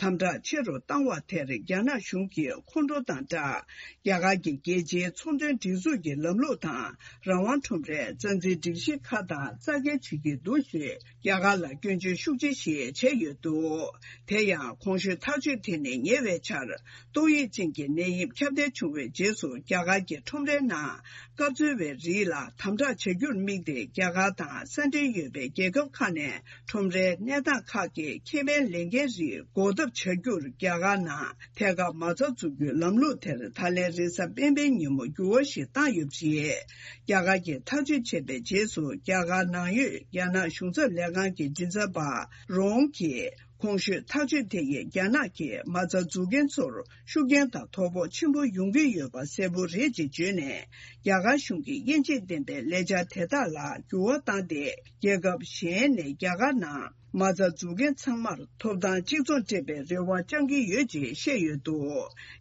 དམ་དྲག་ཆེ་རུ་བཏང་བ་དེར། རྒྱ་ནག་གཞུང་གིས་ཁོང་ཁྲོ་དང་སྦྲགས། རྒྱ་གར་གྱི་རྒྱལ་སྤྱིའི་ཚོང་དོན་སྒྲིག་འཛུགས་ཀྱི་ལམ་ལུགས་དང་། རང་དབང་ཁྲོམ་རའི་རྩ་འཛིན་སྒྲིག་གཞི་ཁག་དང་རྩ་འགལ་བྱེད་ཀྱི་འདུག་ཞེས། རྒྱ་གར་ལ་སྐྱོན་བརྗོད་ཤུགས་ཆེ་ཞིག་བྱས་ཡོད་འདུག་དེ་ཡང་གོང་ཞུས་ཐག་གཅོད་དེ་ནི་ཉེ་བའི་ཆར་ཏོག་དབྱིབས་ཅན་གྱི་ནད་ཡམས་ཁྱབ་གདལ་བྱུང་བའི་རྗེས་སུ། རྒྱ་གར་གྱི་ཁྲོམ་རའི་ནང་སྐབས་འཚོལ་བའི་རིགས་ལ་དམ་དྲག་བྱ་རྒྱུར་དམིགས་ཏེ། རྒྱ་གར་དང་ས་འབྲེལ་ཡོད་པའི་རྒྱལ་ཁབ་ཁག་ནས་ཁྲོམ་རའི་གནས་སྟངས་ཁག་གི་ཁེ་ཕན་ལེན་མཁན་རིགས་འགོག་ཐབས་བྱ་རྒྱུར། རྒྱ་གར་ནང་ཐད་ཀར་མ་རྩ་འཛུགས་རྒྱུའི་ལམ་ལུགས་དེར། ད་ལན་རེས་གཟའ་སྤེན་པའི་ཉིན་མོ་འགྱུར་བ་ཞིག་བཏང་ཡོད་པ་རེད། རྒྱ་གར་གྱིས་ཐག་གཅོད་བྱས་པའི་རྗེས་སུ། རྒྱ་གར་ནང་ཡོད་རྒྱ་ནག་གཞུང་ཚབ་ལས་ཁང་གི་མགྲིན་ཚབ་པ་རོང་གིས་གོང་ཞུས་ཐག་གཅོད་དེ་ཡིས་རྒྱ་ནག་གིས་མ་རྩ་འཛུགས་མཁན་ཚོར་ཤུགས་རྐྱེན་དང་དོ་ཕོག་ཆེན་པོ་ཡོང་གི་ཡོད་པ་གསལ་པོ་རེད་ཅེས་བརྗོད་ནས། རྒྱ་གར་གཞུང་གིས་དབྱེ་འབྱེད་ལྡན་པའི་ལས་འཆར་དེ་དག་ལ་འགྱུར་བ་བཏང་སྟེ། རྒྱལ་ཁབ་གཞན་ནས་རྒྱ་གར་ནང་མ་རྩ་འཛུགས་མཁན་ཚང་མར་ཐོབ་ཐང་གཅིག་མཚུངས་སྤྲད་པའི་རེ་བ་བཅང་གི་ཡོད་ཅེས་བཤད་ཡོད་འདུག་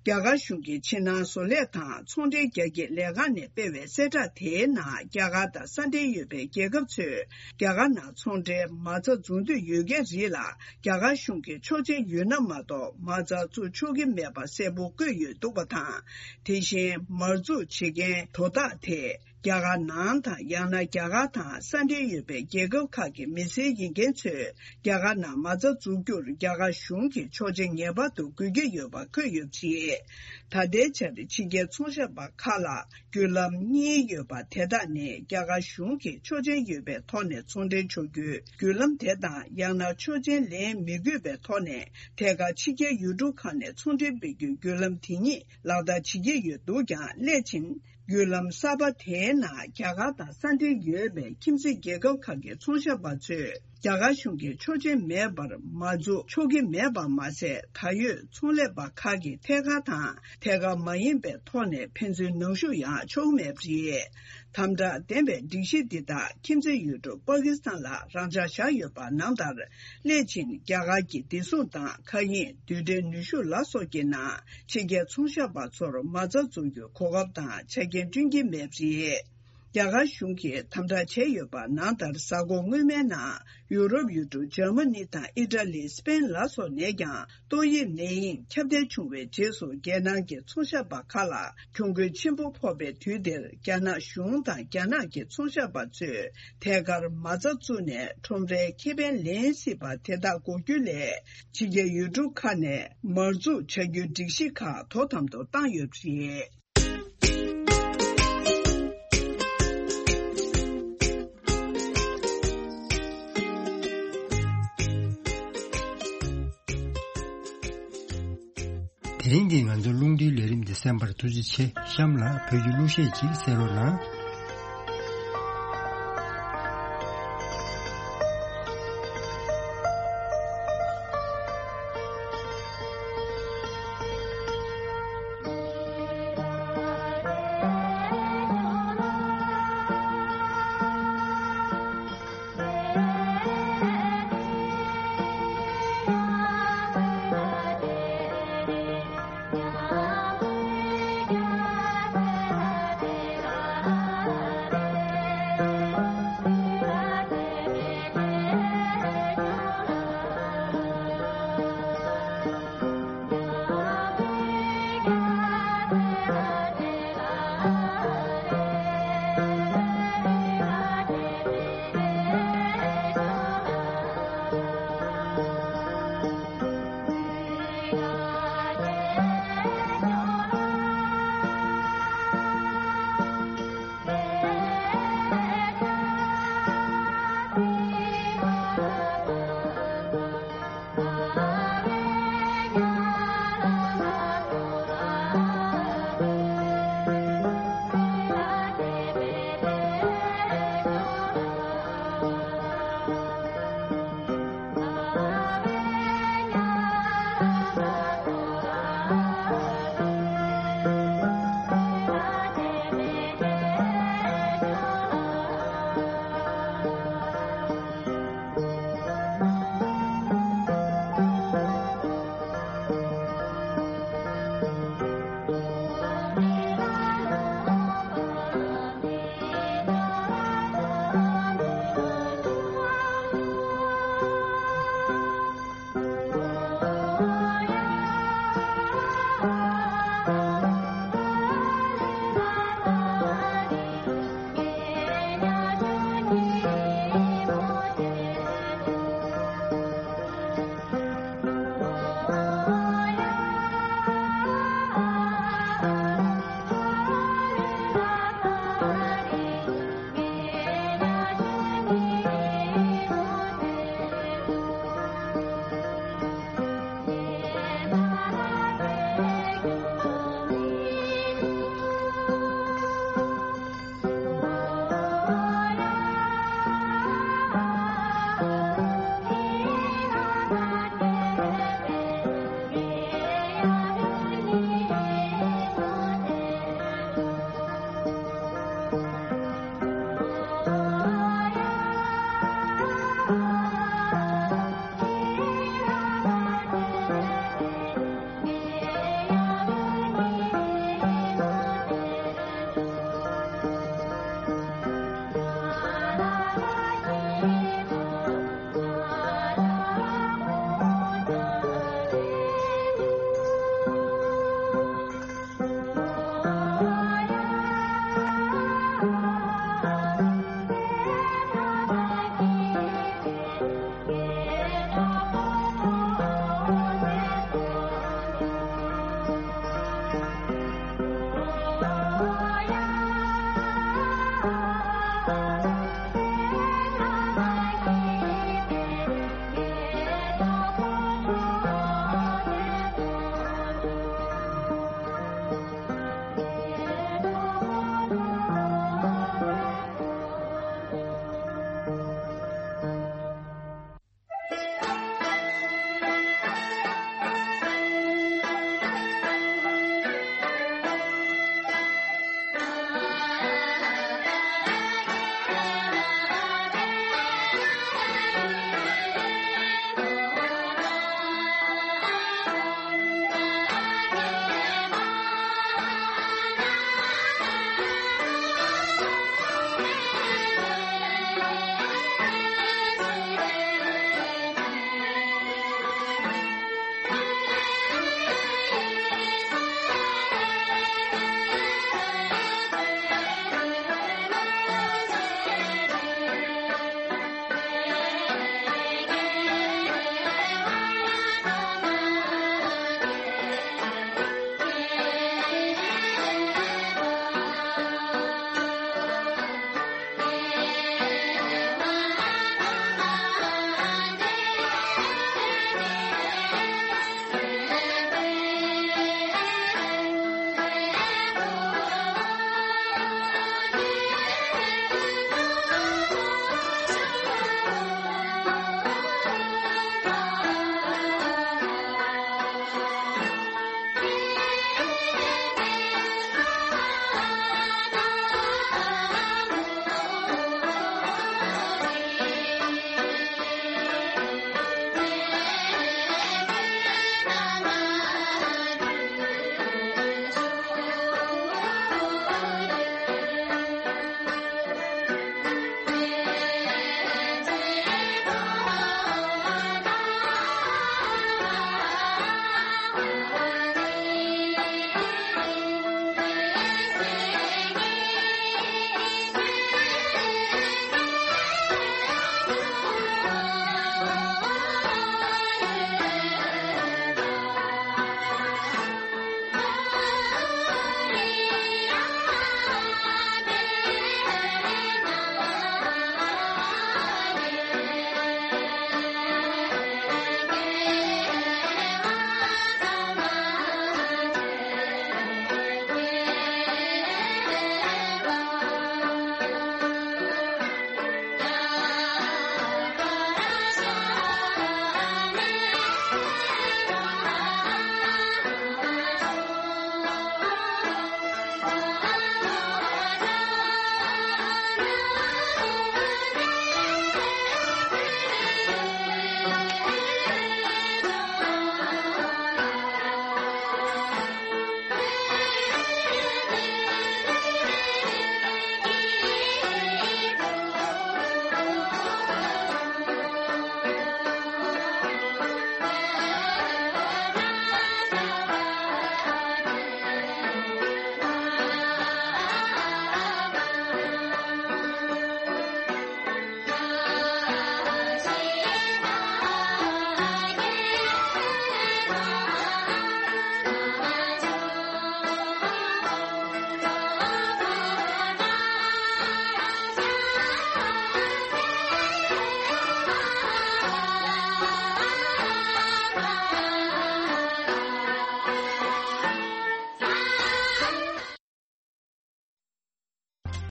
རྒྱ་གར་གཞུང་གིས་ཕྱི་ནང་བཟོ་ལས་དང་ཚོང་འབྲེལ་རྒྱ་སྐྱེད་ལས་ཁང་ནས་སྤེལ་བའི་གསལ་བསྒྲགས་དེའི་ནང་། རྒྱ་གར་དང་ས་འབྲེལ་ཡོད་པའི་རྒྱལ་ཁབ་ཚོས་རྒྱ་གར་ནང་ཚོང་འབྲེལ་མ་རྩ་འཛུགས་འདོད་ཡོད་མཁན་རིགས་ལ། རྒྱ་གར་གཞུང་གིས་ཆོག་མཆན་ཡོད་ན་མ་གཏོགས་མ་རྩ་བཙུགས་ཆོག་གི་མེད་པ་གསལ་པོ་བཀོད་ཡོད་འདུག་པ་དང་། དེ་བཞིན་མར་འཛུགས་བྱེད་མཁན་དོ་བདག་དེ། རྒྱ་གར་ནང་དང་། ཡང་ན་རྒྱ་གར་དང་ས་འབྲེལ་ཡོད་པའི་རྒྱལ་ཁབ་ཁག་གི་མི་སེར་ཡིན་མཁན་ཚོས་རྒྱ་གར་ནང་མ་རྩ་འཛུགས་རྒྱུར་རྒྱ་གར་གཞུང་གིས་ཆོག་མཆན་ངེས་པར་དུ་དགོས་ཀྱི་ཡོད་པ་འཁོད་ཡོད་པ་རེད། ད་ལྟའི་ཆར་ཕྱི་རྒྱལ་ཚོང་ཞབས་པ་ཁག་ལ་བརྒྱུད་ལམ་གཉིས་ཡོད་པ། དེ་དག་ནི་རྒྱ་གར་གཞུང་གིས་ཆོག་མཆན་ཡོད་པའི་ཐོག་ནས་ཚོང་འབྲེལ་ཆོག་རྒྱུའི་བརྒྱུད་ལམ་དེ་དང་། ཡང་ན་ཆོག་མཆན་ལེན་མི་དགོས་པའི་ཐོག་ནས་ཐད་ཀར་ཕྱི་རྒྱལ་ཡུལ་གྲུ་ཁག་ནས་ཚོང་འབྲེལ་སྤེལ་རྒྱུའི་བརྒྱུད་ལམ་དེ་གཉིས་ལག་བསྟར་བྱེད་ཀྱི་ཡོད་འདུག་ཀྱང་། སླད་ཕྱིན་བརྒྱུད་ལམ་གསར་པ་དེའི་ནང་རྒྱ་གར་དང་ས་འབྲེལ་ཡོད་པའི་ཁྱིམ་མཚེས་རྒྱལ་ཁབ་ཁག་གི་ཚོང་ཞབས་པ་ཚོས་རྒྱ་གར་གཞུང་གི་ཆོག་མཆན་མེད་པར་མ་འཛུགས་ཆོག་གི་མེད་པ་མ་ཟད། ད་ཡོད་ཚོང་ལས་པ་ཁག་གིས་ཐད་ཀར་དང་ཐད་ཀར་མ་ཡིན་པའི་ཐོག་ནས་ཕན་ཚུན་ནང་ཞུགས་ཡང་ཆོག་མེད་པ་རེད། དམ་དྲག་ལྡན་པའི་སྒྲིག་གཞི་འདི་དག་ཁྱིམ་མཚེས་ཡུལ་གྲུ་པ་ཀི་སི་ཐན་ལ་རང་འཇགས་བཞག་ཡོད་པ་ནང་ལྟར། སླད་ཕྱིན་རྒྱ་གར་གྱི་བདེ་སྲུང་དང་མཁའ་དབྱིངས་རྡུལ་ཕྲན་ནུས་ཤུགས་ལ་སོགས་ཀྱི་ནང་ཕྱི་རྒྱལ་ཚོང་ཞབས་པ་ཚོར་མ་རྩ་འཛུགས་རྒྱུའི་གོ་སྐབས་དང་ཆ་རྐྱེན་བསྐྲུན་གྱི་མེད་པ་རེད། རྒྱ་གར་གཞུང་གིས་དམ་དྲག་བྱས་ཡོད་པ་ནང་ལྟར། གཟའ་འཁོར་སྔོན་མའི་ནང་ཡུ་རོབ་ཡུལ་གྲུ་འཇར་མ་ནི་དང་ཨི་ཊ་ལི། སི་པེན་ལ་སོགས་ནས་ཀྱང་ཏོག་དབྱིབས་ནད་ཡམས་ཁྱབ་གདལ་བྱུང་བའི་རྗེས་སུ། རྒྱལ་ནང་གི་ཚོང་ཞབས་པ་ཁག་ལ་གྱོང་གུན་ཆེན་པོ་ཕོག་པའི་དུས་འདིར། རྒྱ་ནག་གཞུང་དང་རྒྱ་ནག་གི་ཚོང་ཞབས་པ་ཚོས་ཐད་ཀར་མ་རྩ་བཙུགས་ནས་ཁྲོམ་རའི་ཁེ་ཕན་ལེན་སྲིད་པ་དེ་དག་འགོག་རྒྱུ་ལས། ཕྱི་རྒྱལ་ཡུལ་གྲུ་ཁག་ནས་མར་འཛུགས་བྱ་རྒྱུའི་སྒྲིག་གཞི་ཁག་དོ་དམ་དུ་བཏང་ཡོད་པ་རེད། དེ་རིང་གི་ང་ཚོའི་རླུང་འཕྲིན་ལས་རིམ་འདི་གསན་པར་ཐུགས་རྗེ་ཆེ། གཤམ་ལ་བོད་ཀྱི་གླུ་གཞས་ཅིག་གསན་རོགས་གནང་།